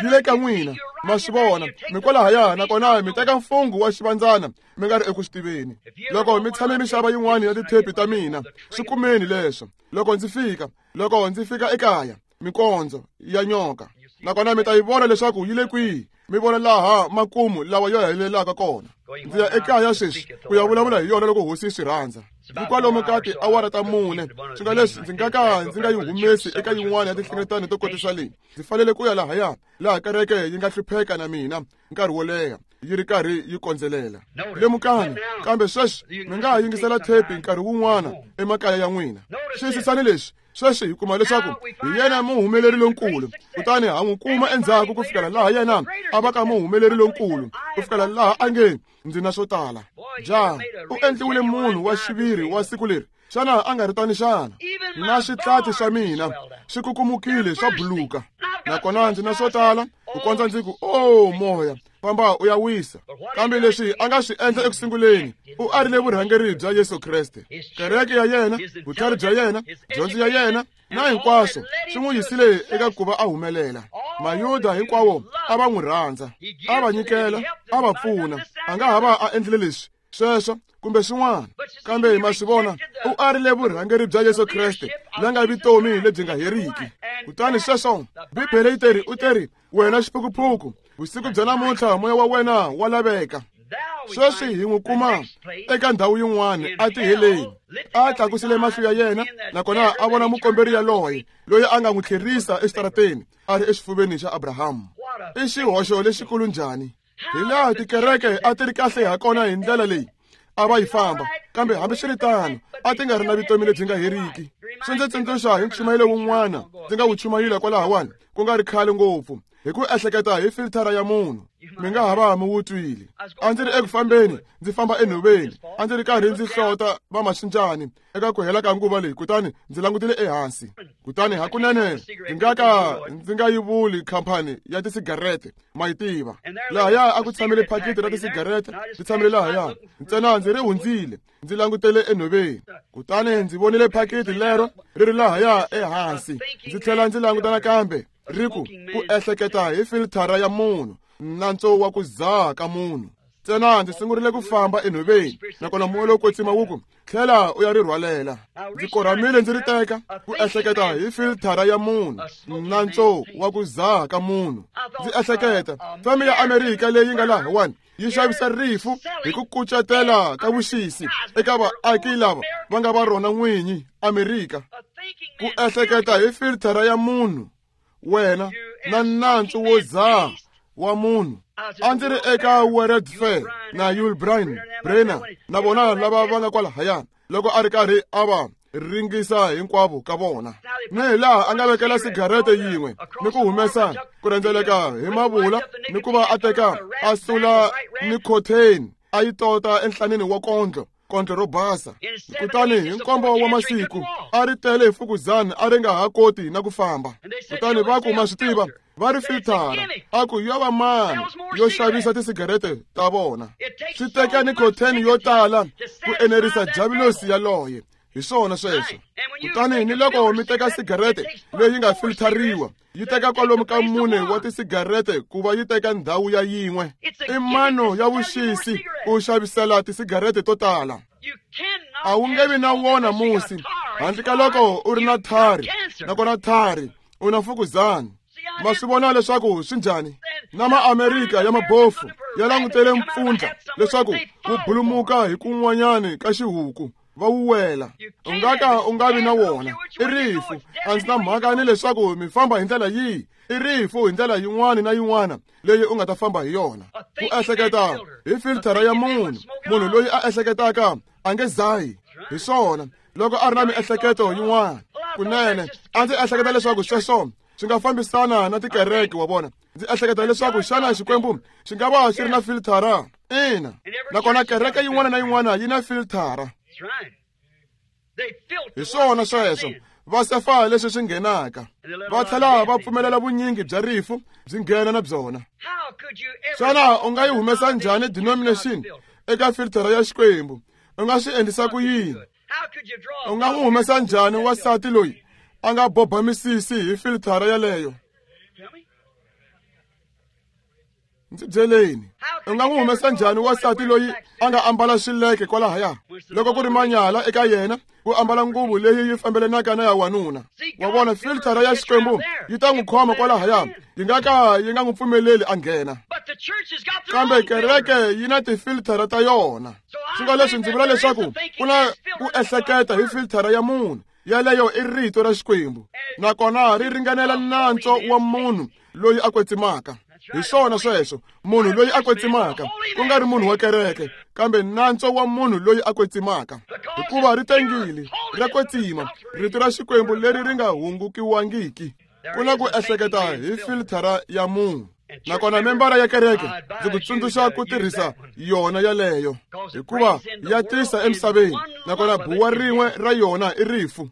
yi le ka n'wina ma swi vona mi kwalahaya nakona mi teka mfungho wa xivandzana mi nga ri eku swi tiveni loko mi tshame mi xava yin'wana ya tithepi ta mina swi kumeni leswo loko ndzi fika loko ndzi fika ekaya mikondzo ya nyoka nakona mi ta yi vona leswaku yi le kwihi mi vona laha makumu lawa yo helelaka kona ndzi ya ekaya sweswi ku ya vulavula hi yona loko hosi yi swi rhandza hi kwalomu ka tiawara ta mune swi nga leswi ndzi nga ka ndzi nga yi humesi eka yin'wana ya tinhlengeletano to kotisa leyi ndzi fanele ku ya lahaya laha kereke yi nga hlupheka na mina nkarhi wo leha yi ri karhi yi kondzelela lemukani kambe sweswi mi nga ha yingisela thepi nkarhi wun'wana emakaya ya n'wina xiyisisani leswi sweswi hi kuma leswaku hi yena muhumeleri lonkulu kutani ha n'wi kuma endzhaku ku fikela laha yena a va ka muhumeleri lonkulu ku fikela laha a nge ndzi na swo tala jaha u endliwile munhu wa xiviri wa siku leri xana a nga ri tani xana na switlati swa mina swi kukumukile swa buluka nakona ndzi na swo tala ku kondza ndzi ku o moya famba u ya wisa kambe leswi a nga swi endla ekusunguleni u arile vurhangeri bya Yesu Kreste kereke ya yena vutlhari bya yena dyondzo ya yena na hinkwaswo swi n'wi yisile eka ku va a humelela mayuda hinkwawo a va n'wi rhandza a va nyikela a va pfuna a nga ha va a endlile leswi sweswo kumbe swin'wana kambe ma swi vona u arile vurhangeri bya Yesu Kreste la nga vutomi lebyi nga heriki kutani sweswo bibele yi teri u teri wena xiphukuphuku vusiku bya namuntlha moya wa wena wa laveka sweswi hi n'wi kuma eka ndhawu yin'wana a tiheleni a tlakusile mahlo ya yena nakona a vona mukomberi yaloye loyi a nga n'wi tlherisa exitarateni a ri exifuveni xa Abrahamu i xihoxo lexikulu njhani hi laha tikereke a ti ri kahle ha kona hi ndlela leyi a va yi famba kambe hambiswiritano a ti nga ri na vutomi lebyi nga heriki swi ndzi tsundzuxa hi nchumayelo wun'wana ndzi nga wu chumayela kwalahawani ku nga ri khale ngopfu hi ku ehleketa hi filthara ya munhu mi nga ha va mi wu twile a ndzi ri eku fambeni ndzi famba enhoveni a ndzi ri karhi ndzi hlota vamaxinjani eka ku hela ka nguva leyi kutani ndzi langutile ehansi kutani hakunene ndzi nga ka ndzi nga yi vuli khampani ya tisigarete ma yi tiva lahaya a ku tshamile phakiti ra tisigarete ri tshamile lahaya ntsena ndzi ri hundzile ndzi langutele enhoveni kutani ndzi vonile phakiti lero ri ri lahaya ehansi ndzi tlhela ndzi languta nakambe ri ku ku ehleketa hi filthara ya munhu nantswo wa ku dzaha ka munhu ntsena ndzi sungurile ku famba enhoveni nakona moya lowo kwetsima wu ku tlhela u ya ri rhwalela ndzi korhamile ndzi ri teka ku ehleketa hi filthara ya munhu nantswo wa ku dzaha ka munhu ndzi ehleketa feme ya Amerika leyi nga lahawani yi xavisa rifu hi ku kucetela ka vuxisi eka vaaki lava va nga va rona n'winyi Amerika ku ehleketa hi filthara ya munhu wena na nantswo wo dzaha wa munhu a ndzi ri eka World Fair na Yul Brynner Brenner na vona lava va nga kwalahaya loko a ri karhi a va ringisa hinkwavo ka vona ni hi laha a nga vekela sigarete yin'we ni ku humesa ku rhendzeleka hi mavula ni ku va a teka a sula nicotine a yi tota enhlanini wa kondlo kondlo ro basa kutani hi nkombo wa masiku a ri tele hi fukuzana a ri nga ha koti na ku famba kutani va ku ma swi tiva va ri filthara a ku yo va mani yo xavisa tisigarete ta vona swi teka nicotine yo tala ku enerisa javulosi yaloye hi swona sweswo kutani ni loko mi teka sigarete leyi nga filthariwa yi teka kwalomu ka mune wa tisigarete ku va yi teka ndhawu ya yin'we i mano ya vuxisi ku xavisela tisigarete to tala a wu nge vi na wona musi handle ka loko u ri na thari nakona thari u na fukuzana ma swi vona leswaku swi njhani Na Maamerika ya mabofu ya langutele mpfundla leswaku wu bulumuka hi kun'wanyani ka xihuku va wu wela. U nga ka u nga vi na wona. I rifu. A ndzi na mhaka ni leswaku mi famba hi ndlela yihi. I rifu hi ndlela yin'wana na yin'wana leyi u nga ta famba hi yona. Ku ehleketa hi filtara ya munhu. Munhu loyi a ehleketaka a nge zahi. Hi swona loko a ri na miehleketo yin'wana. Kunene a ndzi ehleketa leswaku sweswo swi nga fambisana na tikereke wa vona. Ndzi ehleketa leswaku xana Xikwembu xi nga va xi ri na filtara? Ina. Nakona kereke yin'wana na yin'wana yi na filtara. Hi swona sweswo. Va sefa leswi swi nghenaka. Va tlhela va pfumelela vunyingi bya rifu byi nghena na byona. Xana u nga yi humesa njhani denomination eka filtara ya Xikwembu? U nga swi endlisa ku yini? U nga n'wi humesa njhani wansati loyi a nga boba misisi hi filtara yaleyo? Ndzi byeleni. U nga n'wi humesa njhani wansati loyi a nga ambala xileke kwalahaya? Loko ku ri manyala eka yena ku ambala nguvu leyi yi fambelanaka na ya wanuna. Wa vona filtara ya Xikwembu yi ta n'wi khoma kwalahaya, yi nga ka yi nga n'wi pfumeleli a nghena. Kambe kereke yi na tifiltara ta yona. Swi nga leswi ndzi vula leswaku ku na ku ehleketa hi filtara ya munhu. Yaleyo i rito ra Xikwembu. Nakona ri ringanela nantswo wa munhu loyi a kwetsimaka. Hi swona sweswo, munhu loyi a kwetsimaka, ku nga ri munhu wa kereke, kambe nantswo wa munhu loyi a kwetsimaka. Hikuva ri tengile, ra kwetsima, rito ra Xikwembu leri ri nga hungukiwangiki. Ku na ku ehleketa hi filtara ya munhu. Nakona membara ya kereke ndzi ku tsundzuxa ku tirhisa yona yaleyo, hikuva ya tisa emisaveni. Nakona buwa rin'we ra yona i rifu.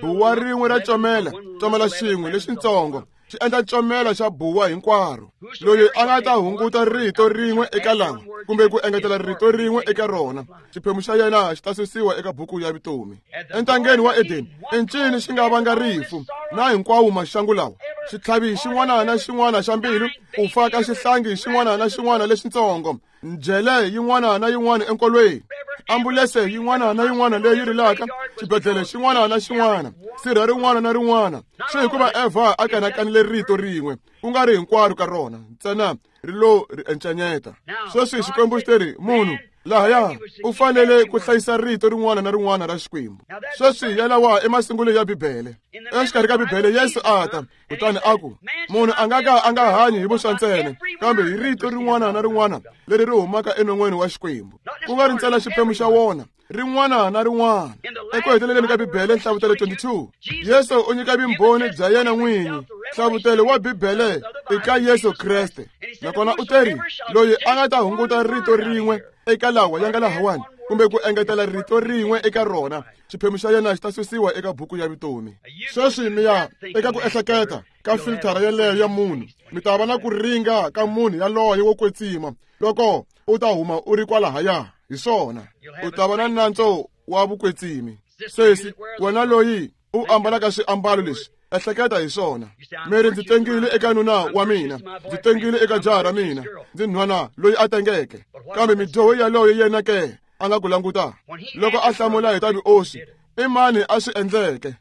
Buwa rin'we ra comela, comela xin'we lexitsongo xi endla comela xa buwa hinkwaro. Loyi a nga ta hunguta rito rin'we eka lawa kumbe ku engetela rito rin'we eka rona, xiphemu xa yena xi ta susiwa eka buku ya vutomi. Entangeni wa Edeni, encini xi nga vanga rifu na hinkwawo maxangu lawa. Xitlhavi xin'wana na xin'wana xa mbilu, ku fa ka xihlangi xin'wana na xin'wana lexitsongo, njhele yin'wana na yin'wana enkolweni, ambulense yin'wana na yin'wana leyi rilaka, xibedhlele xin'wana na xin'wana, sirha rin'wana na rin'wana. Swi hikuva Eva a kanakanile rito rin'we, ku nga ri hinkwaro ka rona, ntsena ri lo ri encanyeta. Sweswi Xikwembu xi teri munhu lahaya u fanele ku hlayisa rito rin'wana na rin'wana ra Xikwembu. Sweswi yalawa emasungulweni ya Bibele. Exikarhi ka Bibele Yesu a ta, kutani a ku, munhu a nga ka a nga hanyi hi vuswa ntsena, kambe hi rito rin'wana na rin'wana leri ri humaka enon'weni wa Xikwembu. Ku nga ri ntsena xiphemu xa wona, rin'wana na rin'wana. Eku heteleleni ka Bibele, Nhlavutelo twenty-two, Yesu u nyika vumbhoni bya yena n'winyi. Nhlavutelo wa Bibele i ka Yesu Kreste. Nakona u teri, loyi a nga ta hunguta rito rin'we eka lawa ya nga lahawani, kumbe ku engetela rito rin'we eka rona, xiphemu xa yena xi ta susiwa eka buku ya vutomi. Sweswi mi ya eka ku ehleketa ka filtara yaleyo ya munhu. Mi ta va na ku ringa ka munhu yaloye wo kwetsima loko u ta huma u ri kwalahaya. Hi swona, u ta va na nantswo wa vukwetsimi. Sesi, wena loyi u ambalaka swiambalo leswi, ehleketa hi swona. Meri ndzi tengile eka nuna wa mina, ndzi tengile eka jaha ra mina, ndzi nhwana loyi a tengeke. Kambe midyoho yaloye yena ke a nga ku languta loko a hlamula hi ta vuoswi, i mani a swi endleke?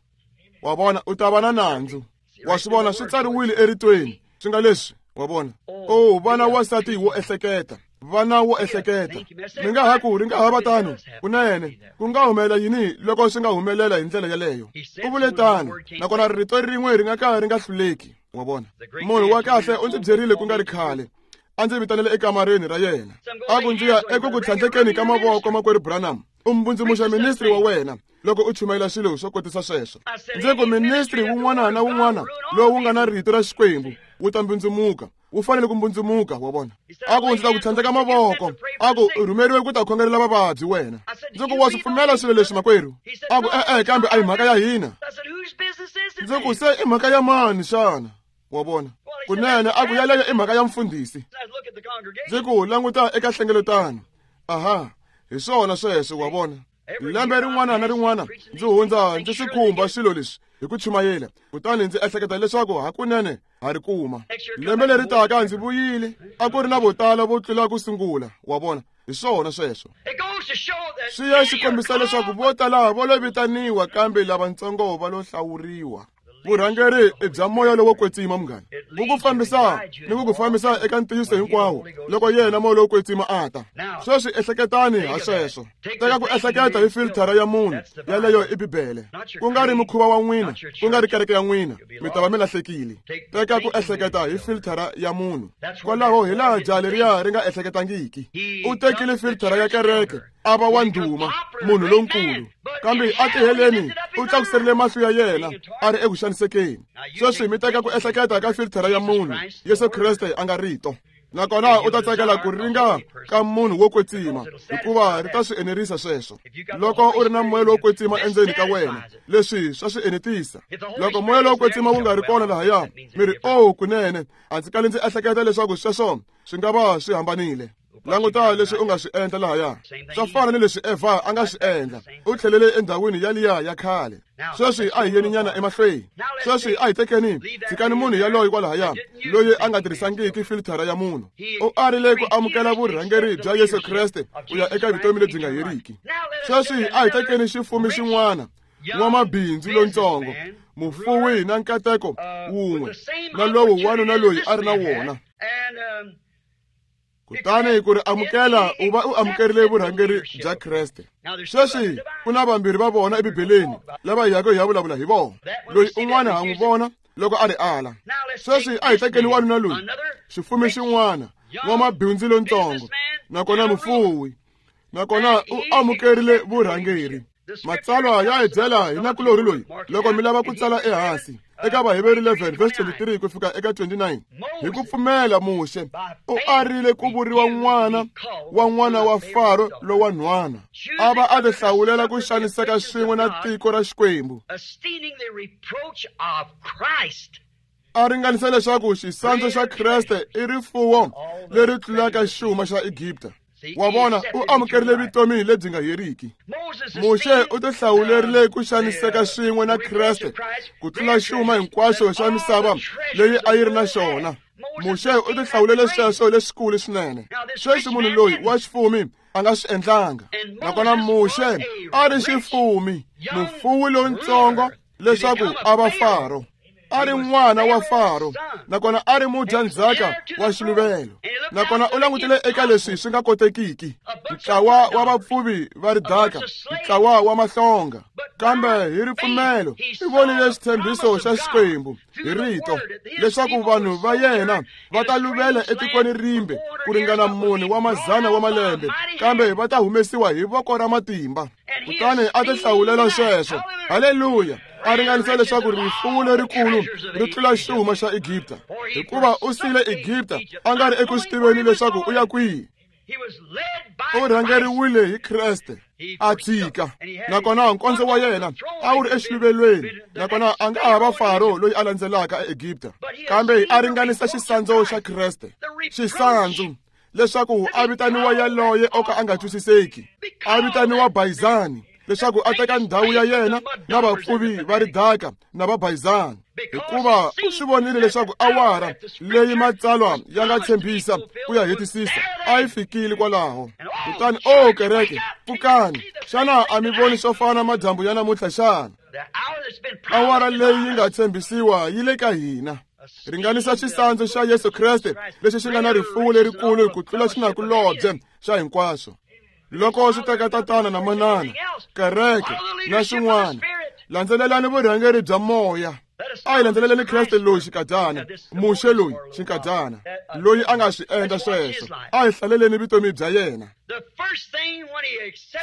Wa vona, u ta va na nandzu. Wa swi vona, swi tsariwile eritweni swi nga leswi. Wa vona, o vana wansati wo ehleketa, vana wo ehleketa. Mi nga ha ku ri nga ha va tano kunene, ku nga humelela yini loko swi nga humelela hi ndlela yaleyo? U vule tano, nakona rito rin'we ri nga ka ri nga hluleki. Wa vona, munhu wa kahle u ndzi byerile ku nga ri khale, a ndzi vitanele ekamareni ra yena, a ku ndzi ya eku ku tlhandlekeni ka mavoko makwerhu Branham, u mbundzumuxa ministri wa wena loko u chumayela swilo swo kotisa sweswo. Ndzi ku ministri wun'wana na wun'wana lowu nga na rito ra Xikwembu wu ta mbundzumuka, wu fanele ku mbundzumuka. Wa vona, a ku ndzi ta ku tlhandleka mavoko, a ku u rhumeriwe ku ta khongelela vavabyi wena. Ndzi ku wa swi pfumela swilo leswi makwerhu? A ku e-e, kambe a hi mhaka ya hina. Ndzi ku se i mhaka ya mani xana? Wa vona, kunene a ku yaleyo i mhaka ya mfundhisi. Ndzi ku languta eka hlengeletano. Aha, hi swona sweswo. Wa vona, lembe rin'wana na rin'wana ndzi hundza ndzi swi khumba swilo leswi hi ku chumayela, kutani ndzi ehleketa leswaku hakunene ha ri kuma. Lembe leri taka ndzi vuyile, a ku ri na vo tala vo tlula ku sungula. Wa vona, hi swona sweswo. Swi ya xi kombisa leswaku vo tala vo lo vitaniwa, kambe lavatsongo va lo hlawuriwa. Vurhangeri i bya moya lowo kwetsima munghana. Wu ku fambisa ni ku ku fambisa eka ntiyiso hinkwawo loko yena moya lowo kwetsima a ta. Sweswi ehleketani ha sweswo. Teka ku ehleketa hi filthara ya munhu yaleyo i Bibele. Ku nga ri mukhuva wa n'wina, ku nga ri kereke ya n'wina, mi ta va mi lahlekile. Teka ku ehleketa hi filthara ya munhu. Kwalaho hi laha jaha leriya ri nga ehleketangiki. U tekile filthara ya kereke a va wa ndhuma, munhu lonkulu. Kambe a tiheleni u tlakuserile mahlo ya yena a ri eku xanisekeni. Sweswi mi teka ku ehleketa ka filthara ya munhu, Yesu Kreste a nga rito. Nakona u ta tsakela ku ringa ka munhu wo kwetsima hikuva ri ta swi enerisa sweswo. Loko u ri na moya lowo kwetsima endzeni ka wena, leswi swa swi enetisa. Loko moya lowo kwetsima wu nga ri kona lahaya, mi ri oh kunene, a ndzi kali ndzi ehleketa leswaku sweswo swi nga va swi hambanile. Languta leswi u nga swi endla lahaya. Swa fana ni leswi Eva a nga swi endla. U tlhelele endhawini yaliya ya khale. Sweswi a hi yeni nyana emahlweni. Sweswi a hi tekeni tshikani munhu yaloye kwalahaya loyi a nga tirhisangiki filthara ya munhu. U arile ku amukela vurhangeri bya Yesu Kreste ku ya eka vutomi lebyi nga heriki. Sweswi a hi tekeni xifumi xin'wana, n'wamabindzu lontsongo, mufuwi na nkateko wun'we na lowu wanuna loyi a ri na wona. Kutani ku ri amukela u va u amukerile vurhangeri bya Kreste. Sweswi ku na vambirhi va vona eBibeleni lava hi yaka hi ya vulavula hi vona. Loyi un'wana ha n'wi vona loko a ri ala. Sweswi a hi tekeni wanuna loyi, xifumi xin'wana, n'wamabindzu lontsongo, nakona mufuwi, nakona u amukerile vurhangeri. Matsalwa ya hi byela hi nakulorhi loyi loko mi lava ku tsala ehansi eka Vaheberi eleven verse twenty-three ku fika eka twenty-nine. Hi ku pfumela Muxe u arile ku vuriwa n'wana wa n'wana wa Faro lowa nhwana, a va a tihlawulela ku xaniseka swin'we na tiko ra Xikwembu. A ringanisa leswaku xisandzu xa Kreste i rifuwo leri tlulaka xuma xa Egipta. Wa vona, u amukerile vutomi lebyi nga heriki. Muxe u tihlawulerile ku xaniseka swin'we na Kreste ku tlula xuma hinkwaxo xa misava leyi a yi ri na xona. Muxe u tihlawulele sweswo leswikulu swinene. Sweswi munhu loyi wa xifumi a nga swi endlanga. Nakona Muxe a ri xifumi, mufuwi lontsongo leswaku a va Faro. A ri n'wana wa Faro, nakona a ri mudyandzhaka wa xiluvelo. Nakona u langutile eka leswi swi nga kotekiki, ntlawa wa vapfuvi va ridaka, ntlawa wa mahlonga. Kambe hi ripfumelo i vonile xitshembiso xa Xikwembu hi rito leswaku vanhu va yena va ta luvela etikweni rimbe ku ringana mune wa mazana wa malembe, kambe va ta humesiwa hi voko ra matimba. Kutani a tihlawulela sweswo. Haleluya! A ringanisa leswaku rifuwo lerikulu ri tlula xuma xa Egipta, hikuva u siyile Egipta a nga ri eku swi tiveni leswaku u ya kwihi. U rhangeriwile hi Kreste a tshika, nakona nkondzo wa yena a wu ri exiluvelweni, nakona a nga ha va Faro loyi a landzelaka eEgipta, kambe a ringanisa xisandzu xa Kreste, xisandzu leswaku a vitaniwa yaloye o ka a nga twisiseki, a vitaniwa Bayizani leswaku a teka ndhawu ya yena na vapfuvi va ridaka na vabayizani, hikuva u swi vonile leswaku awara leyi matsalwa ya nga tshembisa ku ya hetisisa a yi fikile kwalaho. Kutani o kereke, pfukani! Xana a mi voni swo fana madyambu ya namuntlha xana? Awara leyi yi nga tshembisiwa yi le ka hina. Ringanisa xisandzu xa Yesu Kreste lexi xi nga na rifuwo lerikulu ku tlula xinakulobye xa hinkwaswo. Loko swi teka tatana na manana, kereke na xin'wana, landzelelani vurhangeri bya moya. A hi landzeleleni Kreste loyi xinkadyana, Muxe loyi xinkadyana, loyi a nga swi endla sweswo. A hi hlaleleni vutomi bya yena.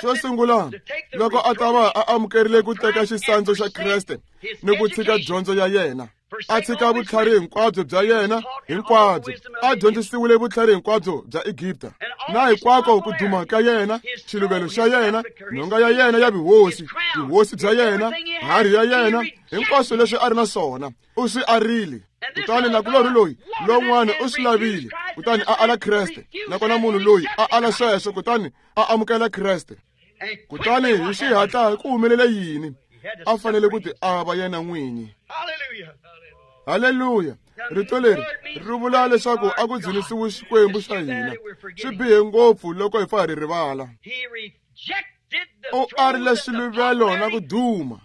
Xo sungula, loko a ta va a amukerile ku teka xisandzu xa Kreste ni ku tshika dyondzo ya yena, a tshika vutlhari hinkwabyo bya yena hinkwabyo, a dyondzisiwile vutlhari hinkwabyo bya Egipta na hinkwako ku duma ka yena, xiluvelo xa yena, nhonga ya yena ya vuhosi, vuhosi bya yena, harhi ya yena, hinkwaswo leswi a ri na swona u swi arile. Kutani nakulorhi loyi lowun'wana u swi lavile, kutani a ala Kreste. Nakona munhu loyi a ala sweswo, kutani a amukela Kreste. Kutani hi xihatla ku humelele yini? A fanele ku ti ava yena n'winyi. Haleluya! Rito leri ri vula leswaku a ku dzunisiwi Xikwembu xa hina. Swi bihe ngopfu loko hi fa hi ri rivala. U arile xiluvelo na ku duma.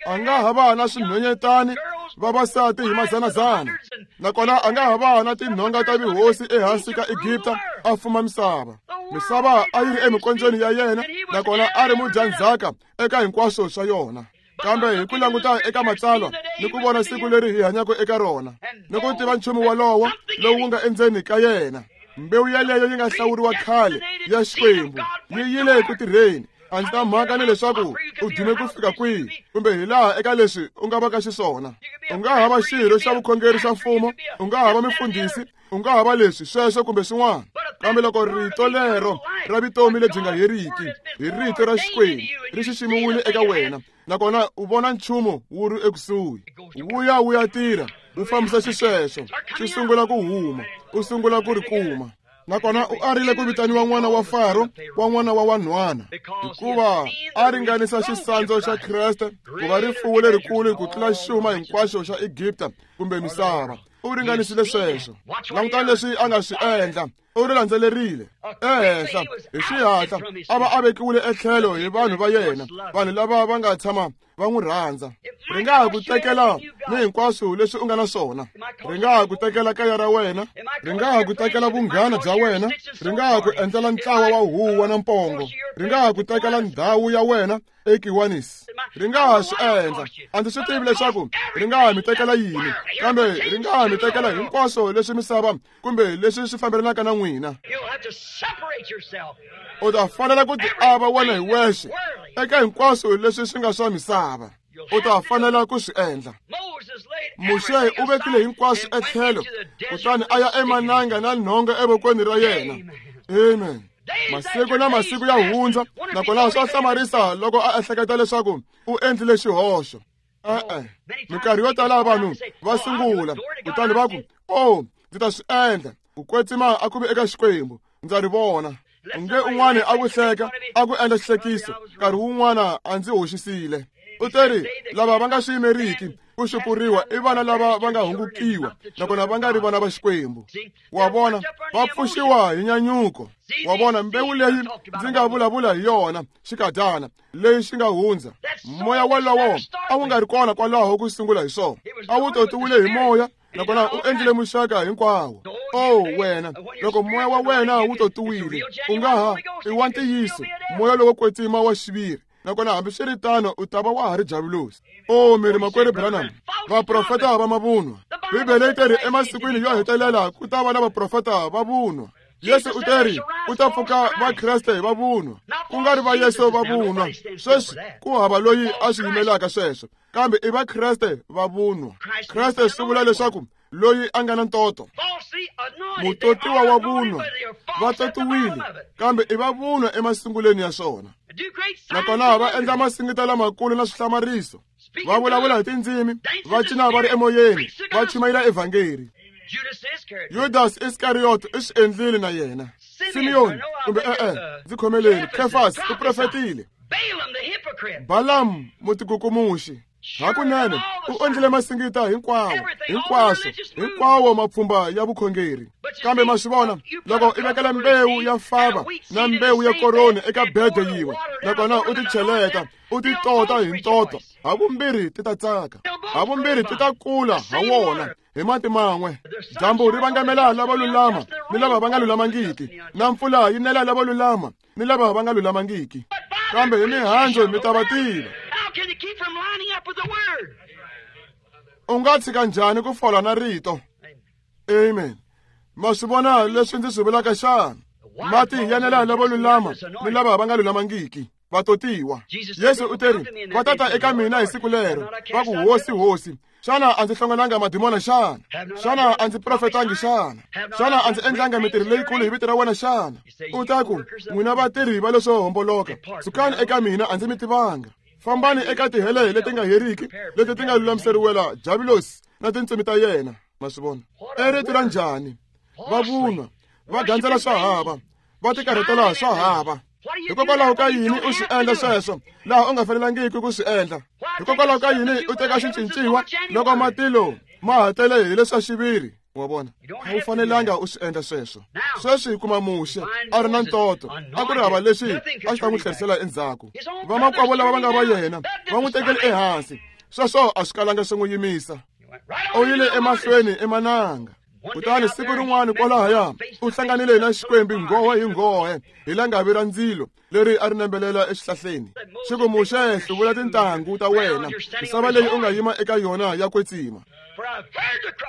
A nga ha va na swinhwanyetani vavasati hi madzanadzana. Nakona a nga ha va na tinhonga ta vihosi ehansi ka Egipta a fuma misava. Misava a yi ri emikondzweni ya yena, nakona a ri mudyandzhaka eka hinkwaswo swa yona. Kambe hi ku languta eka matsalwa ni ku vona siku leri hi hanyaka eka rona, ni ku tiva nchumu wolowo lowu wu nga endzeni ka yena, mbewu yeleyo yi nga hlawuriwa khale ya Xikwembu yi yile eku tirheni. A ndzi ta mhaka ni leswaku u dume ku fika kwihi kumbe hi laha eka leswi u nga vaka xiswona. U nga hava xirho xa vukhongeri xa mfumo, u nga hava mifundhisi, u nga hava leswi sweswo kumbe swin'wana, kambe loko rito lero ra vutomi lebyi nga heriki hi rito ra Xikwembu ri xiximiwile eka wena, nakona u vona nchumu wu ri ekusuhi, wu ya wu ya tirha, wu fambisa xisweswo, xi sungula ku huma, u sungula ku ri kuma. Nakona u arile ku vitaniwa n'wana wa Faro wa n'wana wa wanhwana, hikuva a ringanisa xisandzu xa Kreste ku va rifuwo lerikulu ku tlula xuma hinkwaxo xa Egipta kumbe misava. U ringanisile sweswo. Langutani leswi a nga swi endla. U ri landzelerile ehenhla hi xihatla, a va a vekiwile etlhelo hi vanhu va yena, vanhu lava va nga tshama va n'wi rhandza. Ri nga ha ku tekela ni hinkwaswo leswi u nga na swona. Ri nga ha ku tekela kaya ra wena, ri nga ha ku tekela vunghana bya wena, ri nga ha ku endlela ntlawa wa huwa na mpongo, ri nga ha ku tekela ndhawu ya wena eKiwanis. Ri nga ha swi endla. A ndzi swi tivi leswaku ri nga ha mi tekela yini, kambe ri nga ha mi tekela hinkwaswo leswi misava kumbe leswi swi fambelanaka na n'wina. U ta fanela ku tiava wena hi wexe eka hinkwaswo leswi swi nga swa misava. U ta fanela ku swi endla. Muxe u vekile hinkwaswo etlhelo, kutani a ya emananga na nhonga evokweni ra yena. Amen. Masiku na masiku ya hundza, nakona swa hlamarisa loko a ehleketa leswaku u endlile xihoxo. E-e, minkarhi yo tala vanhu va sungula kutani va ku, "Oh, ndzi ta swi endla." Ku kwetsima a ku vi eka Xikwembu, ndza ri vona. Nge un'wana a ku hleka, a ku endla xihlekiso, nkarhi wun'wana a ndzi hoxisile. U teri lava va nga swi yimeriki ku xupuriwa i vana lava va nga hungukiwa, nakona va nga ri vana va Xikwembu. Wa vona, va pfuxiwa hi nyanyuko. Wa vona, mbewu leyi ndzi nga vulavula hi yona xikadyana leyi xi nga hundza, moya wolowo a wu nga ri kona kwalaho ku sungula hi swona. A wu totiwile hi moya, nakona u endlile muxaka hinkwawo. Oh wena, loko moya wa wena wu totiwile, u nga ha i wa ntiyiso, moya lowo kwetsima wa xiviri, nakona hambiswiritano u ta va wa ha ri javulosi. Oh mi ri makwerhu Branham, vaprofeta va mavunwa. Bibele yi teri emasikwini yo hetelela ku ta va na vaprofeta va vunwa. Yesu u teri u ta pfuka Vakreste va vunwa, ku nga ri va Yesu va vunwa. Sweswi ku hava loyi a swi yimelaka sweswo, kambe i Vakreste va vunwa. Kreste swi vula leswaku loyi a nga na ntoto, mutotiwa wa vunwa. Va totiwile, kambe i va vunwa emasungulweni ya swona. Nakona va endla masingita lamakulu na swihlamariso, va vulavula hi tindzimi, va cina va ri emoyeni, va chumayela evhangeri. Judas Iskariot i swi endlile na yena. Simeon kumbe e-e, ndzi khomeleni, Kefas u profetile. Balaam mutikukumuxi hakunene u endlile masingita hinkwawo, hinkwaswo, hinkwawo mapfhumba ya vukhongeri. Kambe ma swi vona, loko i vekela mbewu ya fava na mbewu ya koroni eka bede yin'we, nakona u ti cheleta, u ti tota hi ntoto, havumbirhi ti ta tsaka, havumbirhi ti ta kula ha wona hi mati man'we. Dyambu ri vangamela lava lulama ni lava va nga lulamangiki, na mpfula yi nela lava lulama ni lava va nga lulamangiki. Kambe hi mihandzu mi ta va tiva. U nga tshika njhani ku fola na rito? Amen. Ma swi vona leswi ndzi swi vulaka xana? Mati ya nela lava lulama ni lava va nga lulamangiki, va totiwa. Yesu u teri va tata eka mina hi siku lero, va ku, "Hosi, Hosi, xana a ndzi hlongolanga madimona xana? Xana a ndzi profetangi xana? Xana a ndzi endlanga mintirho leyikulu hi vito ra wena xana?" U ta ku, "N'wina vatirhi va leswo homboloka, sukani eka mina, a ndzi mi tivanga. Fambani eka tihele leti nga heriki, leti ti nga lulamiseriwela Javulosi na tintsumi ta yena." Ma swi vona? I rito ra njhani? Va vunwa, va gandzela swa hava, va tikarhatela swa hava. Hikokwalaho ka yini u swi endla sweswo laha u nga fanelangiki ku swi endla? Hikokwalaho ka yini u teka xincinciwa loko matilo ma ha tele hi leswa xiviri? Wa vona, a wu fanelanga u swi endla sweswo. Sweswi hi kuma Muxe a ri na ntoto, a ku ri hava leswi a swi ta n'wi tlherisela endzhaku. Vamakwavo lava va nga va yena va n'wi tekele ehansi, sweswo a swi kalanga swi n'wi yimisa. U yile emahlweni emananga. Kutani siku rin'wana kwalahaya u hlanganile na Xikwembu nghohe hi nghohe hi langavi ra ndzilo leri a ri nembelela exihlahleni. Xi ku, Muxe, hluvula tintangu ta wena, misava leyi u nga yima eka yona ya kwetsima,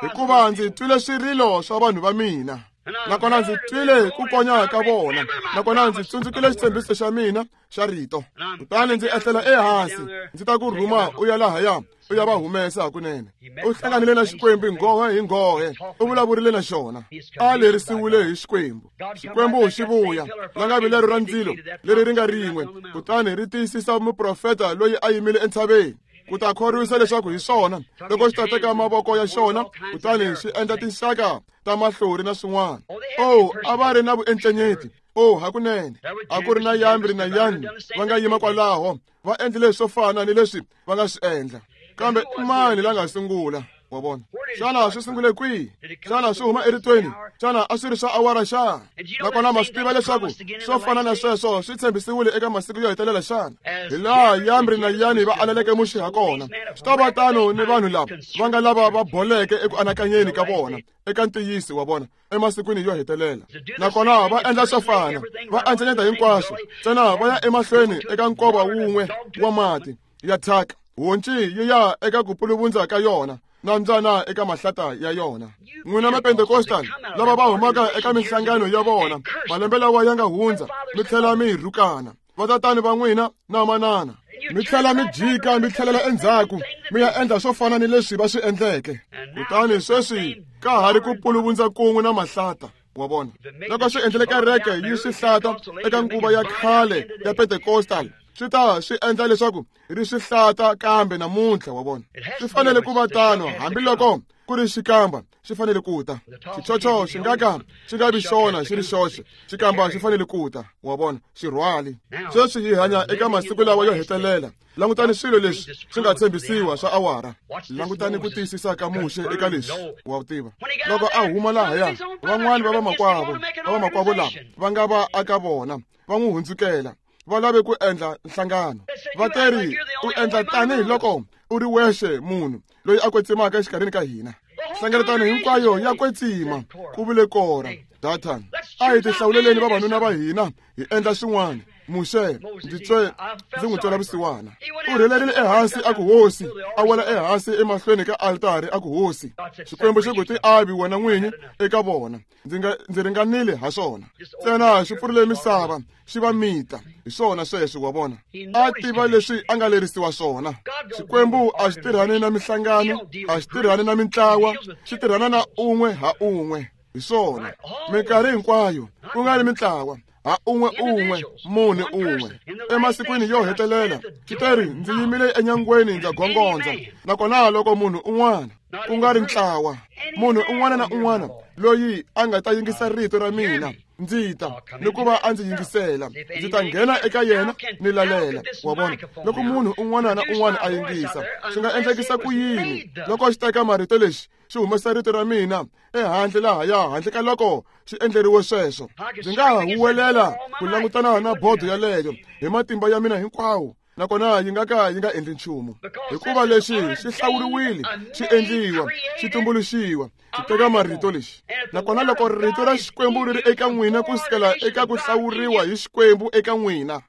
hikuva ndzi twile swirilo swa vanhu va mina, nakona ndzi twile ku konya ka vona, nakona ndzi tsundzukile xitshembiso xa mina xa rito. Kutani ndzi ehlela ehansi, ndzi ta ku rhuma u ya lahaya u ya va humesa hakunene. U hlanganile na Xikwembu nghohe hi nghohe, u vulavurile na xona, a lerisiwile hi Xikwembu. Xikwembu xi vuya langavi lero ra ndzilo leri ri nga rin'we, kutani ri tiyisisa muprofeta loyi a yimile entshaveni ku ta khorwisa leswaku hi swona loko xi ta teka mavoko ya xona kutani xi endla tinxaka ta mahlori na swin'wana. Oh, a va ri na vuencenyeti. Oh, hakunene a ku ri na Yambri na Yani va nga yima kwalaho, va endlile swo fana ni leswi va nga swi endla. Kambe i mani la nga sungula? Wa vona? Xana swi sungule kwihi? Xana swi huma eritweni? Xana a swi ri swa awara xana? Nakona ma swi tiva leswaku swo fana na sweswo swi tshembisiwile eka masiku yo hetelela xana? Hi laha Yambri na Yani va aleleke Muxe ha kona, swi ta va tano ni vanhu lava va nga lava va boleke eku anakanyeni ka vona eka ntiyiso wa vona emasikwini yo hetelela. Nakona va endla swo fana, va encenyeta hinkwaswo, ntsena va ya emahlweni eka nkova wun'we wa mati ya thyaka, honci yi ya eka ku puluvundza ka yona, na mbyana eka mahlata ya yona. N'wina Mapentecostal lava va humaka eka minhlangano ya vona malembe lawa ya nga hundza, mi tlhela mi rhukana vatatani va n'wina na manana, mi tlhela mi jika mi tlhelela endzhaku mi ya endla swo fana ni leswi va swi endleke. Kutani sweswi ka ha ri ku puluvundza kun'we na mahlata. Wa vona? Loko swi endlele kereke yi swi hlata eka nguva ya khale ya Pentecostal, swi ta swi endla leswaku ri swi hlata kambe namuntlha. Wa vona? Swi fanele ku va tano, hambiloko ku ri xikamba xi fanele ku ta. Xichocho xi nga ka xi nga vi xona xi ri xoxe, xikamba xi fanele ku ta. Wa vona? Xirhwali. Sweswi hi hanya eka masiku lawa yo hetelela. Langutani swilo leswi swi nga tshembisiwa swa awara. Langutani ku tiyisisa ka Muxe eka leswi. Wa tiva, loko a huma lahaya, van'wani va vamakwavo va vamakwavo lava va nga va aka vona va n'wi hundzukela, va lave ku endla nhlangano. Va teri, u endla tanihiloko u ri wexe munhu loyi a kwetsimaka exikarhini ka hina. Hlengeletano hinkwayo ya kwetsima, ku vule Kora, Dathan. A hi tihlawuleleni vavanuna va hina hi endla swin'wana. Muxe, ndzi twe ndzi n'wi twela vusiwana. U rhelerile ehansi a ku hosi, a wela ehansi emahlweni ka altari a ku hosi. Xikwembu xi ku ti avi wena n'winyi eka vona, ndzi nga ndzi ringanile ha swona. Ntsena xi pfurile misava xi va mita. Hi swona sweswo. Wa vona? A tiva leswi a nga lerisiwa swona. Xikwembu a xi tirhani na minhlangano, a xi tirhani na mintlawa, xi tirhana na un'we ha un'we. Hi swona minkarhi hinkwayo, ku nga ri mintlawa, ha un'we un'we, munhu un'we. Emasikwini yo hetelela xi teri, ndzi yimile enyangweni ndza gongondza, nakona loko munhu un'wana, ku nga ri ntlawa, munhu un'wana na un'wana loyi a nga ta yingisa rito ra mina, ndzi ta ni ku va a ndzi yingisela, ndzi ta nghena eka yena ni lalela. Wa vona? Loko munhu un'wana na un'wana a yingisa, swi nga endlekisa ku yini loko xi teka marito lexi xi humesa rito ra mina ehandle lahaya, handle ka loko xi endleriwe sweswo? Ndzi nga ha huwelela ku langutana na bodo yaleyo hi matimba ya mina hinkwawo, nakona yi nga ka yi nga endli nchumu, hikuva lexi xi hlawuriwile, xi endliwa, xi tumbuluxiwa, xi teka marito lexi. Nakona loko rito ra Xikwembu ri ri eka n'wina ku sukela eka ku hlawuriwa hi Xikwembu eka n'wina,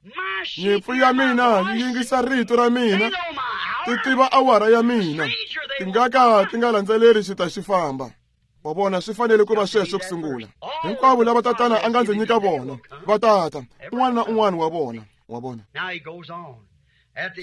nyimpfu ya mina yi yingisa rito ra mina, ti tiva awara ya mina, ti nga ka ti nga landzeleri xi ta xi famba. Wa vona? Swi fanele ku va sweswo ku sungula. Hinkwavo lava tatana a nga ndzi nyika vona va tata, un'wana na un'wana wa vona. Wa vona?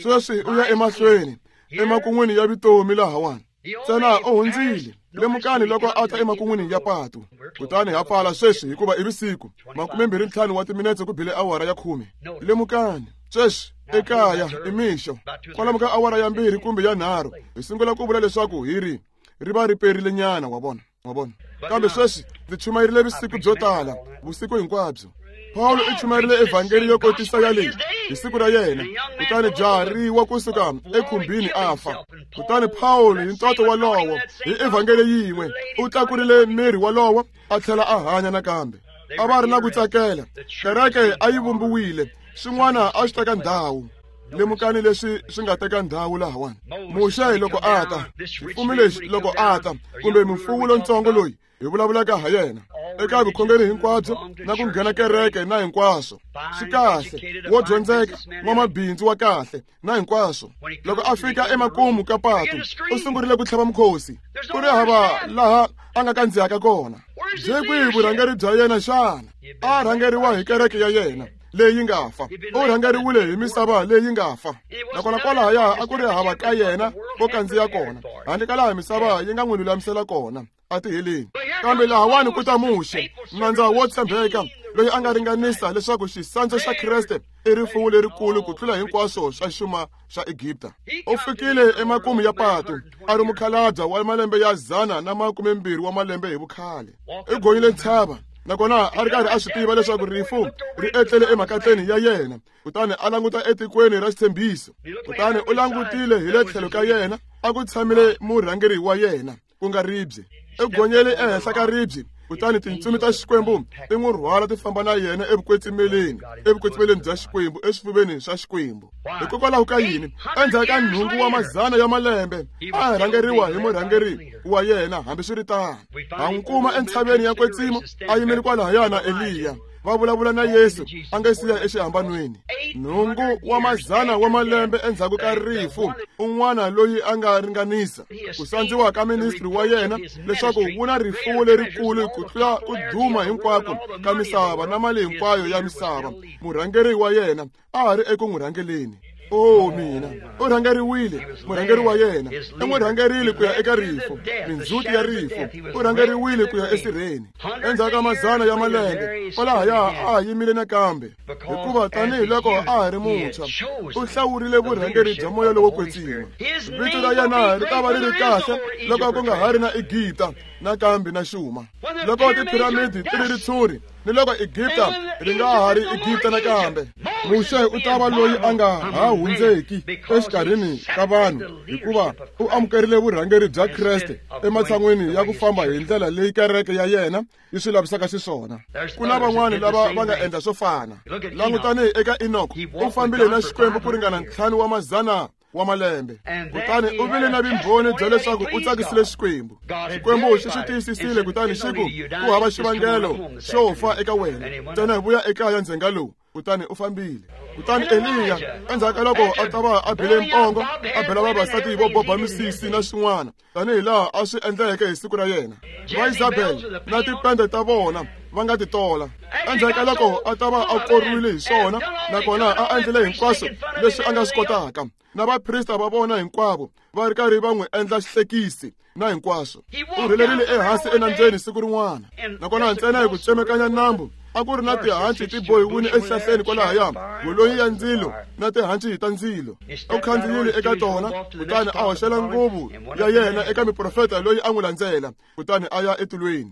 Sweswi u ya emahlweni emakun'wini ya vutomi lahawani. Ntsena u hundzile. Lemukani loko a ta emakun'wini ya patu. Kutani ha pfala sweswi hikuva i vusiku, makumembirhi ntlhanu wa timinetse ku bile awara ya khume. Lemukani sweswi ekaya i mixo, kwalomu ka awara ya mbirhi kumbe ya nharhu hi sungula ku vula leswaku hi ri ri va ri perile nyana. Wa vona? Wa vona? Kambe sweswi ndzi chumayerile vusiku byo tala, vusiku hinkwabyo. Paulo u chumayerile evhangeli yo kotisa ya leyi hi siku ra yena, kutani jaha ri wa kusuka ekhumbini a fa. Kutani Paulo hi ntoto walowo hi evhangeli yin'we u tlakurile miri walowo a tlhela a hanya nakambe. A va ri na ku tsakela, kereke a yi vumbiwile, swin'wana a swi teka ndhawu. Lemukani leswi swi nga teka ndhawu lahawani. Muxe loko a ta, xifumi lexi loko a ta, kumbe mufuwi lontsongo loyi hi vulavulaka ha yena eka vukhongeri hinkwabyo na ku nghena kereke na hinkwaswo, swi kahle, wo dyondzeka, n'wamabindzu wa kahle na hinkwaswo. Loko a fika emakumu ka patu, u sungurile ku tlhava mukhosi, ku ri hava laha a nga kandziyaka kona. Byi kwihi vurhangeri bya yena xana? A rhangeriwa hi kereke ya yena leyi nga fa, u rhangeriwile hi misava leyi nga fa. Nakona kwalahaya a ku ri hava ka yena ko kandziya kona, handle ka laha misava yi nga n'wi lulamisela kona a tiheleni. Kambe lahawani ku ta Muxe, nandza wo tshembeka loyi a nga ringanisa leswaku xisandzu xa Kreste i rifuwo lerikulu ku tlula hinkwaswo swa xuma xa Egipta. U fikile emakumu ya patu a ri mukhalabye wa malembe ya dzana na makumembirhi wa malembe hi vukhale. U gonyile ntshava, nakona a ri karhi a swi tiva leswaku rifu ri etlele emakatleni ya yena. Kutani a languta etikweni ra xitshembiso, kutani u langutile hi le tlhelo ka yena a ku tshamile murhangeri wa yena, ku nga ribye. U gonyele ehenhla ka ribye, kutani tintsumi ta Xikwembu ti n'wi rhwala ti famba na yena evukwetsimeleni, evukwetsimeleni bya Xikwembu, eswifuveni swa Xikwembu. Hikokwalaho ka yini? Endzhaku ka nhungu wa mazana ya malembe a rhangeriwa hi murhangeri wa yena. Hambiswiritano, ha n'wi kuma entshaveni ya kwetsimo a yimile kwalahaya na Eliya, va vulavula na Yesu a nga siya exihambanweni. Nhungu wa mazana wa malembe endzhaku ka rifu, un'wana loyi a nga ringanisa ku sandziwa ka ministry wa yena leswaku wu na rifuwo lerikulu ku tlula ku duma hinkwako ka misava na mali hinkwayo ya misava, murhangeri wa yena a ha ri eku n'wi rhangeleni. O mina, u rhangeriwile, murhangeri wa yena u n'wi rhangerile ku ya eka rifu, mindzhuti ya rifu, u rhangeriwile ku ya esirheni. Endzhaku ka mazana ya malembe, kwalahaya a ha yimile nakambe, hikuva tanihiloko a ha ri muntshwa, u hlawurile vurhangeri bya moya lowo kwetsima. Vito ra yena ri ta va ri ri kahle loko ku nga ha ri na Egipta nakambe na xuma, loko tiphiramidi ti ri ritshuri, ni loko Egipta ri nga ha ri Egipta nakambe. Muxe u ta va loyi a nga ha hundzeki exikarhini ka vanhu, hikuva u amukerile vurhangeri bya Kreste ematshan'wini ya ku famba hi ndlela leyi kereke ya yena yi swi lavisaka xiswona. Ku na van'wani lava va nga endla swo fana. Langutani eka Enoko, u fambile na Xikwembu ku ringana ntlhanu wa mazana wa malembe, kutani u vile na vumbhoni bya leswaku u tsakisile Xikwembu. Xikwembu xi swi tiyisisile, kutani xi ku ku hava xivangelo xo fa eka wena, ntsena hi vuya ekaya ndzhenga lowu. Kutani u fambile. Kutani Eliya, endzhaku ka loko a ta va a bile mpongo, a bela vavasati vo boba misisi na swin'wana, tanihi laha a swi endleke hi siku ra yena, va Isabel na tipende ta vona va nga ti tola. Endzhaku ka loko a ta va a korwile hi swona, nakona a endlile hinkwaswo leswi a nga swi kotaka, na vaprista va vona hinkwavo va ri karhi va n'wi endla xihlekisi na hinkwaswo, u rhelerile ehansi enambyeni siku rin'wana, nakona ntsena hi ku tsemekanya nambu a ku ri na tihanci ti bohiwile exihlahleni kwalahaya, golonyi ya ndzilo na tihanci ta ndzilo. U khandziyile eka tona, kutani a hoxela nguvu ya yena eka muprofeta loyi a n'wi landzela, kutani a ya etilweni.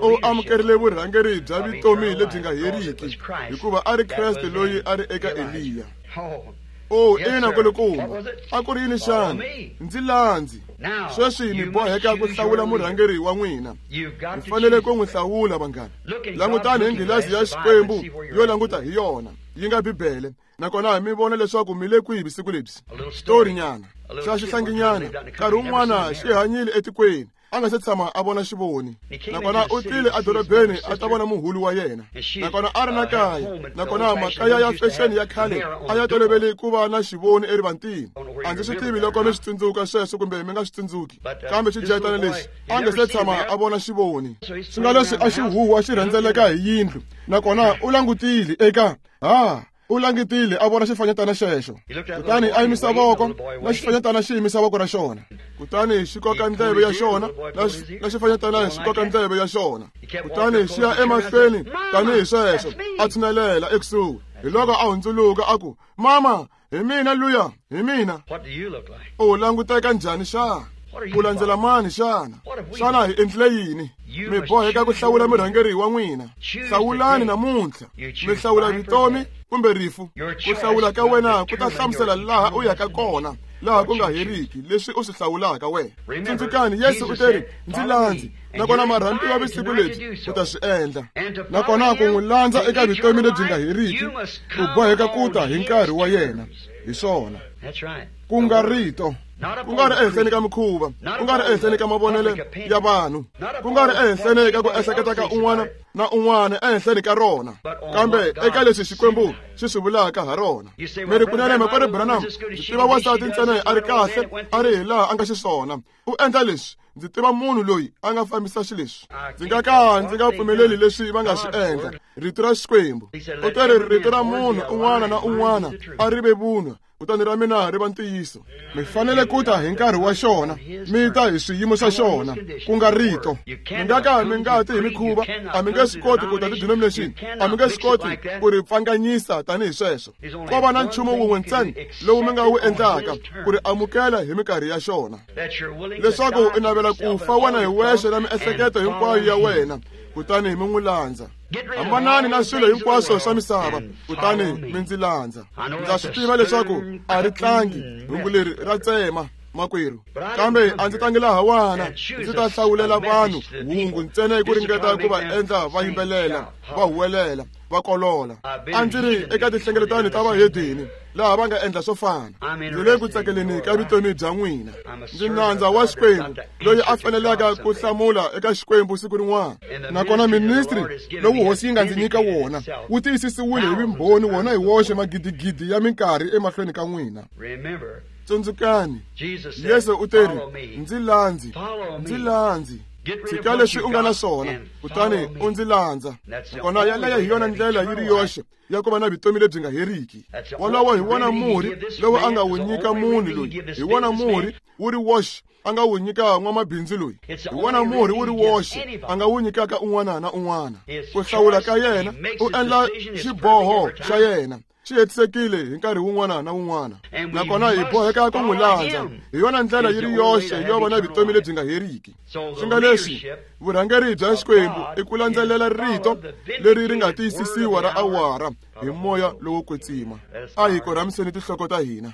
U amukerile vurhangeri bya vutomi lebyi nga heriki, hikuva a ri Kreste loyi a ri eka Eliya. O ina nkulukumba, a ku ri yini xana? Ndzi landzi. Sweswi mi boheka ku hlawula murhangeri wa n'wina. Mi fanele ku n'wi hlawula, vanghana. Langutani hi nghilazi ya Xikwembu yo languta hi yona, yi nga Bibele, nakona mi vona leswaku mi le kwihi vusiku lebyi. Xitorinyana xa xihlanginyana nkarhi wun'wana xi hanyile etikweni, a nga se tshama a vona xivoni, nakona u tile edorobeni a ta vona muhulu wa yena, nakona a ri na kaya, nakona makaya ya fexeni ya khale a ya tolovele ku va na xivoni erivantini. A ndzi swi tivi loko mi swi tsundzuka sweswo kumbe mi nga swi tsundzuki, kambe xidyetana lexi a nga se tshama a vona xivoni, swi nga leswi a xi huhwa xi rhendzeleka hi yindlu, nakona u langutile eka ha u langutile a vona xifanyetana xexo, kutani a yimisa voko, na xifanyetana xi yimisa voko ra xona, kutani xi koka ndleve ya xona, na xifanyetana xi koka ndleve ya xona, kutani xi ya emahlweni tanihi sweswo, a tshinelela ekusuhi. Hi loko a hundzuluka a ku, "Mama, hi mina luya, hi mina." U languteka njhani xana? U landzela mani xana? Xana hi endlile yini? Mi boheka ku hlawula murhangeri wa n'wina. Hlawulani namuntlha. Mi hlawula vutomi kumbe rifu. Ku hlawula ka wena ku ta hlamusela laha u yaka kona laha ku nga heriki leswi u swi hlawulaka wena. Tsundzukani Yesu u teri ndzi landzi, nakona marhambiwa vusiku lebyi u ta swi endla. Nakona ku n'wi landza eka vutomi lebyi nga heriki u boheka ku ta hi nkarhi wa yena. Hi swona, ku nga rito, ku nga ri ehenhleni ka mikhuva, ku nga ri ehenhleni ka mavonelo ya vanhu, ku nga ri ehenhleni ka ku ehleketa ka un'wana na un'wana ehenhleni ka rona, kambe eka leswi Xikwembu xi swi vulaka ha rona. Mi ri kunene makwerhu Branham, ndzi tiva wansati ntsena a ri kahle, a ri hi laha a nga xiswona. U endla leswi, ndzi tiva munhu loyi a nga fambisa xileswi. Ndzi nga ka ndzi nga pfumeleli leswi va nga swi endla. Rito ra Xikwembu u teri rito ra munhu un'wana na un'wana a ri ve vunwa, kutani ra mina ri va ntiyiso. Mi fanele ku ta hi nkarhi wa xona, mi ta hi swiyimo swa xona, ku nga rito. Mi nga ka mi nga ti hi mikhuva, a mi nge swi koti ku ta ti-denomination, a mi nge swi koti ku ri pfanganyisa tanihi sweswo. Ko va na nchumu wun'we ntsena lowu mi nga wu endlaka, ku ri amukela hi minkarhi ya xona, leswaku u navela ku fa wena hi wexe na miehleketo hinkwayo ya wena, kutani mi n'wi landza. Hambanani na swilo hinkwaswo swa misava, kutani mi ndzi landza. Ndza swi tiva leswaku a ri tlangi hungu leri ra tsema makwerhu, kambe a ndzi tangi lahawana ndzi ta hlawulela vanhu hungu ntsena hi ku ringeta ku va endla va yimbelela, va huwelela, va kolola. A ndzi ri eka tinhlengeletano ta vahedeni laha va nga endla swo fana. Ndzi le ku tsakeleni ka vutomi bya n'wina. Ndzi nandza wa Xikwembu loyi a fanelaka ku hlamula eka Xikwembu siku rin'wana. Nakona ministry lowu hosi yi nga ndzi nyika wona wu tiyisisiwile hi vumbhoni wona hi woxe magidigidi ya minkarhi emahlweni ka n'wina. Tsundzukani Yesu u teri ndzi landzi, ndzi landzi. Tshika leswi u nga na swona, kutani u ndzi landza. Nakona yaleyo hi yona ndlela yi ri yoxe ya ku va na vutomi lebyi nga heriki. Wolowo hi wona murhi lowu a nga wu nyika munhu loyi, hi wona murhi wu ri woxe a nga wu nyika n'wamabindzu loyi, hi wona murhi wu ri woxe a nga wu nyikaka un'wana na un'wana. Ku hlawula ka yena, u endla xiboho xa yena xi hetisekile hi nkarhi wun'wana na wun'wana. Nakona hi boheka ku n'wi landza. Hi yona ndlela yi ri yoxe yo va na vutomi lebyi nga heriki. Swi nga leswi vurhangeri bya Xikwembu i ku landzelela rito leri ri nga tiyisisiwa ra awara hi moya lowo kwetsima. A hi korhamiseni tinhloko ta hina.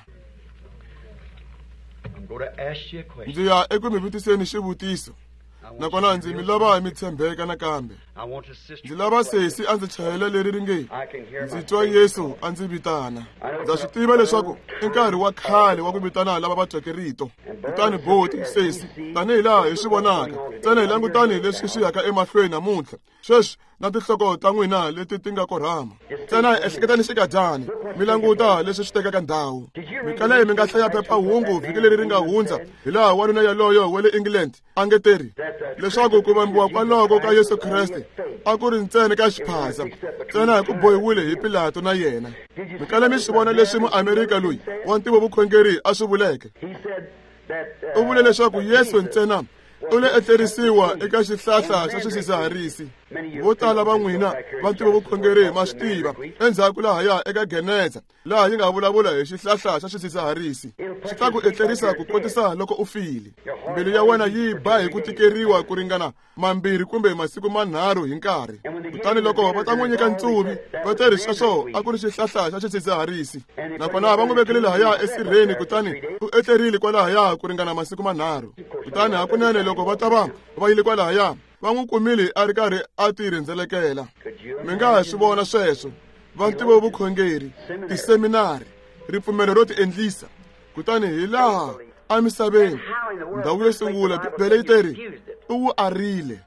Ndzi ya eku mi vutiseni xivutiso, nakona ndzi mi lava mi tshembeka nakambe. Ndzi lava sesi a ndzi chayela leri ri nge ndzi twa Yesu a ndzi vitana. Ndza swi tiva leswaku i nkarhi wa khale wa ku vitana lava va tweke rito. Kutani boti sesi, tanihi laha hi swi vonaka, ntsena hi langutani leswi swi yaka emahlweni namuntlha sweswi na tinhloko ta n'wina leti ti nga korhama. Ntsena ehleketani xikadyani, mi languta leswi swi tekaka ndhawu. Mikale mi nga hlaya phephahungu vhiki leri ri nga hundza hi laha wanuna yaloyo wa le England a nge teri leswaku ku vambiwa kwaloko ka Yesu Kreste a ku ri ntsena ka xiphasa, ntsena hi ku bohiwile hi Pilato na yena. Mikale mi swi vona leswi muamerika loyi wa ntivovukhongeri a swi vuleke. U vule leswaku Yesu ntsena u le etlerisiwa eka xihlahla xa swidzidziharisi. Vo tala va n'wina va ntivovukhongeri ma swi tiva endzhaku lahaya eka Geneza laha yi nga vulavula hi xihlahla xa swidzidziharisi. Xi ta ku etlerisa ku kotisa loko u file. Mbilu ya wena yi ba hi ku tikeriwa ku ringana mambirhi kumbe masiku manharhu hi nkarhi. Kutani loko va ta n'wi nyika ntsuvi, va teri sweswo a ku ri xihlahla xa swidzidziharisi. Nakona va n'wi vekele lahaya esirheni, kutani u etlerile kwalahaya ku ringana masiku manharhu. Kutani hakunene loko va ta va va yile kwalahaya, va n'wi kumile a ri karhi a ti rhendzelekela. Mi nga ha swi vona sweswo. Va ntivovukhongeri, tiseminari, ripfumelo ro ti endlisa. Kutani hi laha emisaveni ndhawu yo sungula Bibele yi teri u wu arile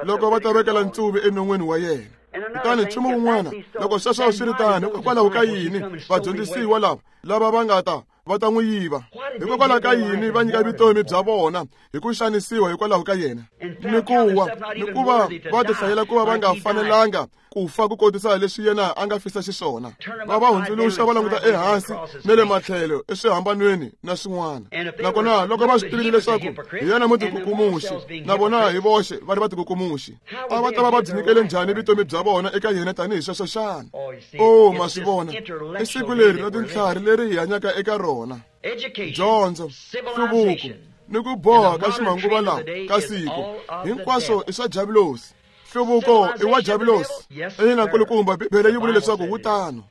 loko va ta vekela ntsuvi enon'wini wa yena. Kutani nchumu wun'wana, loko sweswo swi ri tano, hikokwalaho ka yini vadyondzisiwa lava lava va nga ta va ta n'wi yiva? Hikokwalaho ka yini va nyika vutomi bya vona hi ku xanisiwa hikwalaho ka yena? Ni ku wa ni ku va va tihlayela ku va va nga fanelanga ku fa ku kotisa leswi yena a nga fisa xiswona. Va va hundzuluxa va languta ehansi na le matlhelo eswihambanweni na swin'wana. Nakona loko va swi tivile leswaku hi yena mutikukumuxi, na vona hi voxe va ri vatikukumuxi, a va ta va va byi nyikele njhani vutomi bya vona eka yena tanihi sweswo xana? O ma swi vona, i siku leri ra tintlhari leri hi hanyaka eka rona. Dyondzo, nhluvuko ni ku boha ka ximanguva lawa ka siku hinkwaswo i swa Diabulosi. Nhluvuko i wa Diabulosi. Ina nkulukumba, Bibele yi vule leswaku wu tano.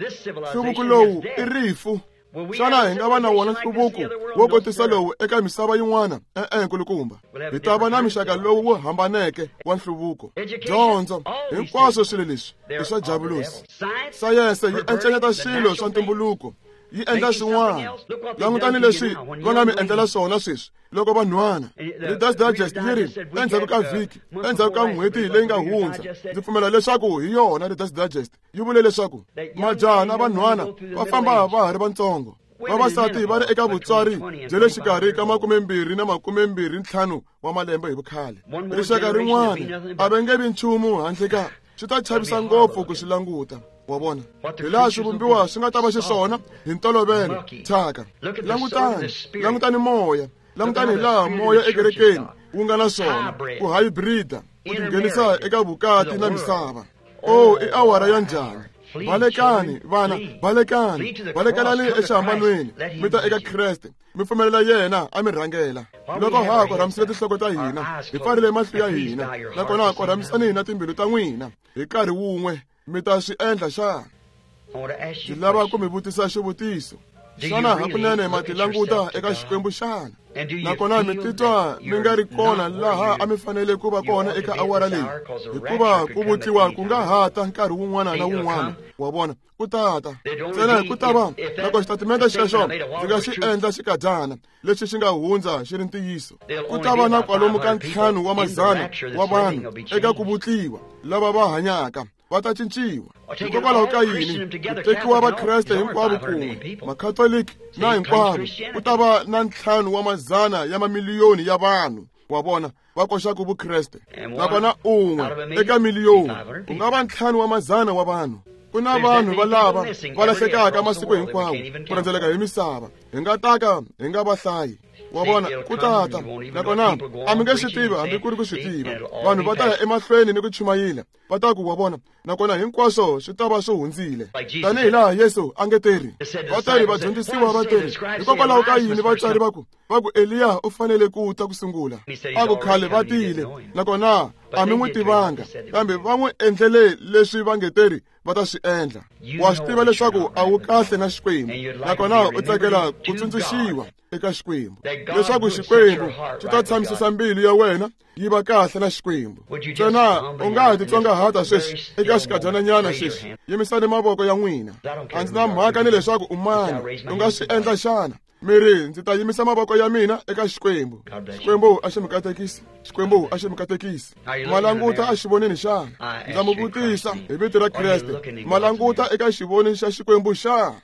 Nhluvuko lowu i rifu. Xana hi nga va na wona nhluvuko wo kotisa lowu eka misava yin'wana? E-e, nkulukumba. Hi ta va na mixaka lowu wu hambaneke wa nhluvuko. Dyondzo, hinkwaswo swilo leswi i swa javulosi. Sayense yi encenyeta swilo swa ntumbuluko, yi endla swin'wana. Langutani leswi va nga mi endlela swona sweswi loko vanhwana. Reader's Digest yi ri endzhaku ka vhiki, endzhaku ka n'hweti leyi nga hundza, ndzi pfumela leswaku hi yona Reader's Digest yi vule leswaku majaha na vanhwana va famba va ha ri vatsongo. Vavasati va ri eka vutswari bya le xikarhi ka makumembirhi na makumembirhi ntlhanu wa malembe hi vukhale. Rixaka rin'wana a va nge vi nchumu handle ka swi ta chavisa ngopfu ku swi languta. Wa vona hi laha swivumbiwa swi nga ta va xiswona hi ntolovelo thyaka. Langutani, langutani moya, langutani hi laha moya ekerekeni wu nga na swona ku hybrid-a ku tinghenisa eka vukati na misava. Oh, i awara ya njhani! Balekani vana, balekani, balekelani exihambanweni, mi ta eka Kreste, mi pfumelela yena a mi rhangela. Loko ha korhamisile tinhloko ta hina, hi pfarile mahlo ya hina, nakona korhamisani na timbilu ta n'wina hi nkarhi wun'we, mi ta swi endla xana? Ndzi lava ku mi vutisa xivutiso. Xana hakunene ma ti languta eka Xikwembu xana? Nakona mi titwa mi nga ri kona laha a mi fanele ku va kona eka awara leyi, hikuva ku vutliwa ku nga ha ta nkarhi wun'wana na wun'wana. Wa vona, ku tata ntsena hi ku ta va loko xitatimende xexo ndzi nga xi endla xikadyana lexi xi nga hundza xi ri ntiyiso. Ku ta va na kwalomu ka ntlhanu wa mazana wa vanhu eka ku vutliwa lava va hanyaka va ta cinciwa. Hikokwalaho ka yini ku tekiwa Vakreste hinkwavo kun'we, Makhatoliki na hinkwavo, ku ta va na ntlhanu wa mazana ya mamiliyoni ya vanhu, wa vona, va koxaka Vukreste. Nakona un'we eka miliyoni ku nga va ntlhanu wa mazana wa vanhu. Ku na vanhu va lava va lahlekaka masiku hinkwawo ku rhendzeleka hi misava, hi nga taka hi nga va hlayi. Wa vona, ku tata nakona a mi nge swi tivi hambi ku ri ku swi tiva. Vanhu va ta ya emahlweni ni ku chumayela, va ta ku wa vona, nakona hinkwaswo swi ta va swi hundzile. Tanihi laha Yesu a nge teri, va teri vadyondzisiwa va teri, hikokwalaho ka yini vatswari va ku va ku Eliya u fanele ku ta ku sungula? A ku khale va tile, nakona a mi n'wi tivanga, kambe va n'wi endlele leswi va nge teri va ta swi endla. Wa swi tiva leswaku a wu kahle na Xikwembu, nakona u tsakela ku tsundzuxiwa eka Xikwembu, leswaku Xikwembu xi ta tshamisisa mbilu ya wena yi va kahle na Xikwembu. Ntsena u nga ha titsongahata sweswi eka xikadyananyana sweswi. Yimisani mavoko ya n'wina. A ndzi na mhaka ni leswaku u mani, u nga swi endla xana? Mi ri, ndzi ta yimisa mavoko ya mina eka Xikwembu. Xikwembu a xi mi katekisi, Xikwembu a xi mi katekisi. Ma languta a xivonini xana? Ndza mi vutisa hi vito ra Kreste, ma languta eka xivoni xa Xikwembu xana?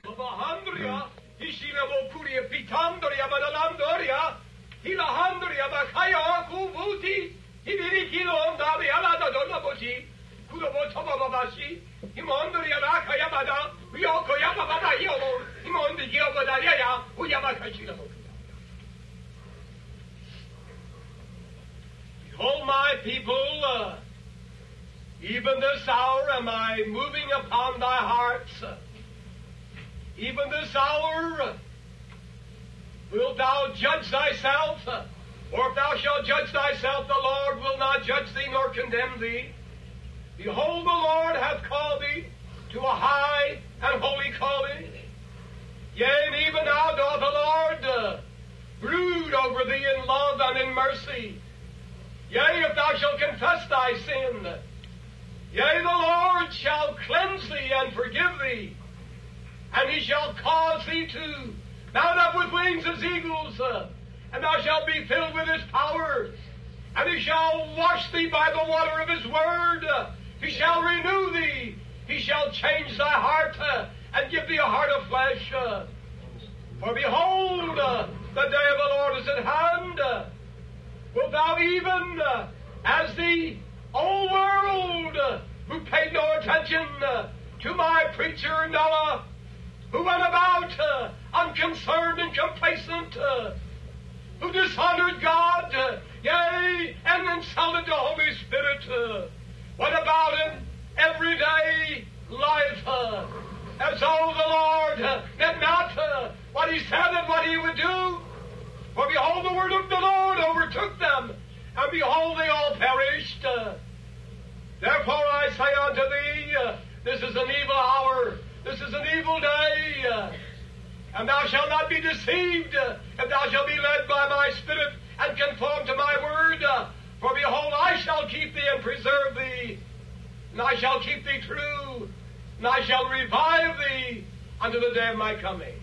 Behold, my people, uh, even this hour am I moving upon thy hearts. Even this hour wilt thou judge thyself, or if thou shalt judge thyself, the Lord will not judge thee nor condemn thee. Behold, the Lord hath called thee to a high and holy calling. Yea, and even now doth the Lord uh, brood over thee in love and in mercy. Yea, if thou shalt confess thy sin, yea, the Lord shall cleanse thee and forgive thee, and he shall cause thee to mount up with wings as eagles, uh, and thou shalt be filled with his power, and he shall wash thee by the water of his word. Uh, he shall renew thee. He shall change thy heart uh, and give thee a heart of flesh. Uh, for behold, uh, the day of the Lord is at hand. Uh, wilt thou even, uh, as the old world, uh, who paid no attention uh, to my preacher Noah, who went about uh, unconcerned and complacent, uh, who dishonored God, uh, yea, and insulted the Holy Spirit, uh, went about in everyday life, uh, as though the Lord uh, meant not uh, what he said and what he would do. For behold, the word of the Lord overtook them, and behold, they all perished. Uh, therefore I say unto thee, uh, this is an evil hour, this is an evil day. Uh, And thou shalt not be deceived, if thou shalt be led by my Spirit and conform to my word. For behold, I shall keep thee and preserve thee, and I shall keep thee true, and I shall revive thee unto the day of my coming.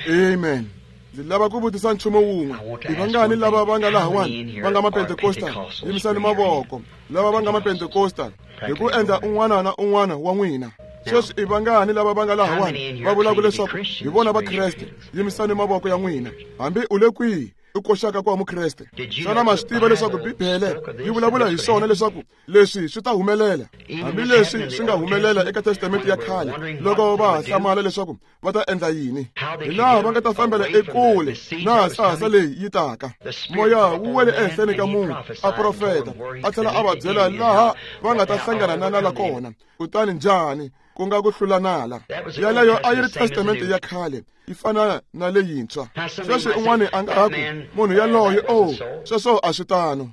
Amen. Ndzi lava ku vutisa nchumu wun'we. I vangani lava va nga lahawani va nga mapentekostal? Yimisani mavoko. Lava va nga mapentekostal hi ku endla un'wana na un'wana wa n'wina. Sweswi i vangani lava va nga lahawani va vulaka leswaku hi vona va Kreste? Yimisani mavoko ya n'wina. Hambi u le kwihi u koxaka ku va mukreste. Xana ma swi tiva leswaku Bibele yi vulavula hi swona leswaku leswi swi ta humelela? Hambileswi swi nga humelela eka Testamente ya khale, loko va ha hlamala leswaku va ta endla yini, hi laha va nga ta fambela ekule na hasahasa leyi yi taka. Moya wu wele ehenhleni ka munhu, a profeta, a tlhela a va byela laha va nga ta hlangana na nala kona. Kutani njhani ku nga ku hlula nala? Yaleyo a yi ri Testamente ya khale, yi fana na leyintshwa. Sweswi un'wana a nga ha ku, munhu yaloye, o sweswo a swi tano.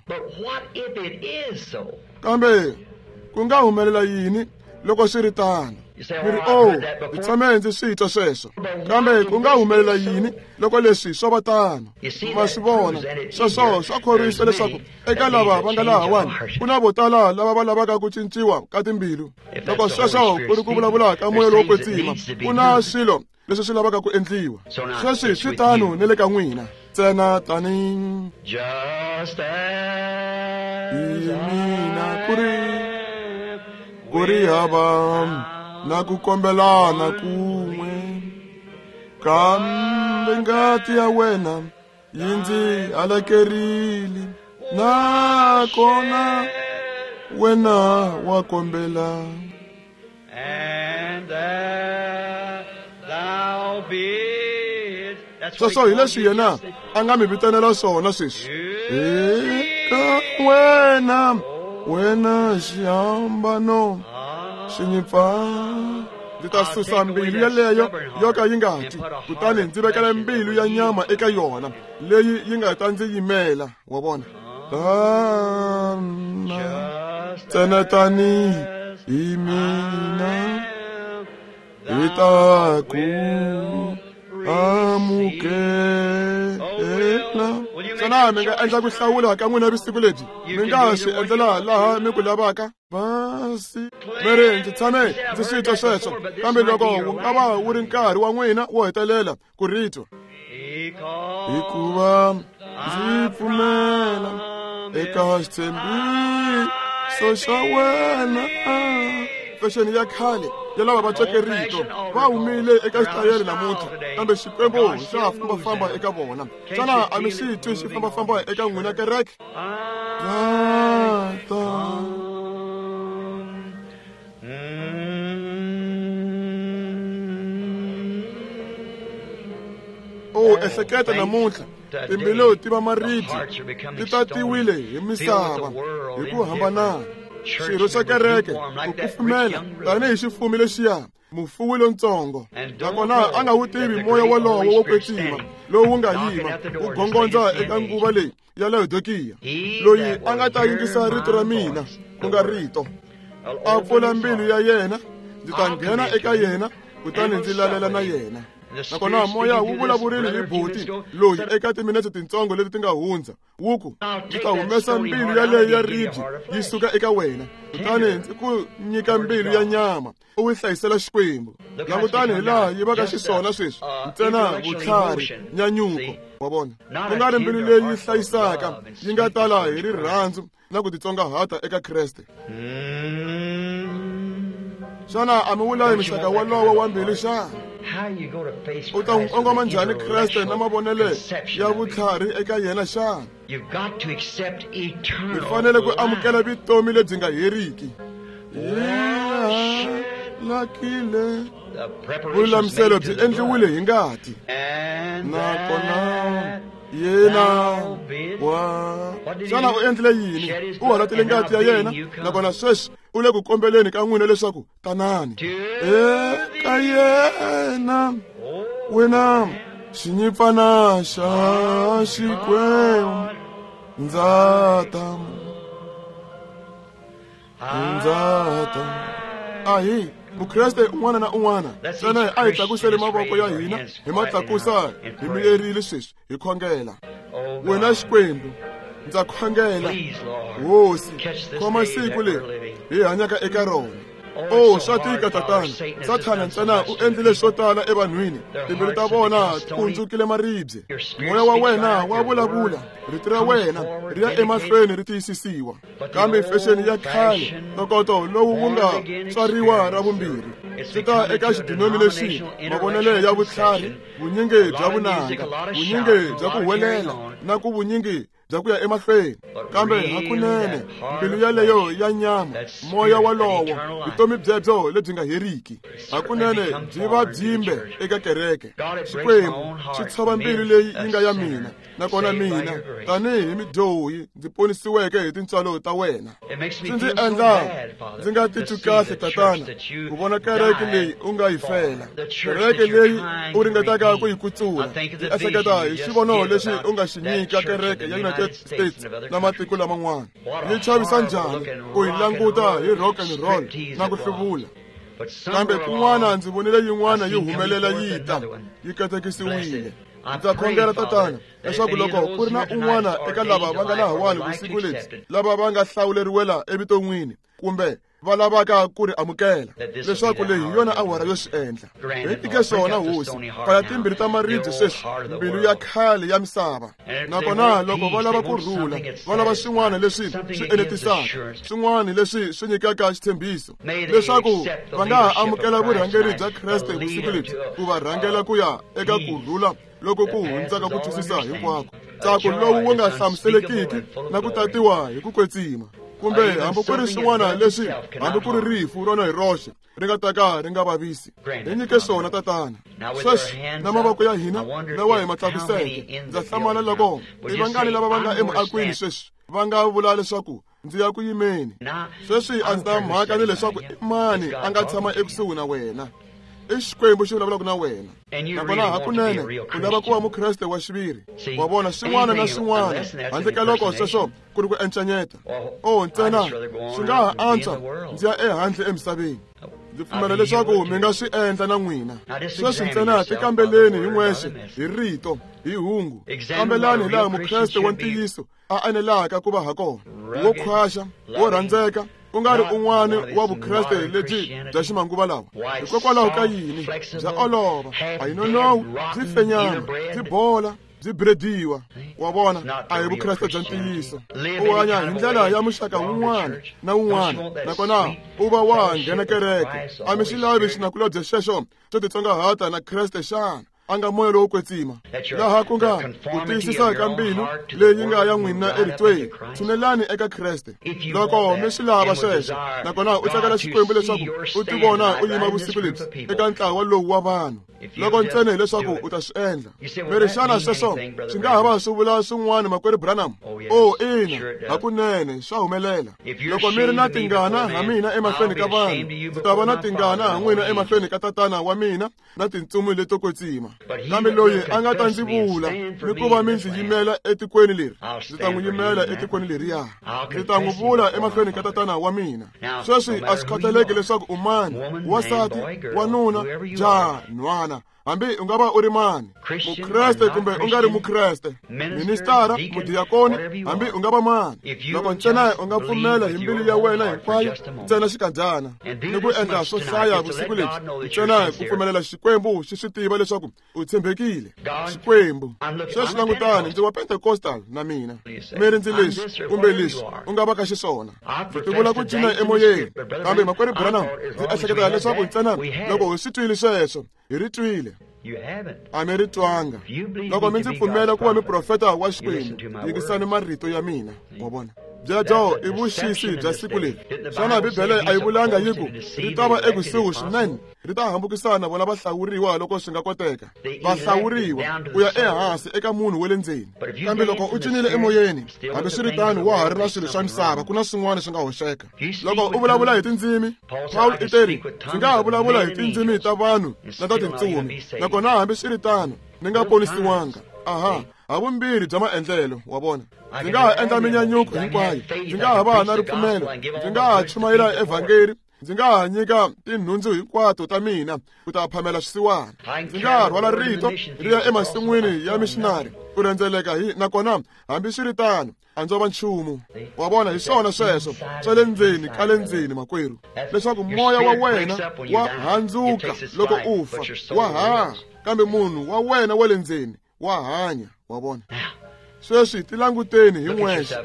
Kambe ku nga humelela yini loko swi ri tano? Mi ri, o ndzi tshame ndzi swi twa sweswo. Kambe ku nga humelela yini loko leswi swo va tano? Ma swi vona, sweswo swa khorwisa leswaku eka lava va nga lahawani ku na vo tala lava va lavaka ku cinciwa ka timbilu. Loko sweswo ku ri ku vulavula ka moya lowo kwetsima, ku na swilo leswi swi lavaka ku endliwa. Sweswi swi tano ni le ka n'wina. Ntsena tani hi mina ku ri ku ri hava na ku kombelana kun'we, kambe ngati ya wena yi ndzi halakerile, nakona wena wa kombela. Sweswo hi leswi yena a nga mi vitanela swona sweswi. Eka wena, wena xihambano xi ndzi ta susa mbilu yeleyo yo ka yi nga ti, kutani ndzi vekela mbilu ya nyama eka yona leyi yi nga ta ndzi yimela. Wa vona? Tana ntsena tani hi mina hi ta ku amukela. Xana mi nga endla ku hlawula ka n'wina vusiku lebyi? Mi nga swi endlela laha mi ku lavaka? Basi mi ri, ndzi tshame ndzi swi twa sweswo. Kambe loko wu nga va wu ri nkarhi wa n'wina wo hetelela ku ri twa, hikuva ndzi pfumela eka xitshembiso xa wena. Fexeni ya khale ya lava va tweke rito va humile eka xitayele namuntlha, kambe Xikwembu xa ha fambafamba eka vona. Xana a mi xi twi xi fambafamba eka n'wina kereke? Tata o ehleketa namuntlha timbilu ti va maribye, ti tatiwile hi misava hi ku hambanana. Xirho xa kereke ku kufumela tanihi xifumi lexiya mufuwi lontsongo, nakona a nga wu tivi moya wolowo wo kwetsima lowu nga yima wu gongondza eka nguva leyi ya Laodikiya, loyi a nga ta yingisa rito ra mina, ku nga rito, a pfula mbilu ya yena, ndzi ta nghena eka yena kutani ndzi lalela na yena. Nakona moya wu vulavurile hi buti loyi eka timinetse tintsongo leti ti nga hundza, wu ku, ndzi ta humesa mbilu yaleyo ya ribye yi suka eka wena, kutani ndzi ku nyika mbilu ya nyama u yi hlayisela Xikwembu. Langutani hi laha yi vaka xiswona sweswi, ntsena vutlhari, nyanyuko. Wa vona? Ku nga ri mbilu leyi hlayisaka yi nga tala hi rirhandzu na ku titsongahata eka Kreste. Xana a mi wu lavi muxaka wolowo wa mbilu xana? U ta n'wi kongoma njhani Kreste na mavonelo ya vutlhari eka yena xana? Mi fanele ku amukela vutomi lebyi nga heriki. Lakile vululamiselo byi endliwile hi ngati, nakona yena wa xana u endlile yini? U halatile ngati ya yena, nakona sweswi u le ku kombeleni ka n'wina leswaku tanani eka yena, wena xinyimpfana xa Xikwembu. Ndza ta, ndza ta. Ahi Mukreste un'wana na un'wana ntsena a hi tlakusele mavoko ya hina hi ma tlakusa hi miyerile sweswi hi khongela. Wena Xikwembu, ndza khongela Hosi, khoma siku leri hi hanyaka eka rona. Oh, swa tika tatana. Sathana ntsena u endlile swo tala evanhwini. Timbilu ta vona ti hundzukile maribye. Moya wa wena wa vulavula, rito ra wena ri ya emahlweni ri tiyisisiwa. Kambe fexeni ya khale, ntokoto lowu wu nga tswariwa ra vumbirhi, swi ta eka xidinominexini, mavonelo ya vutlhari, vunyingi bya vunanga, vunyingi bya ku huwelela na ku vunyingi bya ku ya emahlweni. Kambe hakunene mbilu yaleyo ya nyama, moya walowo, vutomi byebyo lebyi nga heriki, hakunene byi va byimbe eka kereke. Xikwembu xi tshova mbilu leyi yi nga ya mina, nakona mina tanihi midyohi ndzi ponisiweke hi tintswalo ta wena. Swi ndzi endla ndzi nga titwi kahle tatana ku vona kereke leyi u nga yi fela, kereke leyi u ringetaka ku yi kutsula. Ndzi ehleketa hi xivono lexi u nga xi nyika kereke ya United States na matiko laman'wana. Yi chavisa njhani ku yi languta hi rock and roll na ku hluvula. Kambe kun'wana ndzi vonile yin'wana yi humelela yi ta, yi katekisiwile. Ndza khongela tatana leswaku loko ku ri na un'wana eka lava va nga lahawani vusiku lebyi, lava va nga hlawuleriwela evuton'wini kumbe va lavaka ku ri amukela, leswaku leyi hi yona awara yo swi endla. Hi tike swona Hosi, pfala timbirhi ta maribye sweswi, mbilu ya khale ya misava. Nakona loko va lava ku rhula, va lava swin'wana leswi swi enetisaka, swin'wana leswi swi nyikaka xitshembiso, leswaku va nga ha amukela vurhangeri bya Kreste vusiku lebyi, ku va rhangela ku ya eka ku rhula loko ku hundzaka ku twisisa hinkwako, ntsako lowu wu nga hlamuselekiki na ku tatiwa hi ku kwetsima. Kumbe hambi ku ri swin'wana leswi hambi ku ri rifu rona hi roxe ri nga ta ka ri nga vavisi. Hi nyike swona tatana. Sweswi na mavoko ya hina lawa hi ma tlakuseke, ndza hlamala loko i vangani lava va nga emuakweni sweswi va nga vula leswaku ndzi ya ku yimeni. Sweswi a ndzi ta mhaka ni leswaku i mani a nga tshama ekusuhi na wena. I Xikwembu xi vulavulaka na wena. Nakona hakunene u lava ku va mukreste wa xiviri. Wa vona swin'wana na swin'wana handle ka loko sweswo ku ri ku encanyeta. Oh, ntsena swi nga ha antswa ndzi ya ehandle emisaveni. Ndzi pfumela leswaku mi nga swi endla na n'wina. Sweswi ntsena tikambeleni hi n'wexe, hi rito, hi hungu. Kambelani hi laha mukreste wa ntiyiso a anelaka ku va ha kona, wo khwaxa, wo rhandzeka, ku nga ri un'wana wa vukreste lebyi bya ximanguva lawa. Hikokwalaho ka yini bya olova, a yi nonowi, byi fenyana, byi bola, byi brediwa. Wa vona, a hi vukreste bya ntiyiso. U hanya hi ndlela ya muxaka wun'wana na wun'wana, nakona u va wa nghena kereke. A mi swi lavi xinakulobye xexo xo titsongahata na Kreste xana? A nga moya lowo kwetsima, laha ku nga ku tiyisisa ka mbilu leyi nga ya n'wina eritweni. Tshunelani eka Kreste loko mi swi lava sweswo, nakona u tsakela Xikwembu leswaku u tivona u yima vusiku lebyi eka ntlawa lowu wa vanhu. Loko ntsena hileswaku u ta swi endla. Mi ri xana sweswo swi nga ha va swi vula swin'wana makwerhu Branham? Oh, ina, hakunene swa humelela. Loko mi ri na tingana ha mina emahlweni ka vanhu, ndzi ta va na tingana ha n'wina emahlweni ka tatana wa mina na tintsumi leto kwetsima. Kambe loyi a nga ta ndzi vula ni ku va mi ndzi yimela etikweni leri, ndzi ta n'wi yimela etikweni leriya. Ndzi ta n'wi vula emahlweni ka tatana wa mina. Sweswi a swi khathaleki leswaku u mani, wansati, wanuna, jaha, nhwana, hambi u nga va u ri mani, mukreste kumbe u nga ri mukreste, ministara, mudiyakoni, hambi u nga va mani, loko ntsena u nga pfumela hi mbilu ya wena hinkwayo, ntsena xikandzana ni ku endla swo hlaya vusiku lebyi, ntsena ku pfumelela Xikwembu xi swi tiva leswaku u tshembekile. Xikwembu sweswi langutani, ndzi wa Pentecostal na mina. Mi ri ndzi leswi kumbe leswi u nga va ka xiswona. Ndzi tivula ku cina emoyeni, kambe makwerhu Branham, ndzi ehleketa leswaku ntsena loko hi swi twile sweswo, hi ri twile. A mi ri twanga. Loko mi ndzi pfumela ku va muprofeta wa Xikwembu, yingisani marito ya mina. Wa vona, byebyo i vuxisi bya siku leri. Xana Bibele a yi vulanga yi ku ri ta va ekusuhi swinene, ri ta hambukisana vona vahlawuriwa loko swi nga koteka, vahlawuriwa ku ya ehansi eka munhu wa le ndzeni. Kambe loko u cinile emoyeni, hambi swi ri tano wa ha ri na swilo swa misava, ku na swin'wana swi nga hoxeka. Loko u vulavula hi tindzimi, Paul i teri, ndzi nga ha vulavula hi tindzimi ta vanhu na ta tintsumi, nakona hambi swi ri tano ni nga ponisiwanga. Aha, ha vumbirhi bya maendlelo, wa vona. Ndzi nga ha endla minyanyuko hinkwayo, ndzi nga ha va na ripfumelo, ndzi nga ha chumayela evhangeri, Ndzi nga ha nyika tinhundzu hinkwato ta mina ku ta phamela swisiwana. Ndzi nga ha rhwala rito ri ya emasin'wini ya missionary ku rhendzeleka hi nakona hambiswiritano a ndzo va nchumu. Wa vona, hi swona sweswo swa le ndzeni ka le ndzeni, makwerhu, leswaku moya wa wena wa handzuka loko u fa, wa haha, kambe munhu wa wena wa le ndzeni wa hanya. Wa vona? Sweswi tilanguteni hi n'wexe.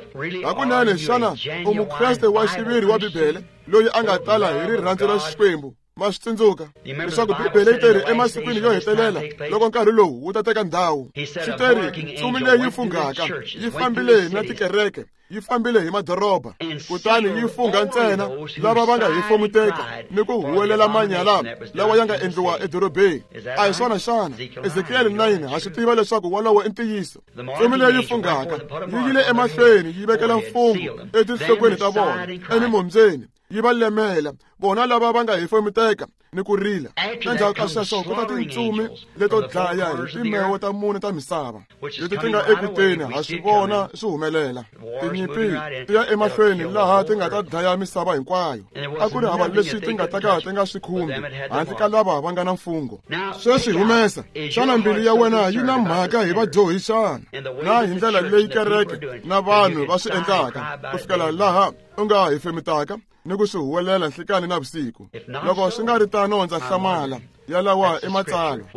Hakunene xana u mukreste wa xiviri wa Bibele loyi a nga tala hi rirhandzu ra Xikwembu? Ma swi tsundzuka leswaku Bibele yi teri emasikwini yo hetelela loko nkarhi lowu wu ta teka ndhawu. Swi teri ntsumi leyi funghaka yi fambile na tikereke, yi fambile hi madoroba, kutani yi fungha ntsena lava va nga hefemuteka ni ku huwelela manyala lawa ya nga endliwa edorobeni. A hi swona xana? Ezekiel nine ha swi tiva leswaku wolowo i ntiyiso. Ntsumi leyi funghaka yi yile emahlweni yi vekela mfungho etinhlokweni ta vona, emimombyeni, yi va lemela vona lava va nga hefemuteka ni ku rila. Endzhaku ka sweswo ku ta tintsumi leto dlaya hi timewo ta mune ta misava leti ti nga ekuteni. Ha swi vona swi humelela. Tinyimpi ti ya emahlweni laha ti nga ta dlaya misava hinkwayo. A ku ri hava leswi ti nga ta ka ti nga swi khumbi handle ka lava va nga na mfungho. Sweswi humesa, xana mbilu ya wena yi na mhaka hi vadyohi xana? Na hi ndlela leyi kereke na vanhu va swi endlaka ku fikela laha u nga hefemutaka ni ku swi huwelela nhlikani na vusiku. Loko swi nga ri tano, ndza hlamala. Yalawa i matsalwa.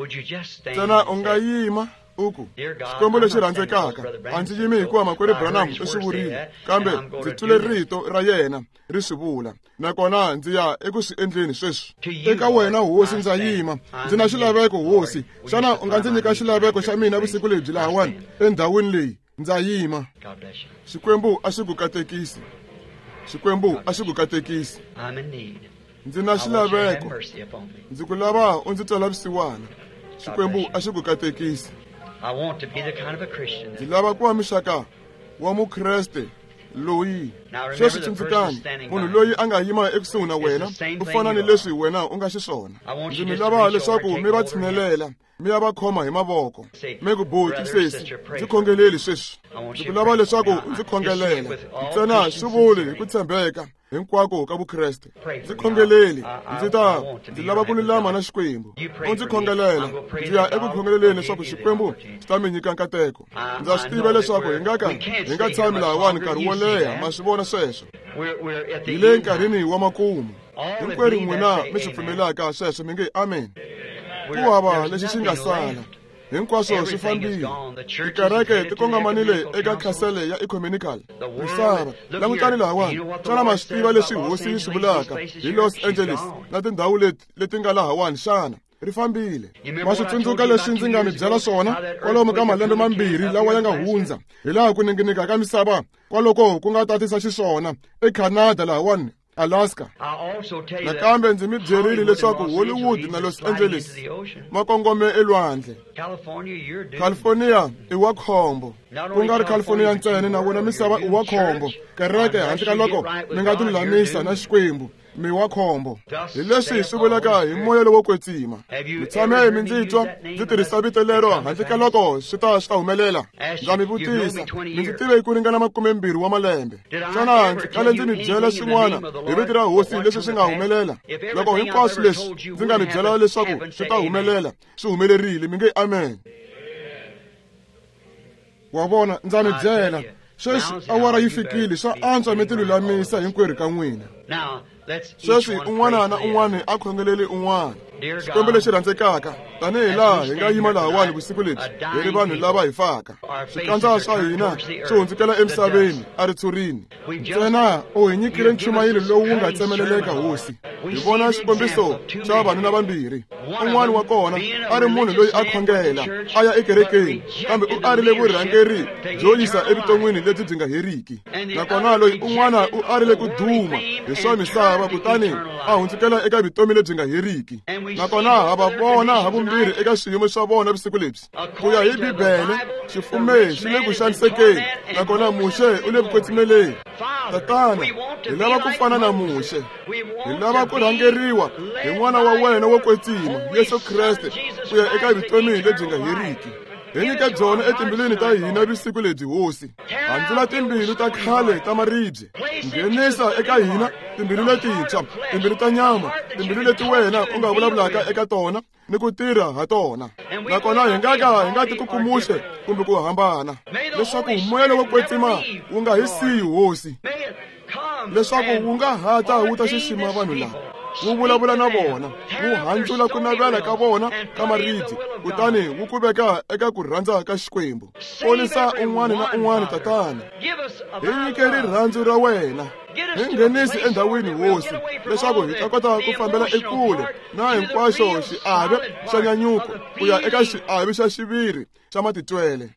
Ntsena u nga yima u ku, Xikwembu lexi rhandzekaka, a ndzi yimi hikuva makwerhu Branham u swi vurile, kambe ndzi twile rito ra yena ri swi vula, nakona ndzi ya eku swi endleni sweswi. Eka wena hosi ndza yima, ndzi na xilaveko hosi. Xana u nga ndzi nyika xilaveko xa mina vusiku lebyi lahawani endhawini leyi? Ndza yima. Xikwembu a xi ku katekisi. Xikwembu a xi ku katekisi. Ndzi na xilaveko. Ndzi ku lava u ndzi twela vusiwana. Xikwembu a xi ku katekisi. Ndzi lava ku va muxaka wa mukreste loyi. Sweswi tsundzukani, munhu loyi a nga yima ekusuhi na wena u fana ni leswi wena u nga xiswona. Ndzi mi lava leswaku mi va tshinelela, mi ya va khoma hi mavoko, mi ku, buti, sesi, ndzi khongeleli sweswi. Ndzi ku lava leswaku ndzi khongelela. Ntsena swi vuli hi ku tshembeka hinkwako ka Vukreste. Ndzi khongeleli, ndzi ta ndzi lava ku lulama na Xikwembu. U ndzi khongelela, ndzi ya eku khongeleleni leswaku Xikwembu xi ta mi nyika nkateko. Ndza swi tiva leswaku hi nga ka hi nga tshami lahawani nkarhi wo leha, ma swi vona sweswo. Hi le nkarhini wa makumu. Hinkwerhu n'wina mi swi pfumelaka sweswo mi nge amen. Ku hava lexi xi nga sala. Hinkwaswo swi fambile. Tikereke ti kongomanile eka khasele ya ecumenical. Misava, langutani lahawani. Xana ma swi tiva leswi hosi yi swi vulaka hi Los Angeles na tindhawu leti leti nga lahawani xana? Ri fambile. Ma swi tsundzuka leswi ndzi nga mi byela swona kwalomu ka malembe mambirhi lawa ya nga hundza, hi laha ku ninginika ka misava kwaloko ku nga tatisa xiswona eCanada lahawani, Alaska. Nakambe ndzi mi byerile leswaku Hollywood na Los Angeles ma kongome elwandle. California i wa khombo. Ku nga ri California ntsena, na wona misava i wa khombo. Kereke handle ka loko mi nga tilulamisa na Xikwembu, mi wa khombo. Hi leswi swi vulaka hi moya lowo kwetsima. Mi tshame mi ndzi twa ndzi tirhisa vito lero handle ka loko swi ta swi ta humelela. Ndza mi vutisa, mi ndzi tive ku ringana makumembirhi wa malembe. Xana ndzi kale ndzi mi byela swin'wana hi vito ra hosi leswi swi nga humelela? Loko hinkwaswo leswi ndzi nga mi byela leswaku swi ta humelela, swi humelerile, mi nge amen. Wa vona, ndza mi byela sweswi awara yi fikile, swa antswa mi tilulamisa hinkwerhu ka n'wina. Sweswi un'wana na un'wana a khongeleli un'wana. Xikwembu lexi rhandzekaka, tanihi laha hi nga yima lahawani vusiku lebyi, hi ri vanhu lava hi faka. Swikandza swa hina swi hundzukela emisaveni a ritshurini. Ntsena u hi nyikile nchumayelo lowu wu nga tsemeleleka hosi. Hi vona xikombiso xa vavanuna vambirhi. Un'wana wa kona a ri munhu loyi a khongela a ya ekerekeni, kambe u arile vurhangeri byo yisa evuton'wini lebyi byi nga heriki. Nakona loyi un'wana u arile ku duma hi swa misava, kutani a hundzukela eka vutomi lebyi nga heriki. Nakona ha va vona ha vumbirhi eka swiyimo swa vona vusiku lebyi. Ku ya hi Bibele, xifume xi le ku xanisekeni, nakona Muxe u le ku kwetsimeleni. Tatana, hi lava ku fana na Muxe. Hi lava ku rhangeriwa hi n'wana wa wena wo kwetsima, Yesu Kreste, ku ya eka vutomi lebyi nga heriki. Hi nyike byona etimbilwini ta hina vusiku lebyi hosi. Handzula timbilu ta khale ta maribye. Nghenisa eka hina timbilu letintshwa, timbilu ta nyama, timbilu leti wena u nga vulavulaka eka tona ni ku tirha ha tona. Nakona hi nga ka hi nga tikukumuxe kumbe ku hambana, leswaku moya lowo kwetsima wu nga hi siyi hosi, leswaku wu nga hata wu ta xixima vanhu lava, wu vulavula na vona, wu handzula ku navela ka vona ka maribye, kutani wu ku veka eka ku rhandza ka Xikwembu. Ponisa un'wana na un'wana Tatana. Hi nyike rirhandzu ra wena. Hi nghenisi endhawini hosi, leswaku hi ta kota ku fambela ekule na hinkwaxo xiave xa nyanyuko ku ya eka xiave xa xiviri xa matitwele.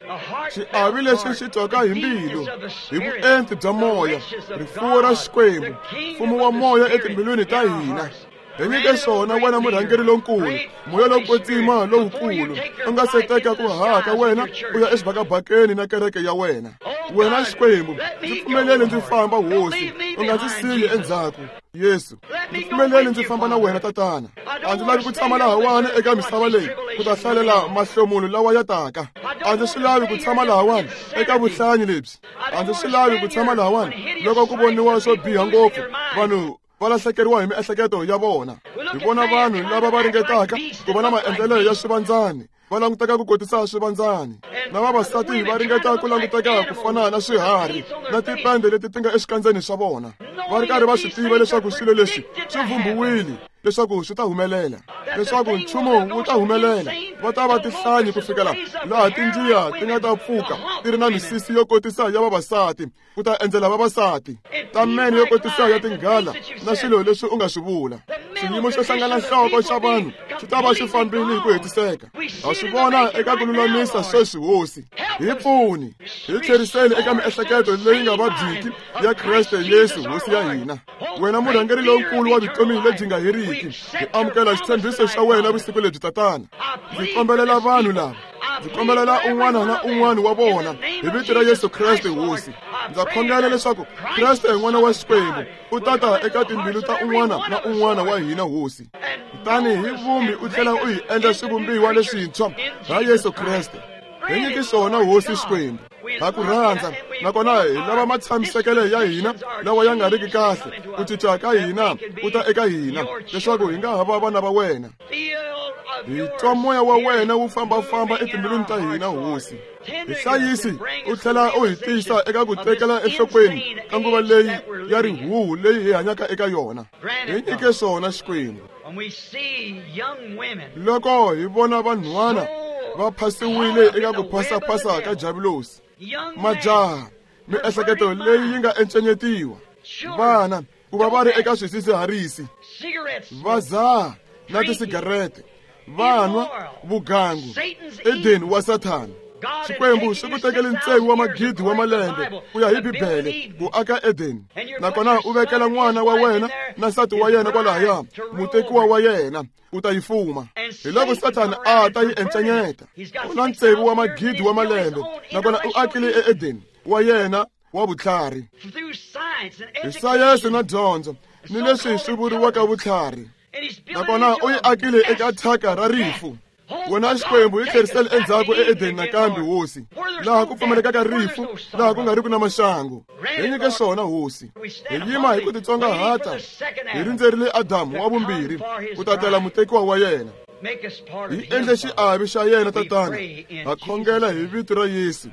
Xiave lexi xi twaka hi mbilu, hi vuenti bya moya, rifuwo ra Xikwembu, mfumo wa moya etimbilwini ta hina. Hi nyike swona wena murhangeri lonkulu, moya lowo kwetsima lowukulu, u nga se teka ku haha ka wena u ya exibakabakeni na kereke ya wena. Wena Xikwembu, ndzi pfumeleli ndzi famba hosi, u nga ndzi siyi endzhaku. Yesu, ndzi pfumeleli ndzi famba na wena Tatana. A ndzi lavi ku tshama lahawani eka misava leyi ku ta hlalela mahlomulo lawa ya taka. A ndzi swi lavi ku tshama lahawani eka vuhlanyi lebyi. A ndzi swi lavi ku tshama lahawani loko ku voniwa swo biha ngopfu, vanhu va lahlekeriwa hi miehleketo ya vona. Hi vona vanhu lava va ringetaka ku va na maendlelo ya swivandzani, va languteka ku kotisa swivandzani, na vavasati va ringeta ku languteka ku fana na swiharhi na tipende leti ti nga exikandzeni swa vona, va ri karhi va swi tiva leswaku swilo leswi swi vhumbiwile leswaku swi ta humelela, leswaku nchumu wu ta humelela. Va ta va tihlanyi ku fikela laha tinjiya ti nga ta pfuka ti ri na misisi yo kotisa ya vavasati ku ta endzela vavasati, ta meno yo kotisa ya tinghala na swilo leswi u nga swi vula. Xiyimo xo hlangana nhloko xa vanhu xi ta va xi fambile hi ku hetiseka. Ha swi vona eka ku lulamisa sweswi hosi. Hi pfuni, hi tlheriseli eka miehleketo leyi nga vabyiki ya Kreste Yesu hosi ya hina. Wena murhangeri lonkulu wa vutomi lebyi nga heriki, hi amukela xitshembiso xa wena vusiku lebyi Tatana. Ndzi kombelela vanhu lava, ndzi kombelela un'wana na un'wana wa vona hi vito ra Yesu Kreste hosi. Ndza khongela leswaku Kreste n'wana wa Xikwembu u tata eka timbilu ta un'wana na un'wana wa hina hosi. Kutani hi vumbi u tlhela u hi endla swivumbiwa leswintshwa ha Yesu Kreste. Hi nyike swona hosi Xikwembu. Ha ku rhandza, nakona hi lava matshamisekelo ya hina lawa ya nga riki kahle, ku cinca ka hina ku ta eka hina, leswaku hi nga ha va vana va wena. Hi twa moya wa wena wu fambafamba etimbilwini ta hina hosi. Hi hlayisi u tlhela u hi tisa eka ku tekela enhlokweni ka nguva leyi ya rihuhu leyi hi hanyaka eka yona. Hi nyike swona Xikwembu. Loko hi vona vanhwana va phasiwile eka ku phasaphasa ka Diabulosi, majaha, miehleketo leyi yi nga encenyetiwa, vana ku va va ri eka swidzidziharisi, va zaha na tisigarete, va nwa vugangu, Edeni wa Sathana. Xikwembu xi ku tekele ntsevu wa magidi wa malembe ku ya hi Bibele ku aka Edeni, nakona u vekela n'wana wa wena na nsati wa yena kwalahaya, mutekiwa wa yena u ta yi fuma. Hi loko Sathana a ta yi encenyeta. U na ntsevu wa magidi wa malembe, nakona u akile eEdeni wa yena wa vutlhari hi sayense na dyondzo ni leswi swi vuriwaka vutlhari, nakona u yi akile eka thyaka ra rifu. Wena Xikwembu hi tlherisele endzhaku eEdeni nakambe hosi, laha ku pfumalekaka rifu, laha ku nga riki na maxangu. Hi nyike swona hosi. Hi yima hi ku titsongahata, hi rindzerile Adamu wa vumbirhi ku ta tela mutekiwa wa yena. Hi endle xiave xa yena Tatana. Ha khongela hi vito ra Yesu.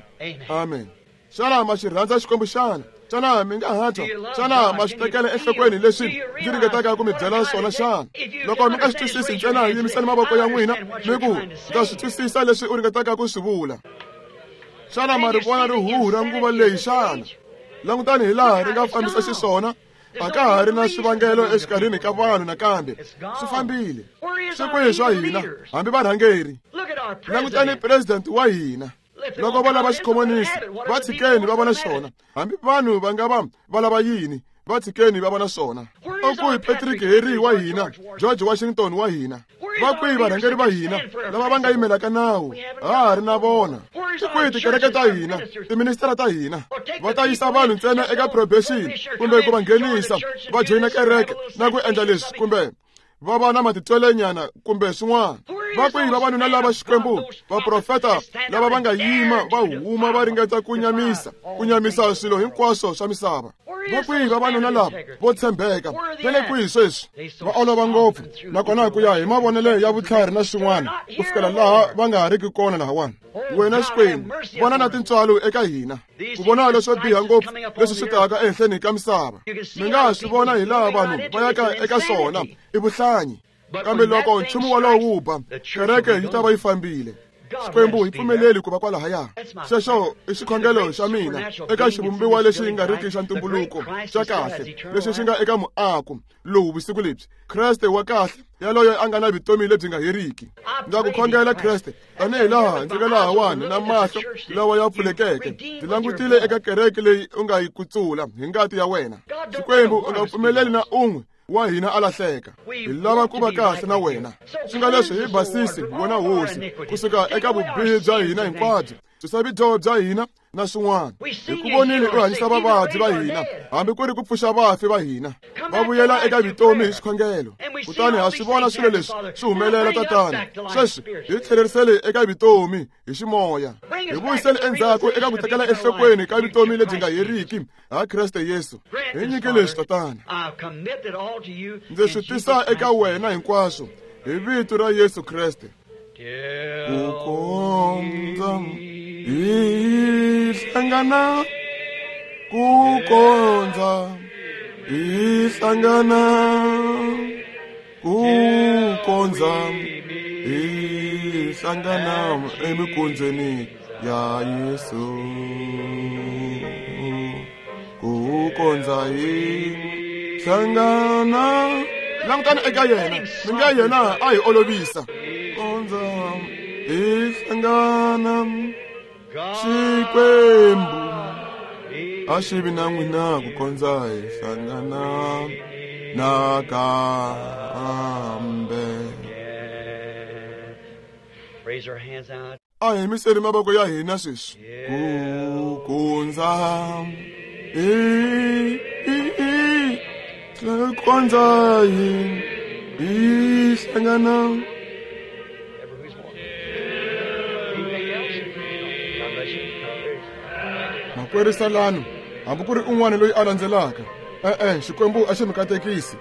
Amen. Xana ma xi rhandza Xikwembu xana? Xana mi nga ha twa? Xana ma swi tekela enhlokweni leswi ndzi ringetaka ku mi byela swona xana? Loko mi nga swi twisisi ntsena, yimisani mavoko ya n'wina mi ku, ndza swi twisisa leswi u ringetaka ku swi vula. Xana ma ri vona rihuhu ra nguva leyi xana? Langutani hi laha ri nga fambisa xiswona. A ka ha ri na swivangelo exikarhini ka vanhu nakambe. Swi fambile. Swi kwihi swa hina, hambi varhangeri? Langutani president wa hina. Loko va lava xikhomonisi, va tshikeni va vona xona. Hambi vanhu va nga va va lava yini, va tshikeni va vona swona. U kwihi Patrick Henry wa hina, George Washington wa hina? Va kwihi varhangeri va hina lava va nga yimelaka nawu? Ha ha ri na vona. Ti kwihi tikereke ta hina, tiministara ta hina? Va ta yisa vanhu ntsena eka probation kumbe ku va nghenisa va joyina kereke na ku endla leswi kumbe va va na matitwelenyana kumbe swin'wana. Va kwihi vavanuna lava Xikwembu, vaprofeta lava va nga yima va huma va ringeta ku nyamisa, ku nyamisa swilo hinkwaswo swa misava? Va kwihi vavanuna lava vo tshembeka? Va le kwihi sweswi? Va olova ngopfu, nakona ku ya hi mavonelo ya vutlhari na swin'wana, ku fikela laha va nga ha riki kona lahawani. Wena Xikwembu, vona na tintswalo eka hina, ku vona leswo biha ngopfu leswi swi taka ehenhleni ka misava. Mi nga swi vona hi laha vanhu va yaka eka swona, i vuhlanyi. Kambe loko nchumu wolowo wu ba, kereke yi ta va yi fambile. Xikwembu hi pfumeleli ku va kwalahaya. Xexo i xikhongelo xa mina eka xivumbiwa lexi nga riki xa ntumbuluko xa kahle, lexi xi nga eka muako lowu vusiku lebyi. Kreste wa kahle, yaloye a nga na vutomi lebyi nga heriki. Ndza ku khongela Kreste, tanihi laha ndzi nga lahawani na mahlo lawa ya pfulekeke, ndzi langutile eka kereke leyi u nga yi kutsula hi ngati ya wena. Xikwembu, u nga pfumeleli na un'we wa hina a lahleka. Hi lava ku va kahle na wena. Swi nga leswi hi basisi wena Hosi, kusuka eka vubihi bya hina hinkwabyo, susa vudyoho bya hina na swin'wana. Hi ku vonile u hanyisa vavabyi va hina, hambi ku ri ku pfuxa vafi va hina, va vuyela eka vutomi hi xikhongelo. Kutani ha swi vona swilo leswi swi humelela, Tatana. Sweswi hi tlhelerisele eka vutomi hi ximoya, hi vuyisele endzhaku eka ku tekela enhlokweni ka vutomi lebyi nga heriki ha Kreste Yesu. Hi nyike leswi, Tatana. Ndzi swi tisa eka wena hinkwaswo hi vito ra Yesu Kreste. Ku kondza hi hlangana, ku kondza hi hlangana, ku kondza hi hlangana emikondzweni ya Yesu. Ku kondza hi hlangana. Langutani eka yena, mi nga yena a hi olovisa. Kondza hi hlangana, Xikwembu a xi vi na n'wina ku kondza hi hlangana nakambe. A hi yimiseli mavoko ya hina sweswi. Ku kondza hi kondza hi hi hlangana. Makwerhu Salano, hambi ku ri un'wana loyi a landzelaka, e-e, Xikwembu a xi mi katekisi.